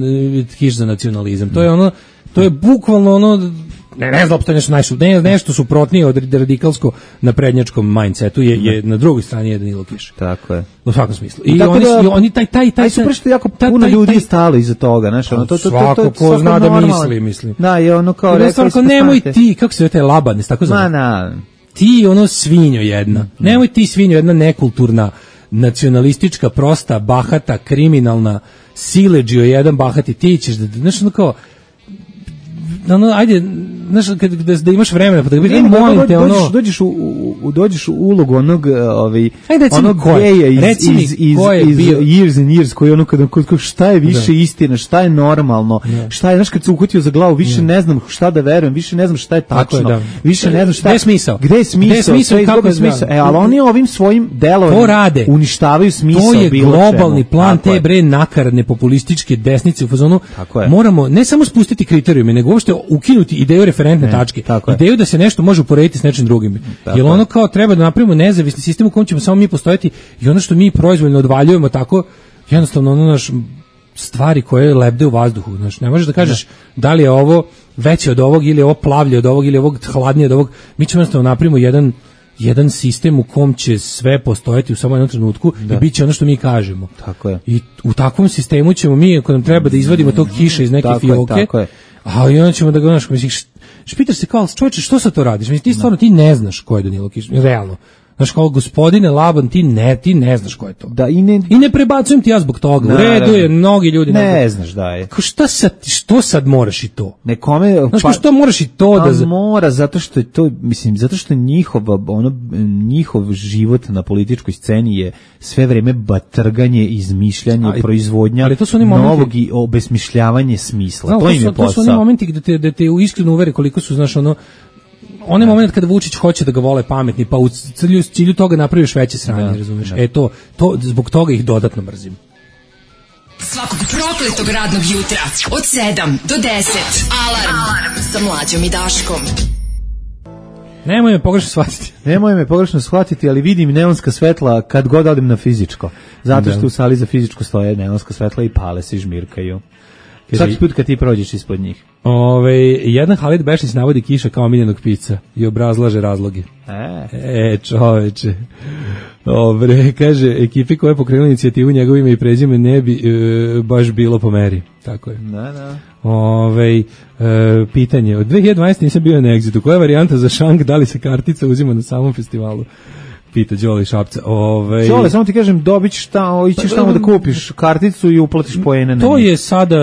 Kiš za nacionalizam? To je ono to je bukvalno ono ne ne znam opšte nešto najšu, ne, nešto suprotnije od radikalsko naprednjačkom mindsetu je je na drugoj strani je Danilo Kiš. Tako je. U svakom smislu. I oni da, oni taj taj taj super što jako puno ljudi je stalo iza toga, znači ono to to to to ko zna da misli, mislim. Da, je ono kao rekao nemoj ti kako se zove taj Laban, tako zove. Ma na ti ono svinjo jedna, mm-hmm. nemoj ti svinjo jedna nekulturna, nacionalistička, prosta, bahata, kriminalna, siledžio jedan bahati, ti ćeš da, znaš ono kao, ono, ajde, znaš, kad, da, da imaš vremena, pa da vidim, molim te, ono... Dođeš u, u, dođeš u ulogu onog, ovaj, Ajde, onog geja iz, reci mi, iz, iz, ko je iz bio? Years and Years, koji ono, kada, šta je više da. istina, šta je normalno, da. šta je, znaš, kad se uhvatio za glavu, više da. ne znam šta da verujem, više ne znam šta je tačno, je, da. više ne znam šta... Gde je smisao? Gde je smisao? Gde je smisao, kako je smisao? E, ali oni ovim svojim delovanjem uništavaju smisao. To je globalni čemu. plan Tako te bre nakaradne populističke desnice u fazonu. Moramo ne samo spustiti kriterijume, nego uopšte ukinuti ideju referentne ne, tačke. Ideju da se nešto može uporediti s nečim drugim. Jer ono kao treba da napravimo nezavisni sistem u kojem ćemo samo mi postojati i ono što mi proizvoljno odvaljujemo tako, jednostavno ono naš stvari koje lebde u vazduhu. Znaš, ne možeš da kažeš ne. da li je ovo veće od ovog ili je ovo plavlje od ovog ili je ovog hladnije od ovog. Mi ćemo jednostavno napravimo jedan jedan sistem u kom će sve postojati u samo jednom trenutku da. i bit će ono što mi kažemo. Tako je. I u takvom sistemu ćemo mi, ako nam treba da izvadimo tog kiša iz neke tako fioke, je, tako je. a i onda ćemo da ga, znaš, misliš, špitaš se kao, čovječe, što sad to radiš? Mislim, ti stvarno, ti ne znaš ko je Danilo Kiš, realno. Znaš, kao gospodine Laban, ti ne, ti ne znaš ko je to. Da, i, ne, I ne prebacujem ti ja zbog toga. U redu je, mnogi ljudi... Ne, ne znaš da je. Ko šta sad, što sad moraš i to? Nekome... Znaš, pa, što moraš i to da... Pa mora, zato što je to, mislim, zato što njihova, ono, njihov život na političkoj sceni je sve vreme batrganje, izmišljanje, ali, proizvodnja ali to su oni novog momenti, i obesmišljavanje smisla. Znam, to, to im je posao. To su oni momenti gde te, gde te iskreno uvere koliko su, znaš, ono, onaj moment kada Vučić hoće da ga vole pametni, pa u cilju, cilju toga napraviš veće sranje, razumiješ? E to, to, zbog toga ih dodatno mrzim. Svakog prokletog radnog jutra od sedam do deset. Alarm, Alarm. Sa Mlađom i Daškom. Nemoj me pogrešno shvatiti. Nemoj me pogrešno shvatiti, ali vidim neonska svetla kad god odem na fizičko. Zato što u sali za fizičko stoje neonska svetla i pale se i žmirkaju. Svaki put kad ti prođeš ispod njih. Ove, jedan Halid Bešnić navodi Kiša kao omiljenog pisca i obrazlaže razloge. E, e čoveče. Dobre, kaže, ekipi koja je pokrenula inicijativu njegovim i prezime ne bi e, baš bilo po meri. Tako je. Da, da. Ove, e, pitanje, od dve hiljade dvanaeste nisam bio na Exitu. Koja je varijanta za šank, da li se kartica uzima na samom festivalu? Pita Đole Šapca. Ove... Đole, samo ti kažem, dobit ćeš tamo, ićeš tamo da kupiš karticu i uplatiš poene. To je sada,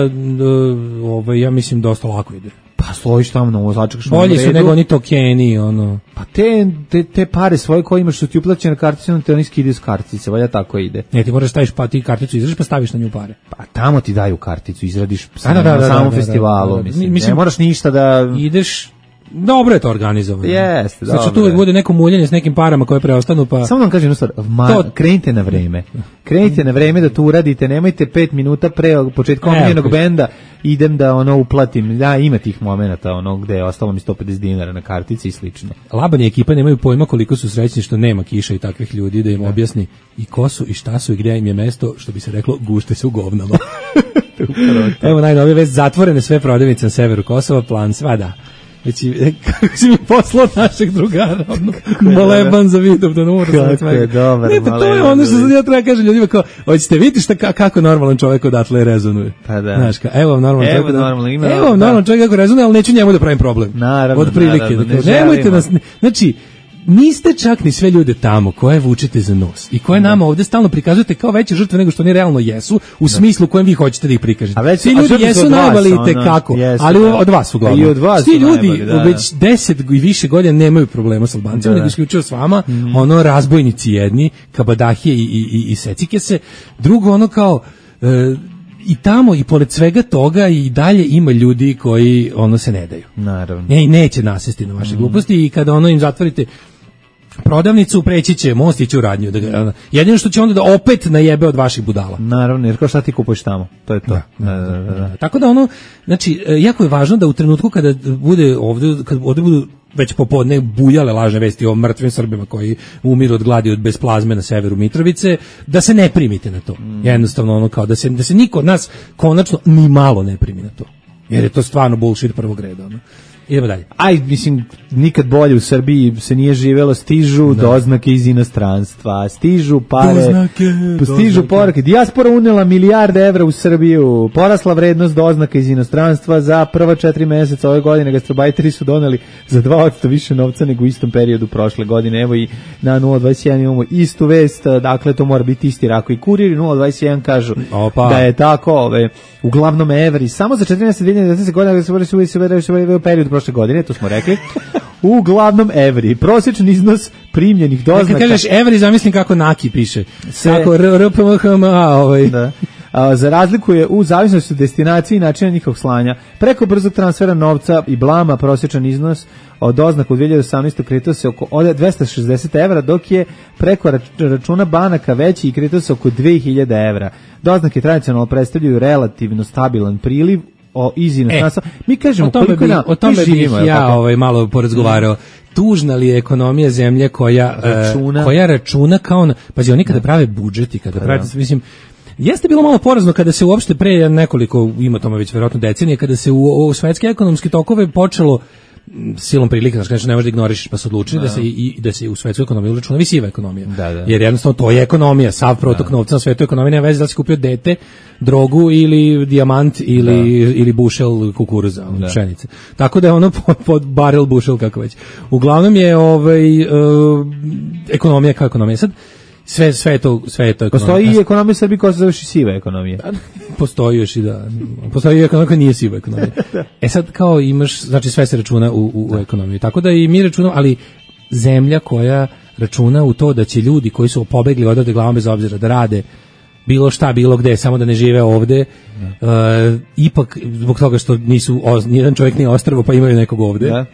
ove, ja mislim, dosta lako ide. Pa stojiš tamo na vozačak što bolje su nego oni tokeni, ono. Pa te, te, te pare svoje koje imaš što ti uplaćene kartice, on te oni skidaju s kartice, valja tako ide. Ne, ti moraš staviš, pa ti karticu izradiš pa staviš na nju pare. Pa tamo ti daju karticu, izradiš da, da, da, na samom da, da, festivalu, da, da, da. mislim. mislim. Ne moraš ništa da... Ideš... Dobro je to organizovano. Jeste, dobro. Znači tu uvijek bude neko muljenje s nekim parama koje preostanu, pa... Samo vam kažem jednu stvar, ma, to... krenite na vreme. Krenite na vreme da to uradite, nemojte pet minuta pre početka omiljenog okay. benda, idem da ono uplatim. Da, ima tih momenata ono gde je ostalo mi sto pedeset dinara na kartici i slično. Laban i ekipa nemaju pojma koliko su srećni što nema Kiša i takvih ljudi da im da. objasni i ko su i šta su i gdje im je mesto, što bi se reklo, gušte se u govnama. Evo najnovije vest, zatvorene sve prodavnice na severu Kosova, plan svada. Već kako si mi poslao našeg drugara, ono, moleban za vidom da ne mora sve. Kako je dobar, ne, pa to je ono što sad ja treba kažem ljudima kao, hoćete vidjeti šta, kako normalan čovjek odatle rezonuje. Pa da. Znaš, ka, evo vam normalan evo čovjek, normalno, ima, evo vam normalan čovjek kako rezonuje, ali neću njemu da pravim problem. Naravno, od prilike, naravno, da kao, nemojte nas, znači, niste čak ni sve ljude tamo koje vučete za nos i koje nama ovdje stalno prikazujete kao veće žrtve nego što oni realno jesu u smislu kojem vi hoćete da ih prikažete. Već, svi ljudi jesu najbolji kako, jesu, ali da. Od vas uglavnom. I od vas svi ljudi najbolji, da, već deset i više godina nemaju problema s Albancima, nego isključivo s vama, mm. ono razbojnici jedni, kabadahije i, i, i, i secike se, drugo ono kao... E, i tamo i pored svega toga i dalje ima ljudi koji ono se ne daju. Naravno. Ne, i neće nasesti na vaše mm. gluposti i kada ono im zatvorite prodavnicu, preći će most, ići u radnju. Da ga, jedino što će onda da opet najebe od vaših budala. Naravno, jer kao šta ti kupuješ tamo? To je to. Da, da, da, da, da. Tako da ono, znači, jako je važno da u trenutku kada bude ovdje, kada ovdje budu već popodne buljale lažne vesti o mrtvim Srbima koji umiru od gladi od bez plazme na severu Mitrovice, da se ne primite na to. Mm. Jednostavno ono kao da se, da se niko od nas konačno ni malo ne primi na to. Jer je to stvarno bullshit prvog reda. Ono. Idemo dalje. Aj, mislim, nikad bolje u Srbiji se nije živelo, stižu da. doznake iz inostranstva, stižu pare, doznake, stižu poruke. Dijaspora unela milijarde evra u Srbiju, porasla vrednost doznaka iz inostranstva za prva četiri meseca ove godine, gastrobajteri su doneli za dva posto više novca nego u istom periodu prošle godine. Evo i na nula dvadeset jedan imamo istu vest, dakle to mora biti isti Rako i Kurir, nula dvadeset jedan kažu Opa. da je tako, ove, uglavnom evri, samo za četiri meseca dve hiljade devetnaeste godine, da se u periodu prošle godine, to smo rekli. Uglavnom evri. Prosječan iznos primljenih doznaka. Kad kažeš evri, zamislim kako Naki piše. Se... Kako R P M H M A ovaj. Da. A, za razliku je u zavisnosti od destinacije i načina njihovog slanja. Preko brzog transfera novca i blama prosječan iznos od doznaka u dve hiljade osamnaestoj kretao se oko od dvesta šezdeset evra, dok je preko računa banaka veći i kretao se oko dve hiljade evra. Doznake tradicionalno predstavljaju relativno stabilan priliv o iz inostranstva. E, mi kažemo koliko bi, na, o tome bih ja ovaj, malo porazgovarao. Tužna li je ekonomija zemlje koja računa, uh, koja računa kao na, pazi, oni kada prave budžet i kada prave, mislim, jeste bilo malo porazno kada se uopšte pre nekoliko, ima tome već verovatno decenije, kada se u, u svetske ekonomske tokove počelo silom prilika, znači ne možeš da ignorišeš, pa su odlučili da, da se i da se u svetsku ekonomiju računa visiva ekonomija. Da, da. Jer jednostavno to je ekonomija, sav protok da. novca na svetu ekonomije nema veze da li si kupio dete, drogu ili dijamant ili da. ili bušel kukuruza, da. pšenice. Tako da je ono pod, pod barel bušel kako već. Uglavnom je ovaj uh, ekonomija kao ekonomija. Sad sve sve je to sve je to ekonomija. Postoji i ekonomija Srbije koja se zove siva ekonomija. Postoji još i da. Postoji i ekonomija koja nije siva ekonomija. E sad kao imaš, znači sve se računa u, u, u ekonomiji. Tako da i mi računamo, ali zemlja koja računa u to da će ljudi koji su pobegli odavde glavom bez obzira da rade bilo šta, bilo gde, samo da ne žive ovde, uh, ipak zbog toga što nisu, nijedan čovjek nije ostrvo pa imaju nekog ovde. Da.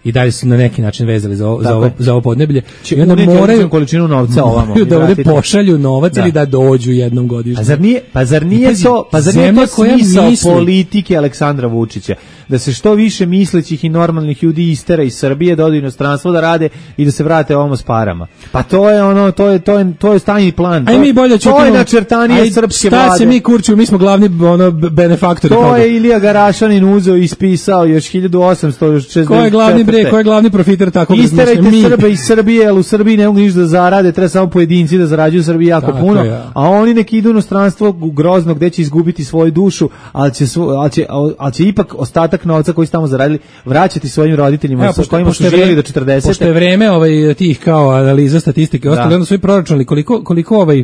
I dalje su na neki način vezali za ovo, za ovo, za ovo podneblje. I onda moraju količinu novca ovamo da ovde pošalju novac da. ili da dođu jednom godišnje. A zar nije, pa zar nije pazi, to, pa zar nije to smisao misli... politike Aleksandra Vučića? Da se što više mislećih i normalnih ljudi istera iz Srbije, da odu u inostranstvo da rade i da se vrate ovamo s parama. Pa to je ono, to je to je to je stajni plan. Aj mi bolje to je načrtanje srpske vlade. Šta se mi kurčimo, mi smo glavni ono benefaktori. To je Ilija Garašanin uzeo i ispisao još hiljadu osamsto šezdeset četvrte. Ko je glavni bre, ko je glavni profiter tako da isterajte Srbe iz Srbije, jer u Srbiji ne mogu ništa da zarade, treba samo pojedinci da zarađuju u Srbiji jako tako puno, ja. A oni neki idu u inostranstvo grozno gde će izgubiti svoju dušu, ali će, ali će, ali će ipak ostatak novca koji su tamo zaradili vraćati svojim roditeljima evo, sa pošto, kojima su živjeli do četrdesete. Pošto je vreme ovaj, tih kao analiza statistike, ostali onda svoj proračun, koliko, koliko ovaj,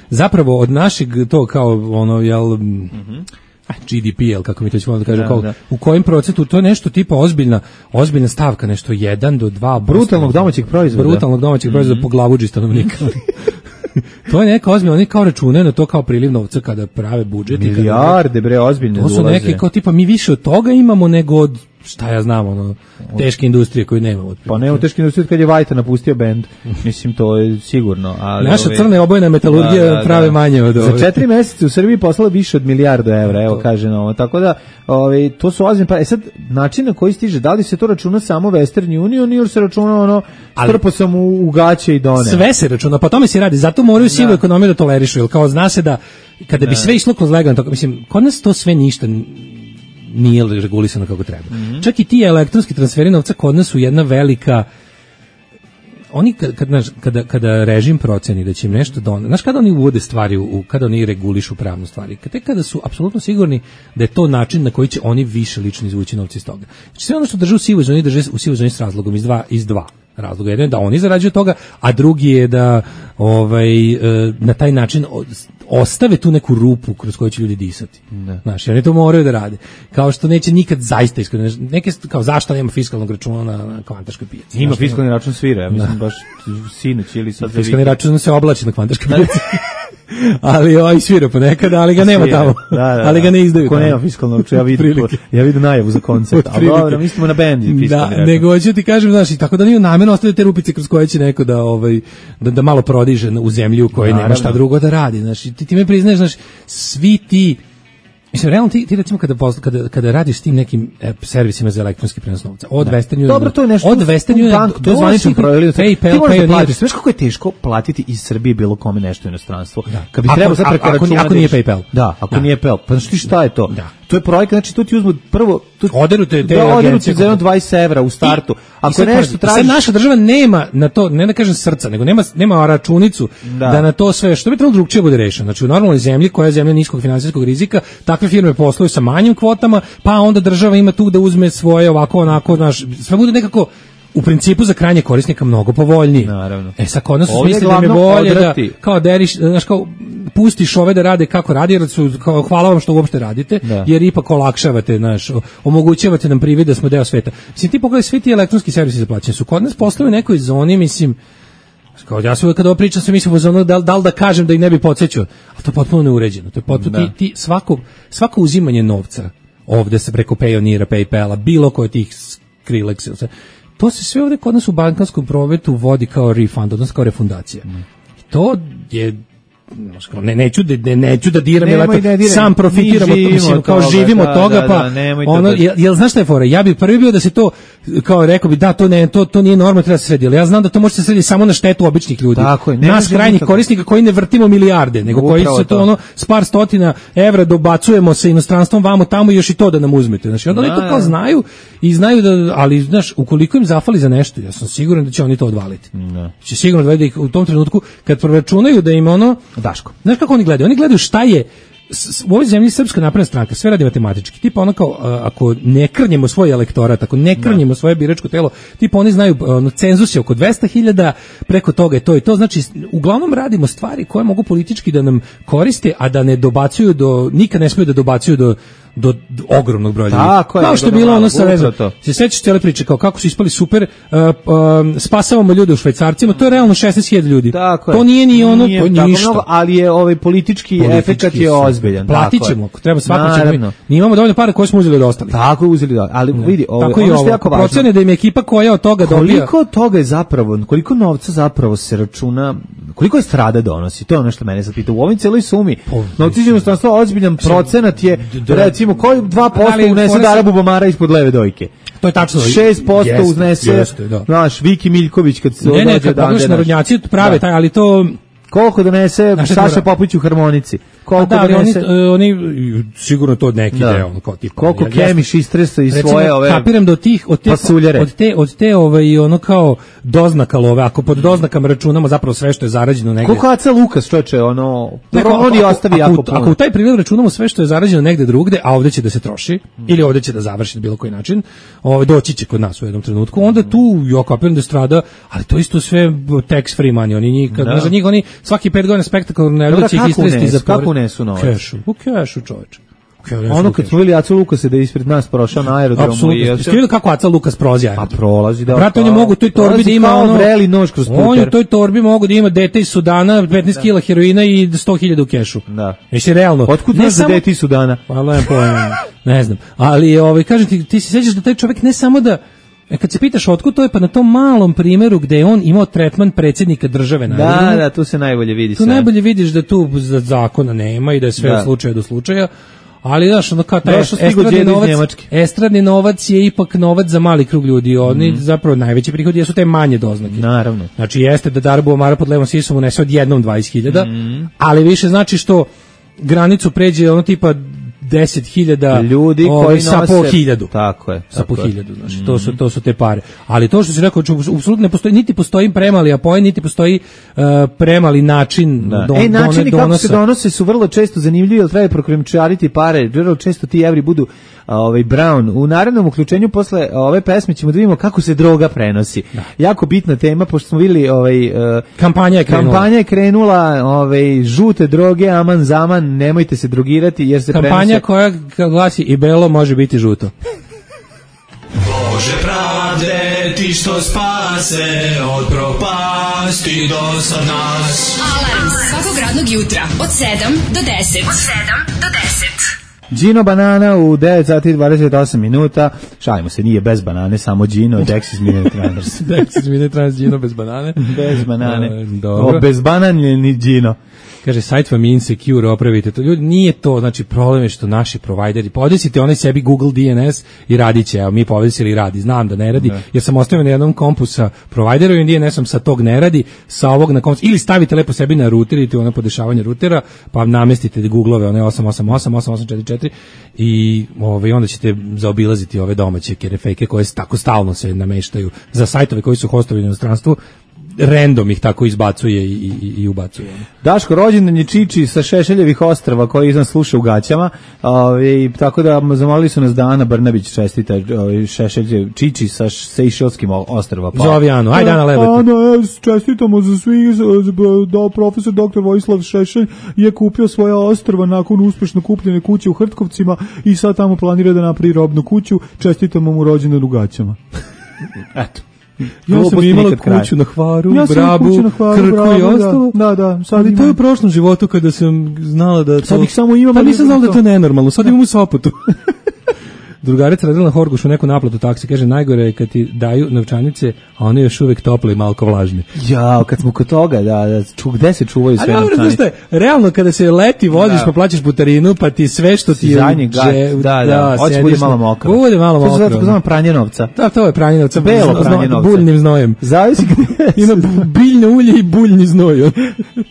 zapravo od našeg to kao ono, jel... Mm-hmm. G D P, jel, kako mi to ćemo da kažem, da, kao, da. U kojem procentu, to je nešto tipa ozbiljna, ozbiljna stavka, nešto jedan do dva brutalnog domaćeg proizvoda. Brutalnog domaćeg mm-hmm. proizvoda po glavuđi stanovnika. To je neka ozbiljna, oni kao računaju na to kao priliv novca kada prave budžet. Milijarde, bre, ozbiljne. To su dolaze. Neki kao tipa, mi više od toga imamo nego od, šta ja znam, ono, teške industrije koju nemamo. Pa nema teške industrije kad je Vajta napustio bend. Mislim, to je sigurno. Ali naša ove, crna obojna metalurgija da, da, prave da. manje od ove. Za četiri meseca u Srbiji poslala više od milijardu evra, evo kaže na ovo. Tako da, ove, to su ozbiljne. Pa, e sad, način na koji stiže, da li se to računa samo Western Union ili se računa ono, strpo sam u, u gaće i done? Sve se računa, pa tome se radi. Zato moraju sivu da. ekonomiju da tolerišu, jer kao zna se da kada bi da. sve išlo kroz legalno, mislim, kod nas to sve ništa nije regulisano kako treba. Mm-hmm. Čak i ti elektronski transferi novca kod nas su jedna velika, oni kad, kad, kada, kada režim proceni da će im nešto doneti, znaš kada oni uvode stvari, u, kada oni regulišu pravnu stvari, kada, kada su apsolutno sigurni da je to način na koji će oni više lično izvući novci iz toga. Znači sve ono što drže u sivoj zoni, drže u sivoj zoni s razlogom iz dva, iz dva razloga. Jedan je da oni zarađuju toga, a drugi je da ovaj, na taj način ostave tu neku rupu kroz koju će ljudi disati. Znaš, oni to moraju da rade. Kao što neće nikad zaista iskreno, neke, kao zašto nema fiskalnog računa na, na kvantaškoj pijaci. Ima fiskalni račun svira, ja mislim baš sinoć ili sad. Fiskalni račun se oblači na kvantaškoj pijaci. Ali ovaj svira ponekad, ali ga nema tamo. Da, da, da. Ali ga ne izdaju. Ko nema fiskalnog računa, ja vidim, ja vidim najavu za koncept. Ali dobro, mislimo na bend fiskalni da, račun. Nego ću ti kažem, znaš, i tako da nije namjerno ostavljaju te rupice kroz koje će neko da ovaj da, da malo prodiže u zemlju u kojoj nema šta drugo da radi. Znaš, ti ti me priznaš, znaš, svi ti mislim, realno ti, ti recimo kada, kada, kada radiš s tim nekim e, servisima za elektronski prenos novca, od da. Western Union, dobro, to je nešto, od Western Union, bank, to je zvaničan projekt, PayPal, ti možeš da platiš, znaš kako je teško platiti iz Srbije bilo kome nešto u inostranstvo, da. Kad bi trebao sad preko računa, ako nije PayPal, da, ako da. nije PayPal, pa znaš ti šta je to? Da. To je projekat, znači tu ti uzmu prvo, tu oderu te te da, agencije za dvadeset evra u startu. Ako nešto tražiš, sad naša država nema na to, ne da kažem srca, nego nema nema računicu da, da na to sve, što bi trebalo drugčije bude rešeno. Znači u normalnoj zemlji koja je zemlja niskog finansijskog rizika, takve firme posluju sa manjim kvotama, pa onda država ima tu da uzme svoje ovako onako, naš sve bude nekako u principu za krajnje korisnika mnogo povoljniji. Naravno. E sad kod nas su Ovdje smislili da me glavno bolje da, odrati. kao deriš, znaš, kao pustiš ove da rade kako radi, jer su, kao, hvala vam što uopšte radite, Da. jer ipak olakšavate, znaš, o- omogućavate nam privid da smo deo sveta. Mislim, ti pogledaj, svi ti elektronski servisi za plaćanje su kod nas posle u nekoj zoni, mislim, kao ja se uvek kada ovo pričam sam mislim ono da, da li da kažem da ih ne bi podsjećao, a to je potpuno neuređeno. To je potpuno Da. ti, ti svako, svako uzimanje novca ovde se preko Payoneera, PayPala, bilo koje od tih Skrillex, ili sve, to se sve ovde kod nas u bankarskom prometu vodi kao refund, odnosno kao refundacija. I to je ne neću da ne, neću da diram, jer Nemoj eto, da diraj. sam profitiramo, Mi to, mislim, živimo kao od toga, živimo od da, toga, da, pa da, nemoj to ono, da- jel, jel znaš šta je fora? Ja bih prvi bio da se to, kao rekao bi, da, to ne, to, to nije normalno, treba se sredi, ali ja znam da to može se srediti samo na štetu običnih ljudi. Tako je, ne nas može krajnjih nikako. korisnika koji ne vrtimo milijarde, nego koji Upravo se to to. ono s par stotina evra dobacujemo sa inostranstvom vamo tamo i još i to da nam uzmete. Znači, onda oni to Da, kao da. znaju i znaju da, ali znaš, ukoliko im zafali za nešto, ja sam siguran da će oni to odvaliti. Da. Će sigurno da ih u tom trenutku kad proračunaju da im ono Daško. znaš kako oni gledaju? Oni gledaju šta je s- s- u ovoj zemlji Srpska napredna stranka, sve radi matematički. Tipa ono kao, a, ako ne krnjemo svoj elektorat, ako ne krnjemo svoje biračko telo, tipa oni znaju, ono, cenzus je oko dvesta hiljada, preko toga je to i to. Znači, uglavnom radimo stvari koje mogu politički da nam koriste, a da ne dobacuju do, nikad ne smiju da dobacuju do do, do ogromnog broja ljudi. Tako je, Kao što je nego bilo malo, ono sa, ne znam, upravo to. se sećaš cijele priče, kao kako su ispali super, uh, um, spasavamo ljude u Švajcarcima, to je realno šesnaest hiljada ljudi. Tako je. To nije ni ono, Nije to je tako ništa. mnogo, ali je ovaj politički, Politički efekat je su. ozbiljan. Platit tako je. ćemo, ako treba svako ćemo. Naravno. Mi imamo dovoljno para koje smo uzeli od ostalih. Tako je uzeli da, ali vidi, ovo, Tako i ono što ovo. je jako Ako važno. procene da im je ekipa koja od toga dobija... Koliko toga je zapravo, koliko novca zapravo se računa, koliko je strada donosi, to je ono što mene sad pita. U ovoj celoj sumi, novci će jednostavno ozbiljan procenat je, recimo, koji dva posto Ali, unese fora se- Dara Bubamara ispod leve dojke. To je tačno. šest posto Jeste, uznese, jeste, da. znaš, Viki Miljković kad se Ne, ne, dođe kad odande, pogledaš znaš. narodnjaci prave Da. taj, ali to... Koliko donese Znaš šta Saša mora- Popović u harmonici? Koliko Pa da, ali oni, donese... e, oni, sigurno to od neki Da. deo, ono, kao tipa. Koliko ja- Kemiš istresa iz Recimo, svoje ove... kapiram da od tih od te pasuljare. od te od te ovaj ono kao doznaka love, ako pod doznakama računamo zapravo sve što je zarađeno negde. Koliko Aca Lukas, čoveče, ono... Neko, Dobro, on i ako- ostavi ako, jako ako, puno. u taj prilog računamo sve što je zarađeno negde drugde, a ovde će da se troši, ili ovde će da završi na bilo koji način, ovaj, doći će kod nas u jednom trenutku, onda tu, ja kapiram da strada, ali to isto sve tax free money, oni njih, kad, Da. za njih oni svaki pet godina spektakularno ne Dobro, će ih kako istresti unesu? za porez. Kako unesu novac? Kešu, u kešu, čoveče. U kešu, Ono u kad kešu. smo vidjeli Acu Lukasa da je ispred nas prošao na aerodromu Apsolutno. i... Jeste vidjeli kako Aca Lukas prolazi Pa aerodrom? prolazi, da. Brate, on je pa- mogu u toj torbi prolazi da ima kao ono... vreli nož kroz On je u puter. toj torbi mogu da ima dete iz Sudana, petnaest kila heroina i sto hiljada u kešu. Da. Jesi realno? Otkud Ne znaš za samo- deti Sudana? Hvala je pojma, ne znam. Ali ovaj kažem ti, ti se sećaš da taj čovjek ne samo da e, kad se pitaš otkud to je, pa na tom malom primjeru gde je on imao tretman predsjednika države na Da, aerodromu, da, tu se najbolje vidi tu sve. najbolje vidiš da tu za- zakona nema i da je sve Da. od slučaja do slučaja. Ali znaš, ono kao taj Došao stigo estradni đedo iz novac, Njemačke. estradni novac je ipak novac za mali krug ljudi. Oni zapravo najveći prihodi jesu te manje doznake. Naravno. Znači jeste da Darbo Omara pod levom sisom unese odjednom dvadeset hiljada, Mhm. ali više znači što granicu pređe ono tipa deset hiljada Ljudi ovaj, koji sa po nose- hiljadu. Tako je, Sa po tako je. hiljadu, znači, to su, to su te pare. Ali to što si rekao, znači, apsolutno ne postoji, niti postoji premali apoen, niti postoji uh, premali način Da. don, e, načini don- kako se donosa. donose su vrlo često zanimljivi, jer treba prokrimčariti pare, vrlo često ti evri budu a, ovaj Brown. U narednom uključenju posle ove pesme ćemo da vidimo kako se droga prenosi. Jako bitna tema, pošto smo vidjeli ovaj, e, Kampanja je krenula. kampanja je krenula, ovaj, žute droge, aman zaman, nemojte se drogirati, jer se Kampanja prenose... koja glasi i belo može biti žuto. Bože pravde, ti što spase od propasti do sad nas. Alarm svakog radnog jutra od sedam do deset. Od sedam do deset. Gino Banana u devet sati i dvadeset osam minuta. Šalimo se, nije bez banane, samo Gino, Dexys Minute Runners. Dexys Minute Runners Gino bez banane. Bez banane. E, dobro. O, bez bananjeni Gino. Kaže, sajt vam je insecure, opravite to. Ljudi, nije to, znači, problem je što naši provajderi, podesite onaj sebi Google D N S i radit će, evo, mi podesili i radi, znam da ne radi, Da. jer sam ostavio na jednom kompu sa providerovim D N S-om, sa tog ne radi, sa ovog na kompu, ili stavite lepo sebi na ruter, idete u ono podešavanje rutera, pa namestite Google-ove, one osam osam osam, osam osam četiri četiri i ovaj, onda ćete zaobilaziti ove domaće kerefejke koje tako stalno se nameštaju za sajtove koji su hostovi u inostranstvu. random ih tako izbacuje i, i, i ubacuje. Daško, rođendan je Čiči sa Šešeljevih ostrva koji nas sluša u gaćama, ove, tako da zamolili su nas da Ana Brnabić čestita Šešelje Čiči sa Sejšelskim ostrva. Pa. Zovi Anu, ajde Ana Lebeku. Ana, čestitamo za svi, da profesor doktor Vojislav Šešelj je kupio svoja ostrva nakon uspešno kupljene kuće u Hrtkovcima i sad tamo planira da napravi robnu kuću, čestitamo mu rođendan u gaćama. Eto. Ja sam imala kuću na Hvaru, ja Brabu, na Hvaru, Krku Brabu, i ostalo. Da, da, sad ali imam. to je u prošlom životu kada sam znala da to... Sad ih samo imam, pa ali nisam znala da to- je to nenormalno, sad imam u Sopotu. Drugarica radila na Horgošu neku naplatu taksi, kaže najgore je kad ti daju novčanice, a one još uvek tople i malko vlažne. Ja, kad smo kod toga, da, da ču, gde se čuvaju sve A dobro, znaš novčanice? šta je, realno kada se leti voziš Da. pa plaćaš putarinu, pa ti sve što ti je... Zadnji u gad, dže- da, da, hoće sediš bude na- malo mokro. Bude malo To se zove mokro. tako zvano pranje novca. Da, to je pranje novca. Belo zno- pranje zno- novca. Buljnim znojem. Zavisi gde Ima biljno ulje i buljni znoj.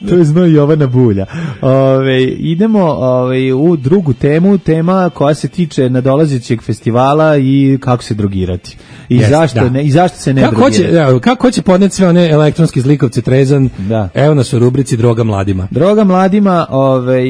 to je znoj Jovana Bulja. Ove, idemo ove, u drugu temu, tema koja se tiče nadolazećeg festivala i kako se drogirati. I, Jest, zašto, da. ne, i zašto se ne Kako hoće, drogirati. evo, kako hoće podneti sve one elektronske zlikovce trezan? Da. Evo nas u rubrici Droga mladima. Droga mladima, ove,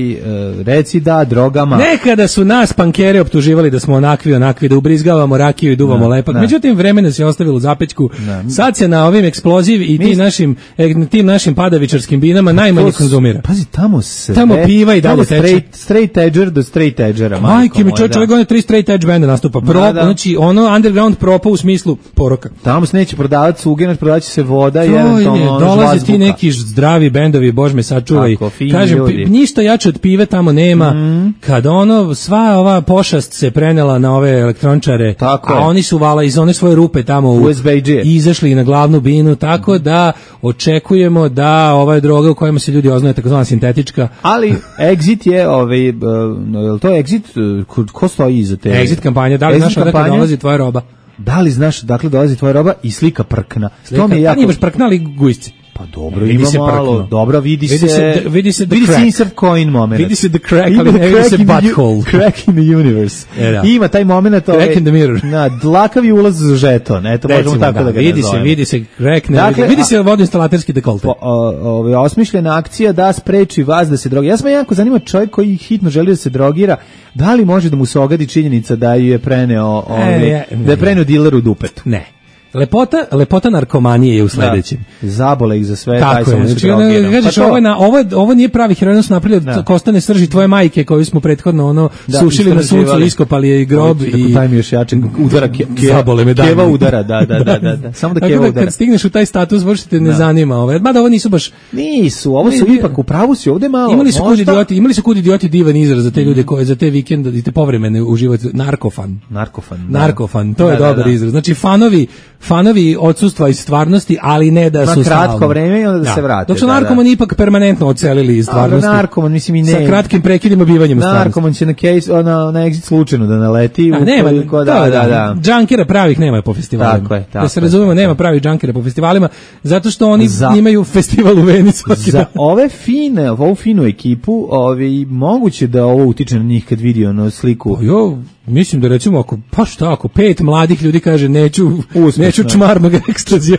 reci da, drogama. Nekada su nas pankere optuživali da smo onakvi, onakvi, da ubrizgavamo rakiju i duvamo Da, lepak. da. Međutim, vreme nas je ostavilo u zapećku. Da. Sad se na ovim eksploziv i Mi- tim našim, e, tim našim padavičarskim binama najmanje To s- konzumira. Pazi, tamo sve. Tamo piva i dalje tamo teče. straight, straight edger do straight edgera. Majke mi, moja, čovječ, da. ove godine tri straight edge benda nastupa. Pro, Da, da. Znači, ono underground propa u smislu poroka. Tamo se neće prodavati sugenac, prodavat će se voda i To je, eventualno ono dolaze žvazbuka. ti neki zdravi bendovi, bož me sačuvaj. Tako, fini Kažem, ljudi. pi- ništa jače od pive tamo nema. Kada ono, sva ova pošast se prenela na ove elektrončare, Tako a je. oni su vala iz one svoje rupe tamo u, U es be i dže. izašli na glavnu binu, tako da očekujemo da ova droga u kojima se ljudi oznaje takozvana sintetička, Ali Exit je, ovaj, uh, je li to Exit, uh, ko, ko stoji iza te? exit kampanja, da li Exit znaš odakle kampanja? dolazi tvoja roba? Da li znaš dakle dolazi tvoja roba i slika prkna? Slika, To mi je pa jako... nije baš prknali gujsci. Pa dobro, Vidi ima se malo. prkno. Dobro, vidi, Vidi se... se- vidi se the vidi crack. se insert coin moment. Vidi se the crack, Ima ali ne vidi crack se in the u- butthole. Crack in the universe. E, da. Ima taj moment... Crack ovaj, in the mirror. Na, dlakavi ulaz za žeton. Eto, možemo Recimo, tako da, da, ga vidi se, nazovemo. vidi se crack, ne, Dakle, vidi, vidi a- se vodoinstalaterski dekolte. Po, o, ove, osmišljena akcija da spreči vas da se drogira. Ja sam me jako zanima čovjek koji hitno želi da se drogira, da li može da mu se ogadi činjenica da ju je preneo, ove, E, ja- da je preneo diler u dupetu. Ne. Lepota, lepota narkomanije je u sledećem. Da. Zabole ih za sve, daj Tako samo je. se Znači, drogira. ono, kažeš, Pa to- ovo, je na, ovo, je- ovo nije pravi heroin, su napravili Da. od kostane srži tvoje majke koju smo prethodno ono Da, sušili na suncu, istraživali. iskopali je i grob Hoće, i rekao, daj mi još jače udara ke, ke, zabole me, daj keva mi. udara, da, da, da, da, da. Samo da Tako keva da udara. kad stigneš u taj status, baš te ne Da. zanima. Ovaj. Mada ovo nisu baš... Nisu, ovo su Ne, ipak u pravu si, ovde malo. Imali su kud možda- idioti, imali su kud idioti divan izraz za te ljude koje za te vikende i te povremene uživati, narkofan. Narkofan. Da. Narkofan, to je Da, da, dobar da. izraz. Znači fanovi, fanovi odsustva iz stvarnosti, ali ne da Na su kratko stalno. vreme i onda da se vrate, Dok su da, da. narkomani ipak permanentno odselili iz stvarnosti. Ali narkoman, mislim i ne. Sa kratkim prekidima bivanjem u stvarnosti. Narkoman će na case, na, na exit slučajno da naleti. A, nema, ukoliko- to da, je, da, da. džankera pravih nema po festivalima. Tako je, tako da se je, razumemo, tako nema je. pravih džankera po festivalima, zato što oni Za- imaju festival u Veni svaki Za dan. ove fine, ovu finu ekipu, ovi, moguće da ovo utiče na njih kad vidi ono sliku. Jo, mislim da recimo ako pa šta ako pet mladih ljudi kaže neću Uspešno. neću čmarnog ekstazija.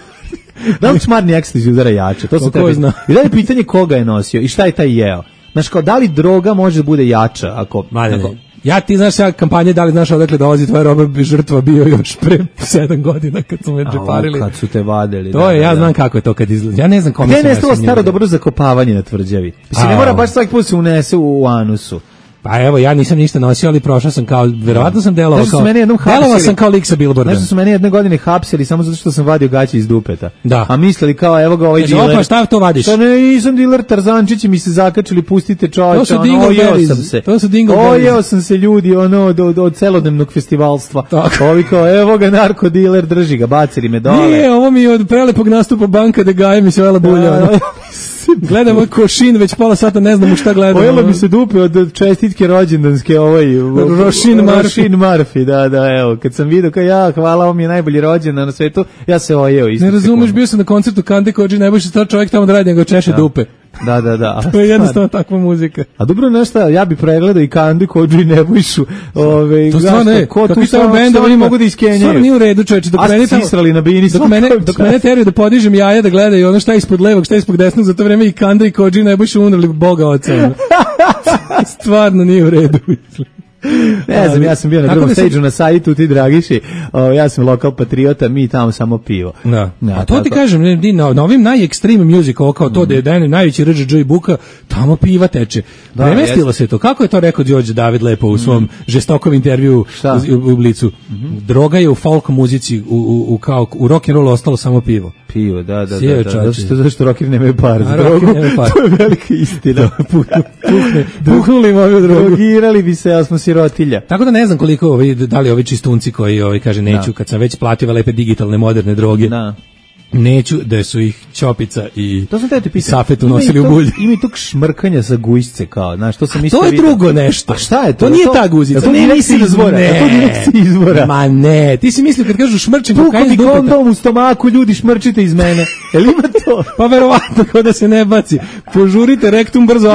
Da li čmarni ekstazi udara jače? To se Pa ko treba. zna. I da je pitanje koga je nosio i šta je taj jeo. Znaš, kao, da li droga može da bude jača? Ako, Mladene, ako- ja ti znaš ja kampanje da li znaš odakle dolazi tvoja roba, bi žrtva bio još pre sedam godina kad su me Au, džeparili. kad su te vadili. To da, je, da, ja da. znam kako je to kad izgleda. Ja ne znam kome Gde je se nestalo nose staro njima. dobro zakopavanje na tvrđavi? Mislim, ne Au. mora baš svaki put se unese u, u anusu. Pa evo, ja nisam ništa nosio, ali prošao sam kao, verovatno sam delovao Znaš da su kao, mene jednom delovao hapsili? sam kao lik sa billboarda. Znaš da su mene jedne godine hapsili samo zato što sam vadio gaće iz dupeta. Da. A mislili kao, evo ga ovaj Kaže, diler. opa, šta to vadiš? Šta ne, nisam diler, Tarzančići mi se zakačili, pustite čovječa. To su ono, dingleberries, ojeo sam se. to su dingleberries. Ojeo sam se ljudi, ono, od, od, od celodnevnog festivalstva. Tako. Ovi kao, evo ga narkodiler, drži ga, bacili me dole. Nije, ovo mi je od prelepog nastupa Banka de Gaje mi se vela bulja. Da, ono. da, Gledam ovaj košin, već pola sata ne znam u šta gledam. Ojelo ono. mi se dupe od čestitke rođendanske ovaj Rošin Murphy. Rošin Murphy, da, da, evo. Kad sam vidio kao ja, hvala, ovo mi je najbolji rođendan na svetu, ja se ojeo isto. Ne razumeš, bio sam na koncertu Kande Kođi, najbolji star čovjek tamo da radi, nego češe dupe. Da, da, da. To je jednostavno takva muzika. A dobro, nešto, ja bi pregledao i Kandu, Kodžu i Nebojšu. Ove, to stvarno je, ko kako stvarno benda, oni mogu da iskenjaju. Stvarno nije u redu, čoveče, dok mene tamo, na bini, dok mene, dok mene teraju da podižem jaja da gledaju ono šta je ispod levog, šta je ispod desnog, za to vreme i Kanda i Kodžu i Nebojšu umrli Boga oca. Stvarno nije u redu. Ne znam, ja sam bio na drugom stage-u na sajtu, ti Dragiši, o, ja sam lokal patriota, mi tamo samo pivo. Da. Ja, a to tako ti kažem, na, na ovim najekstreme music, ovo kao to mm. da je dan najveći R Ž Ž i buka, tamo piva teče. Da, premestilo jest. Se to. Kako je to rekao Đorđe David lepo u svom mm. žestokom intervju u, u Blicu? Mm-hmm. Droga je u folk muzici, u, u, u, kao, u rock and rollu ostalo samo pivo. Pivo, da, da, Sije, da, da. Zašto, zašto rockeri nemaju par za drogu? To je velika istina. Puhne, puhnuli moju drogu. Drogirali bi se, ali smo sirotilja. Tako da ne znam koliko ovi, da li ovi čistunci koji ovi kaže neću, da. Kad sam već platio lepe digitalne moderne droge. Da. Neću da su ih Ćopica i Safet unosili u bulj. Ima i tog šmrkanja sa gujsce kao, znaš, to sam isto to je vidio. Drugo nešto. A šta je to? To nije to, ta guzica. To nije nisi izvora. Ne. To nije izvora. Ma ne, ti si mislio kad kažu šmrčim kokain iz dupeta. Kondom u stomaku, ljudi šmrčite iz mene. Jel ima to? Pa verovatno kao da se ne baci. Požurite, rektum brzo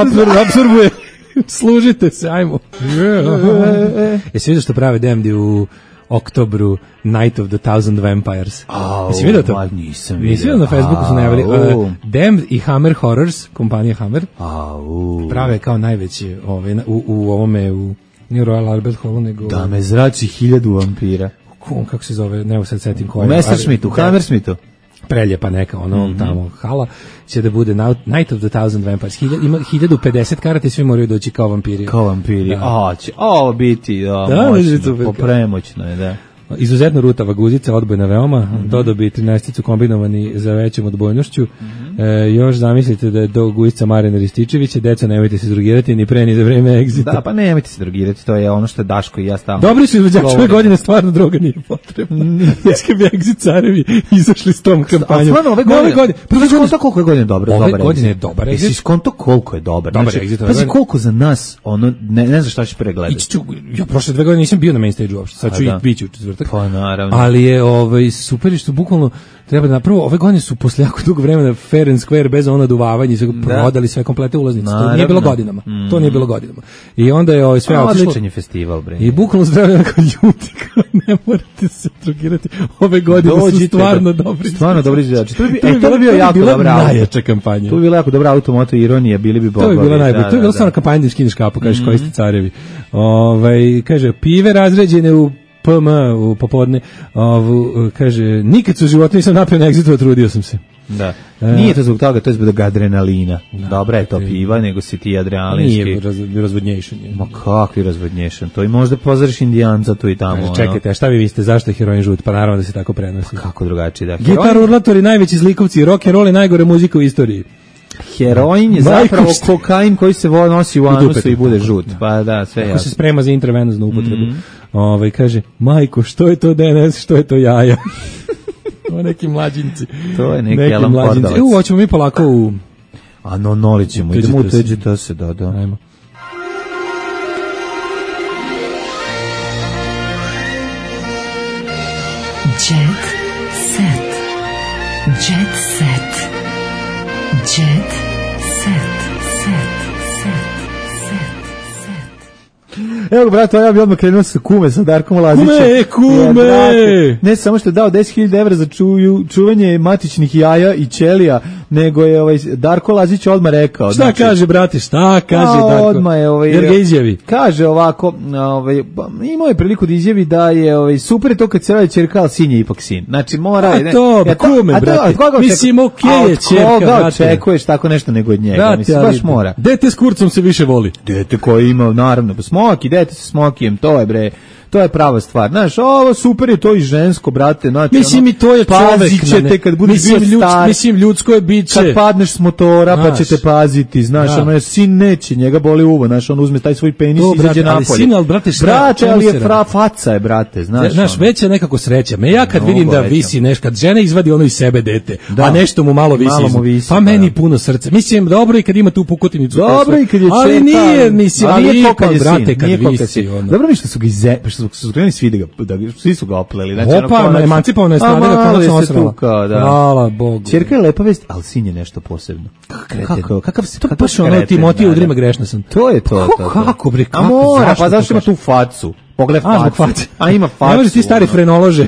apsorbuje. Služite se, ajmo. Jesi vidio što prave Demdi u oktobru Night of the Thousand Vampires? Oh, jesi vidio to? Nisam vidio. Nisi vidio na Facebooku su najavili. Uh, Damned i Hammer Horrors, kompanija Hammer, oh. prave kao najveći ovaj, u, u ovome, u nije Royal Albert Hallu, nego... Da me zrači hiljadu vampira. Kako se zove, ne sad setim koja. U Messerschmittu, u Hammersmithu. Preljepa neka, ono, mm-hmm. tamo hala, će da bude Night of the Thousand Vampires. Hiljad, ima hiljadu pedeset karata i svi moraju doći kao vampiri. Kao vampiri, da. A, će ovo biti, da, da moćno, popremoćno je, da. Izuzetno rutava guzica, odbojna veoma, mm-hmm. dodobi trinaesticu kombinovani za većom odbojnošću. Mm-hmm. E, još zamislite da je do guzica Marina Rističevića, deca nemojte se drogirati ni pre ni za vreme egzita. Da, pa nemojte se drogirati, to je ono što je Daško i ja stavno. Dobri su izvođači, ove godine stvarno droga nije potrebna. Jeske bi egzit carevi izašli s tom kampanjom. Stvarno, ove godine, godine, ove godine, koliko je godine dobro, ove dobar godine je dobar egzit. Jesi skonto koliko je dobar. Dobar znači, egzit. Pazi koliko za nas, ono, ne, ne znam šta ćeš pregledati. Ja prošle dve godine nisam bio na main stage uopšte, sad ću i biti u četvrtak. Pa naravno. Ali je ovaj super što bukvalno treba da prvo ove godine su posle jako dugo vremena fair and square bez ono duvavanje, sve prodali sve komplete ulaznice. To nije bilo godinama. Mm. To nije bilo godinama. I onda je ovaj sve otišlo. Odličan je festival, bre. I bukvalno zdravlje nakon ljuti, ne morate se drogirati. Ove godine dođite, su stvarno da, dobri. Stvarno dobri izvođači. To bi e, to bi bio jako dobra najjača kampanja. To bi bila jako dobra automoto ironija, bili bi bogovi. To bi bila najbolja. Da, to je bila stvarno kampanja da skineš kapu, kažeš koji ste carevi. Ovaj kaže pive razređene u P M u popodne, ovu, kaže, nikad su u životu nisam napio na egzitu, trudio sam se. Da. Nije to zbog toga, to je zbog adrenalina. Da, dobra je to piva, nego si ti adrenalinski. Nije raz, razvodnješan. Je. Ma kakvi razvodnješan? To i možda pozoriš Indijanca tu i tamo. Čekajte, a šta vi mislite, zašto je heroin žut? Pa naravno da se tako prenosi. Pa kako drugačije, da. Gitar urlatori, najveći zlikovci, rock and roll je najgore muzika u istoriji. Heroin je zapravo kokain koji se nosi u anusu i bude žut. Pa da, sve jasno. Kako se sprema za intravenoznu upotrebu. Mm-hmm. Ovaj kaže, majko, što je to D N S, što je to jaja? O neki mlađinci. To je neki, neki Alan Pordalac. Evo, hoćemo mi polako u... A no, noli ćemo, idemo u T G T S, da, da. Ajmo. Jet set. Jet set. Jet set. Set. Evo, brate, ja bi odmah krenuo sa kume, sa Darkom Lazićem. Kume, kume! Ja, ne samo što je dao deset hiljada evra za čuju, čuvanje matičnih jaja i ćelija, nego je ovaj Darko Lazić odmah rekao. Šta znači, kaže, brate, šta kaže a, Darko? Odmah je, ovaj, jer ga izjavi. Kaže ovako, ovaj, imao je priliku da izjavi da je ovaj, super je to kad se radi ćerka, ali sin je ipak sin. Znači, mora... A to, ne, kume, a to, brate. A mislim, okej okay je ćerka, brate. A od koga očekuješ tako nešto nego od njega? Brate, mislim, baš mora. Dete s kurcom se više voli. Dete koji ima, naravno, smoki, dete sa smokijem, to je bre... To je prava stvar. Znaš, ovo super je to i žensko, brate. Znači, mislim ono, i to je čovek. Ćete kad budeš bio ljud, star. Mislim, ljudsko je biće. Kad padneš s motora, znaš, pa ćete paziti. Znaš, da. Ono je sin neće, njega boli uvo. Znaš, on uzme taj svoj penis i izađe napolje. Ali sin, ali brate, šta? Brate, ali je fra, faca je, brate. Znaš, znaš ono. Već je nekako sreća. Me ja kad no, vidim da veća. Visi nešto, kad žena izvadi ono iz sebe dete, da. A nešto mu malo visi. Malo mu visi pa meni puno srce. Mislim, dobro i kad ima tu pukotinicu. Dobro i kad je ali nije, mislim, ali ipak, brate, kad visi. Dobro mi što su ga su, su krenuli svi da ga, da ga, svi su ga opleli. Znači, Opa, ono, emancipovano je strada ga konačno osrala. Da. Hvala Bogu. Ćerka je lepa vest, ali sin je nešto posebno. Kako, kakav se, to baš ono Timotiju udrima grešna sam. To je to. to, to. Kako bre, kako? A mora, pa zašto ima tu facu? Pogled facu. A ima facu. Ne može ti stari frenolože.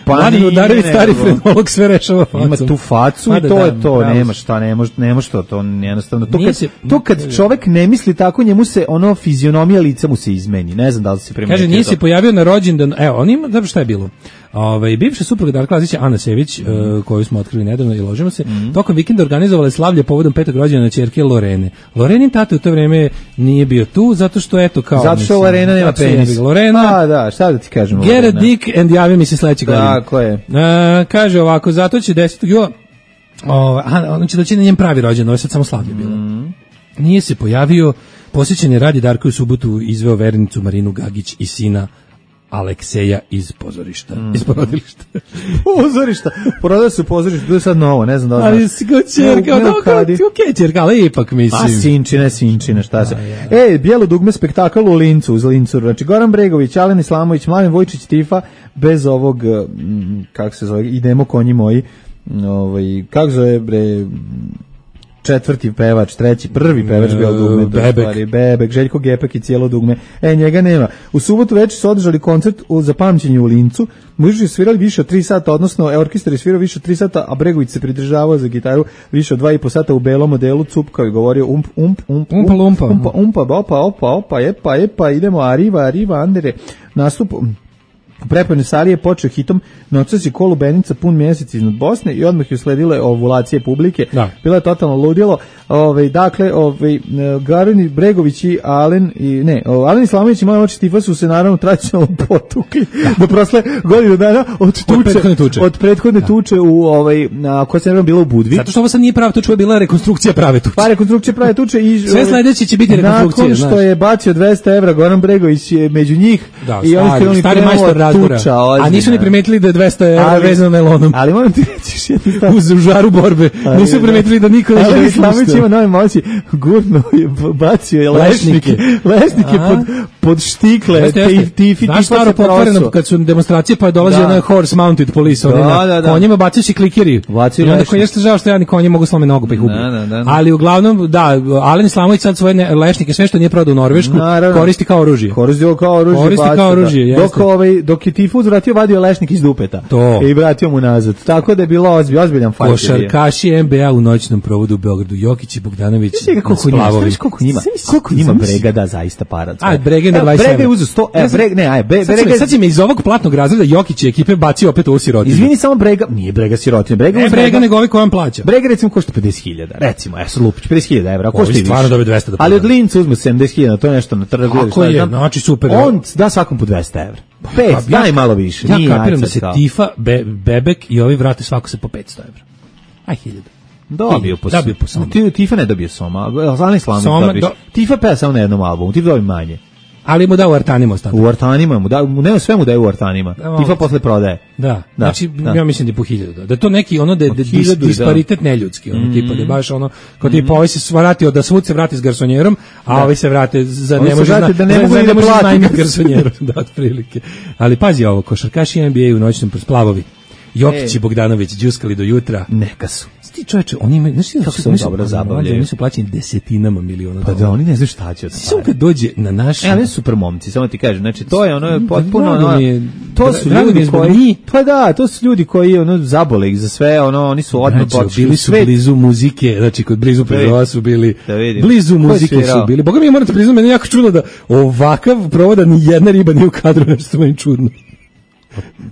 Pa Mladen Udarević, stari frenolog, sve rešava facom. Ima tu facu i to je to. Nema šta, ne može, ne može to, to jednostavno. To kad, to kad čovek ne misli tako, njemu se ono fizionomija lica mu se izmeni. Ne znam da li se primetio. Kaže, nije se pojavio na rođendan. Evo, on ima, dobro šta je bilo? Ovaj bivša supruga Darka Lazića, Ana Sević, mm. uh, koju smo otkrili nedavno i ložimo se, mm. tokom vikenda organizovala slavlje povodom petog rođendana ćerke Lorene. Lorenin tata u to vreme nije bio tu zato što eto kao zato što Lorena nema penis. Lorena. A da, šta da ti kažem? Get a dick and javi mi se sledeće godine. Tako je. Uh, kaže ovako, zato će desetog jula ovaj on će doći na njen pravi rođendan, ovo je sad samo slavlje bilo. Mm. Nije se pojavio, posjećen je Radi Darko u subotu izveo vernicu Marinu Gagić i sina Alekseja iz pozorišta, mm. iz porodilišta. Pozorišta, porodila se u pozorišta, to je sad novo, ne znam da li znaš. Ali si kao čerka, no, kao ti okej čerka, ali ipak mislim. A sinčine, sinčine, šta se. A, ja. E, bijelo dugme spektakl u Lincu, uz Lincu, znači Goran Bregović, Alen Islamović, Mladen Vojčić, Tifa, bez ovog, kako se zove, idemo konji moji, ovaj, kako zove, bre, četvrti pevač, treći, prvi pevač bio dugme, Bebek. Stvari, Bebek, Željko Gepek i cijelo dugme. E, njega nema. U subotu večer su održali koncert u zapamćenju u Lincu. Mužići svirali više od tri sata, odnosno orkestar je svirao više od tri sata, a Bregović se pridržavao za gitaru više od dva i po sata u belom modelu, cupkao i govorio ump, ump, ump, umpa, lumpa. umpa, umpa, opa, opa, opa, epa, epa, idemo, arriva, arriva, andere, nastup. U prepojnoj sali je počeo hitom Noćas je kolu Benica pun mjesec iznad Bosne i odmah je usledile ovulacije publike. Da. Bilo je totalno ludilo. Ove, dakle, ove, Garan Bregović i Alen i ne, Alen Islamović i moje oči Tifa su se naravno tradicionalno potukli do prosle godinu dana od tuče, od prethodne tuče, od prethodne da. tuče u ovaj na koja se naravno bila u Budvi. Zato što ovo sad nije prava tuča, bila rekonstrukcija prave tuče. Pa rekonstrukcija prave tuče i sve sledeće će biti rekonstrukcija. Nakon što znaš. je bacio dvesta evra Goran Bregović je među njih da, i oni stari, stari majstor razbora. A nisu ni primetili da je dvesta evra vezano najlonom. Ali moram ti reći jednu stvar. U žaru borbe. Ali, nisu primetili da niko ne želi Islamović ima nove moći. Gurno je bacio je lešnike. Lešnike pod, pod štikle. Tifi. Znaš staro pokvareno kad su demonstracije pa je dolazio na horse mounted police. Da, da, da. Konjima bacajući klikeri. Bacio I onda koji jeste žao što ja ni konji mogu slome nogu pa ih ubiju. Ali uglavnom, da, Alen Islamović sad svoje lešnike, sve što nije prodao u Norvešku, koristi kao oružje. Koristi kao oružje. Koristi kao oružje, dok, ovaj, dok je Tifu vratio, vadio lešnik iz dupeta. To. I vratio mu nazad. Tako da je bilo ozbiljan, ozbiljan fajt. Košarkaši N B A u noćnom provodu u Beogradu. Jokić i Bogdanović. Koliko njima, koliko njima, koliko njima Brega da zaista para. A Brega na dvadeset. Brega je uzeo sto, e, Brega, ne, aj, Brega. Sad će me iz ovog platnog razreda Jokić i ekipe bacio opet u sirotinu. Izvini, samo Brega, nije Brega sirotina. Brega ne, Brega nego ovaj koji on plaća. Brega recimo košta pedeset hiljada. Recimo, ja sam lupić, pedeset hiljada evra, košta i više. Stvarno dobije dvesta da. Ali od Linca uzme sedamdeset hiljada, to je nešto na trgu. Kako je, znači super. On da svakom po dvesta evra. Pet, daj malo više. Ja kapiram da se Tifa, Be, Bebek i ovi vrate svako se po petsto evra. Aj hiljadu. Dobio po dobio po Soma. Tifa ne dobio Soma, Alen Islamović dobio. Do... Tifa peva samo na jednom albumu, Tifa dobio manje. Ali mu da u artanima ostane. U artanima mu da, ne sve mu daje u artanima. Da, Tifa posle prodaje. Da, da znači da. Ja mislim da je po hiljadu. Da, da to neki ono da je dis, disparitet da. Neljudski, ono mm. tipa da baš ono kao mm. tipa ovaj se vratio da svud se vrati s garsonjerom, a da. Ovaj se vrate za ne može da, da ne mogu da plati garsonjerom, da otprilike. Ali pazi ovo, košarkaši N B A u noćnom splavovi. Jokić i Bogdanović džuskali do jutra. Neka su. Ti čoveče, oni imaju, znači kako su dobro zabavljaju. Oni su plaćeni desetinama miliona dolara. Pa da, oni ne znaju šta će od toga. Samo kad dođe na naš... E, ali su super momci, samo ti kažem. Znači, to je ono, potpuno... Ono, je, to su ljudi koji... Pa da, to su ljudi koji ono, zabole ih za sve, ono, oni su odmah znači, počeli. Bili su svet. Blizu muzike, znači, kod blizu prezova su bili... Da blizu muzike su bili. Boga mi je moram te priznam, meni je jako čudno da ovakav provoda ni jedna riba nije u kadru, nešto meni čudno.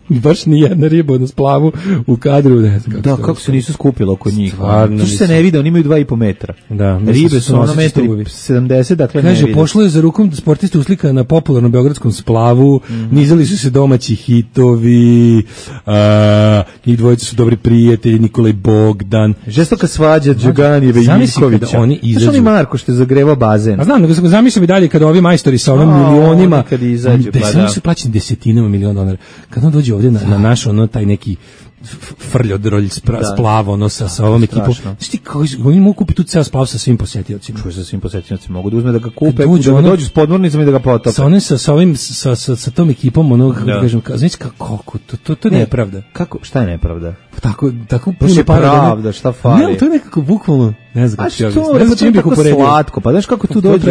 Baš ni jedna riba na splavu u kadru, ne znam kako. Da, kako se nisu skupili oko njih. To se ne vide, oni imaju dva i po metra. Da, ribe su ono metri sedamdeset, dakle kaže, ne vide. Pošlo je za rukom sportiste uslika na popularnom beogradskom splavu, mm -hmm. nizali su se domaći hitovi, a, njih dvojica su dobri prijatelji, Nikolaj Bogdan. Žestoka svađa Đoganijeve i Ivkovića. Oni izađu. Znaš oni Marko što je zagrevao bazen? A znam, nego zamislim i dalje kada ovi majstori sa onim milionima, kad izađu, pa da. Oni su plaćeni desetinama miliona dolara. kad on dođe ovdje na, na naš ono taj neki frljodrolj splav, ono sa, sa ovom ekipom. Znaš ti, kao, oni mogu kupiti tu ceo splav sa svim posetiocima. Čuje sa svim posetiocima, mogu da uzme da ga kupe, dođu, da ono, dođu s podmornicama i da ga potope. Sa, onim, sa, sa, ovim, sa, sa, sa tom ekipom, ono, da. Kažem, ka, znaš kako, to, to, to je nepravda. Kako, šta je nepravda? Tako, tako puno para. Pravda, šta fali? Ne, to je nekako bukvalno, ne znam kako ću ja ne znam čim bih uporedio. Slatko, pa znaš kako tu dođu,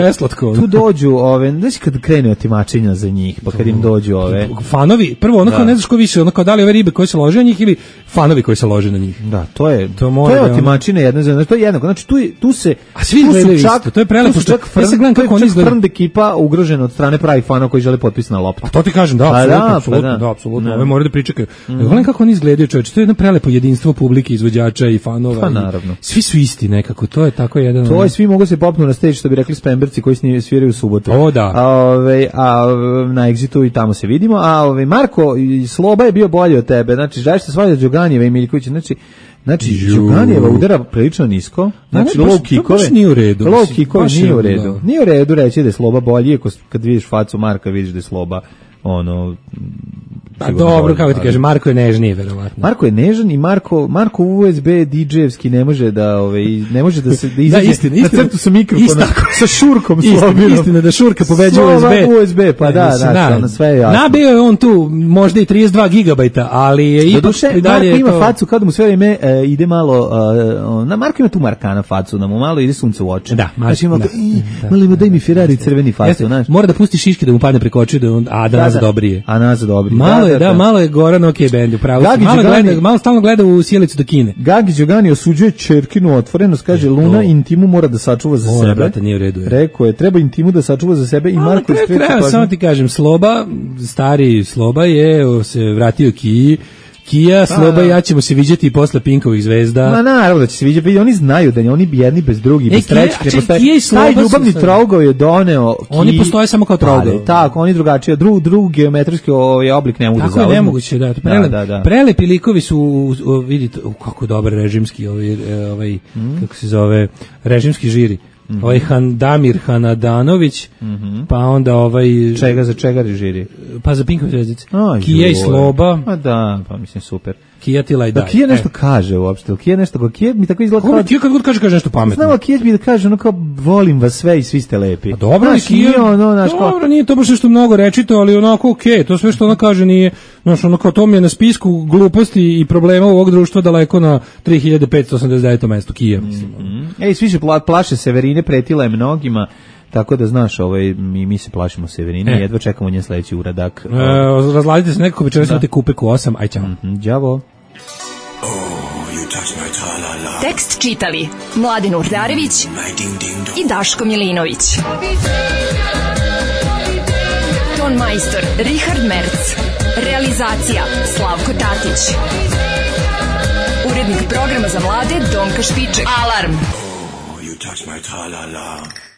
tu dođu ove, znaš kad krene otimačenja za njih, pa kad im dođu ove. Fanovi, prvo, ono kao ne znaš ko više, ono kao da li ove ribe koje se lože na njih ili fanovi koji se lože na njih. Da, to je, to, to je otimačina jedna za, to je jednako, znači tu, tu se, a svi gledaju isto, to je prelepo što, ja se gledam kako oni izgledaju. Frnd ekipa ugrožena od strane pravih fanova koji žele potpis na loptu. A to ti kažem, da, apsolutno, apsolutno, da, apsolutno, ove moraju da pričekaju. Gledam kako oni izgledaju, čoveče, to je jedno prelepo jedinstvo publike, izvođača i fanova. Pa naravno. Svi su isti nekako, to je tako jedan. To je, svi mogu se popnu na stage, što bi rekli Spemberci koji sviraju u subotu. O da. A ove a na Exitu i tamo se vidimo, a ove Marko Sloba je bio bolji od tebe. Znači, žališ se svađa Đoganijeva i Miljkovića, znači Znači, Đoganijeva udara prilično nisko, znači low kickove. To nije u redu. Low kickove nije u redu. Da. Nije u redu reći da je Sloba bolji, ako kad vidiš facu Marka, vidiš da je Sloba ono pa dobro, kako ti kažem, Marko je nežniji verovatno. Marko je nežan i Marko Marko U S B D J-evski ne može da ovaj ne može da se da izađe da, istina, istina, na crtu sa mikrofonom sa šurkom Slobinom. Istina da šurka pobeđuje U S B. U S B, pa da, da, na sve je jasno. Nabio je on tu možda i trideset dva gigabajta, ali je ipak i dalje Marko ima facu kad mu sve vreme uh, ide malo uh, na Marko ima tu Markana facu, da mu malo ide sunce u oči. Da, znači ima malo ima daj mi Ferrari crveni facu, znači. Mora da pusti šiške da mu padne preko očiju da on a da nas dobrije. A nas dobrije. Malo je, da, malo je Goran OK band, upravo. Malo gleda, malo stalno gleda u sjelicu do Kine. Gagi Đogani osuđuje ćerkinu otvorenost, kaže Luna intimu mora da sačuva za Ona, sebe. Brate, nije u redu. Je. Rekao je, treba intimu da sačuva za sebe i A, Marko je skreće. Samo ti kažem, Sloba, stari Sloba je se vratio Kiji. Kija, Sloba i ja ćemo se viđati i posle Pinkovih zvezda. Ma naravno da će se viđati, oni znaju da oni jedni bez drugih, bez trećih ne postoje. Taj ljubavni trougao je doneo Kiji. Oni postoje samo kao trougao. Tako, oni drugačije, drug, drug geometrijski ovaj oblik ne mogu da zauzmu. Tako je nemoguće, da. Prelep, da, da, da. Prelepi likovi su, vidite, kako dobar režimski, ovaj, ovaj mm. kako se zove, režimski žiri. Mm-hmm. Ovaj Han Damir Hanadanović, mm-hmm. pa onda ovaj čega za čega režiri? Pa za Pinkove zvezdice. Kija i Sloba. Pa da, pa mislim super. Kija ti laj daj. Kija nešto e. kaže uopšte, Kija nešto, Kija mi tako izgleda kao... Kija kad god kaže, kaže nešto pametno. Znamo, Kija mi da kaže, ono kao, volim vas sve i svi ste lepi. Pa dobro, naš, Kija, nije ono, naš, dobro, kao... nije to baš nešto mnogo rečito, ali onako okej, okay, to sve što ona kaže nije, znaš, ono kao to mi je na spisku gluposti i problema ovog društva daleko na tri hiljade petsto osamdeset deveto mesto, Kija, mislim. Mm-hmm. Ej, svi se pla, plaše Severine, pretila je mnogima. Tako da znaš, ovaj mi mi se plašimo Severine, e. jedva čekamo njen sledeći uradak. E, razladite se nekako večeras imate Kupeku osam, aj ćao. Mm-hmm, đavo. Oh, tekst čitali Mladin Urdarević i Daško Milinović. Ton majstor Richard Merc. Realizacija Slavko Tatić. Urednik programa za mlade Donka Špiček. Alarm. Oh, you touch my tra-la-la.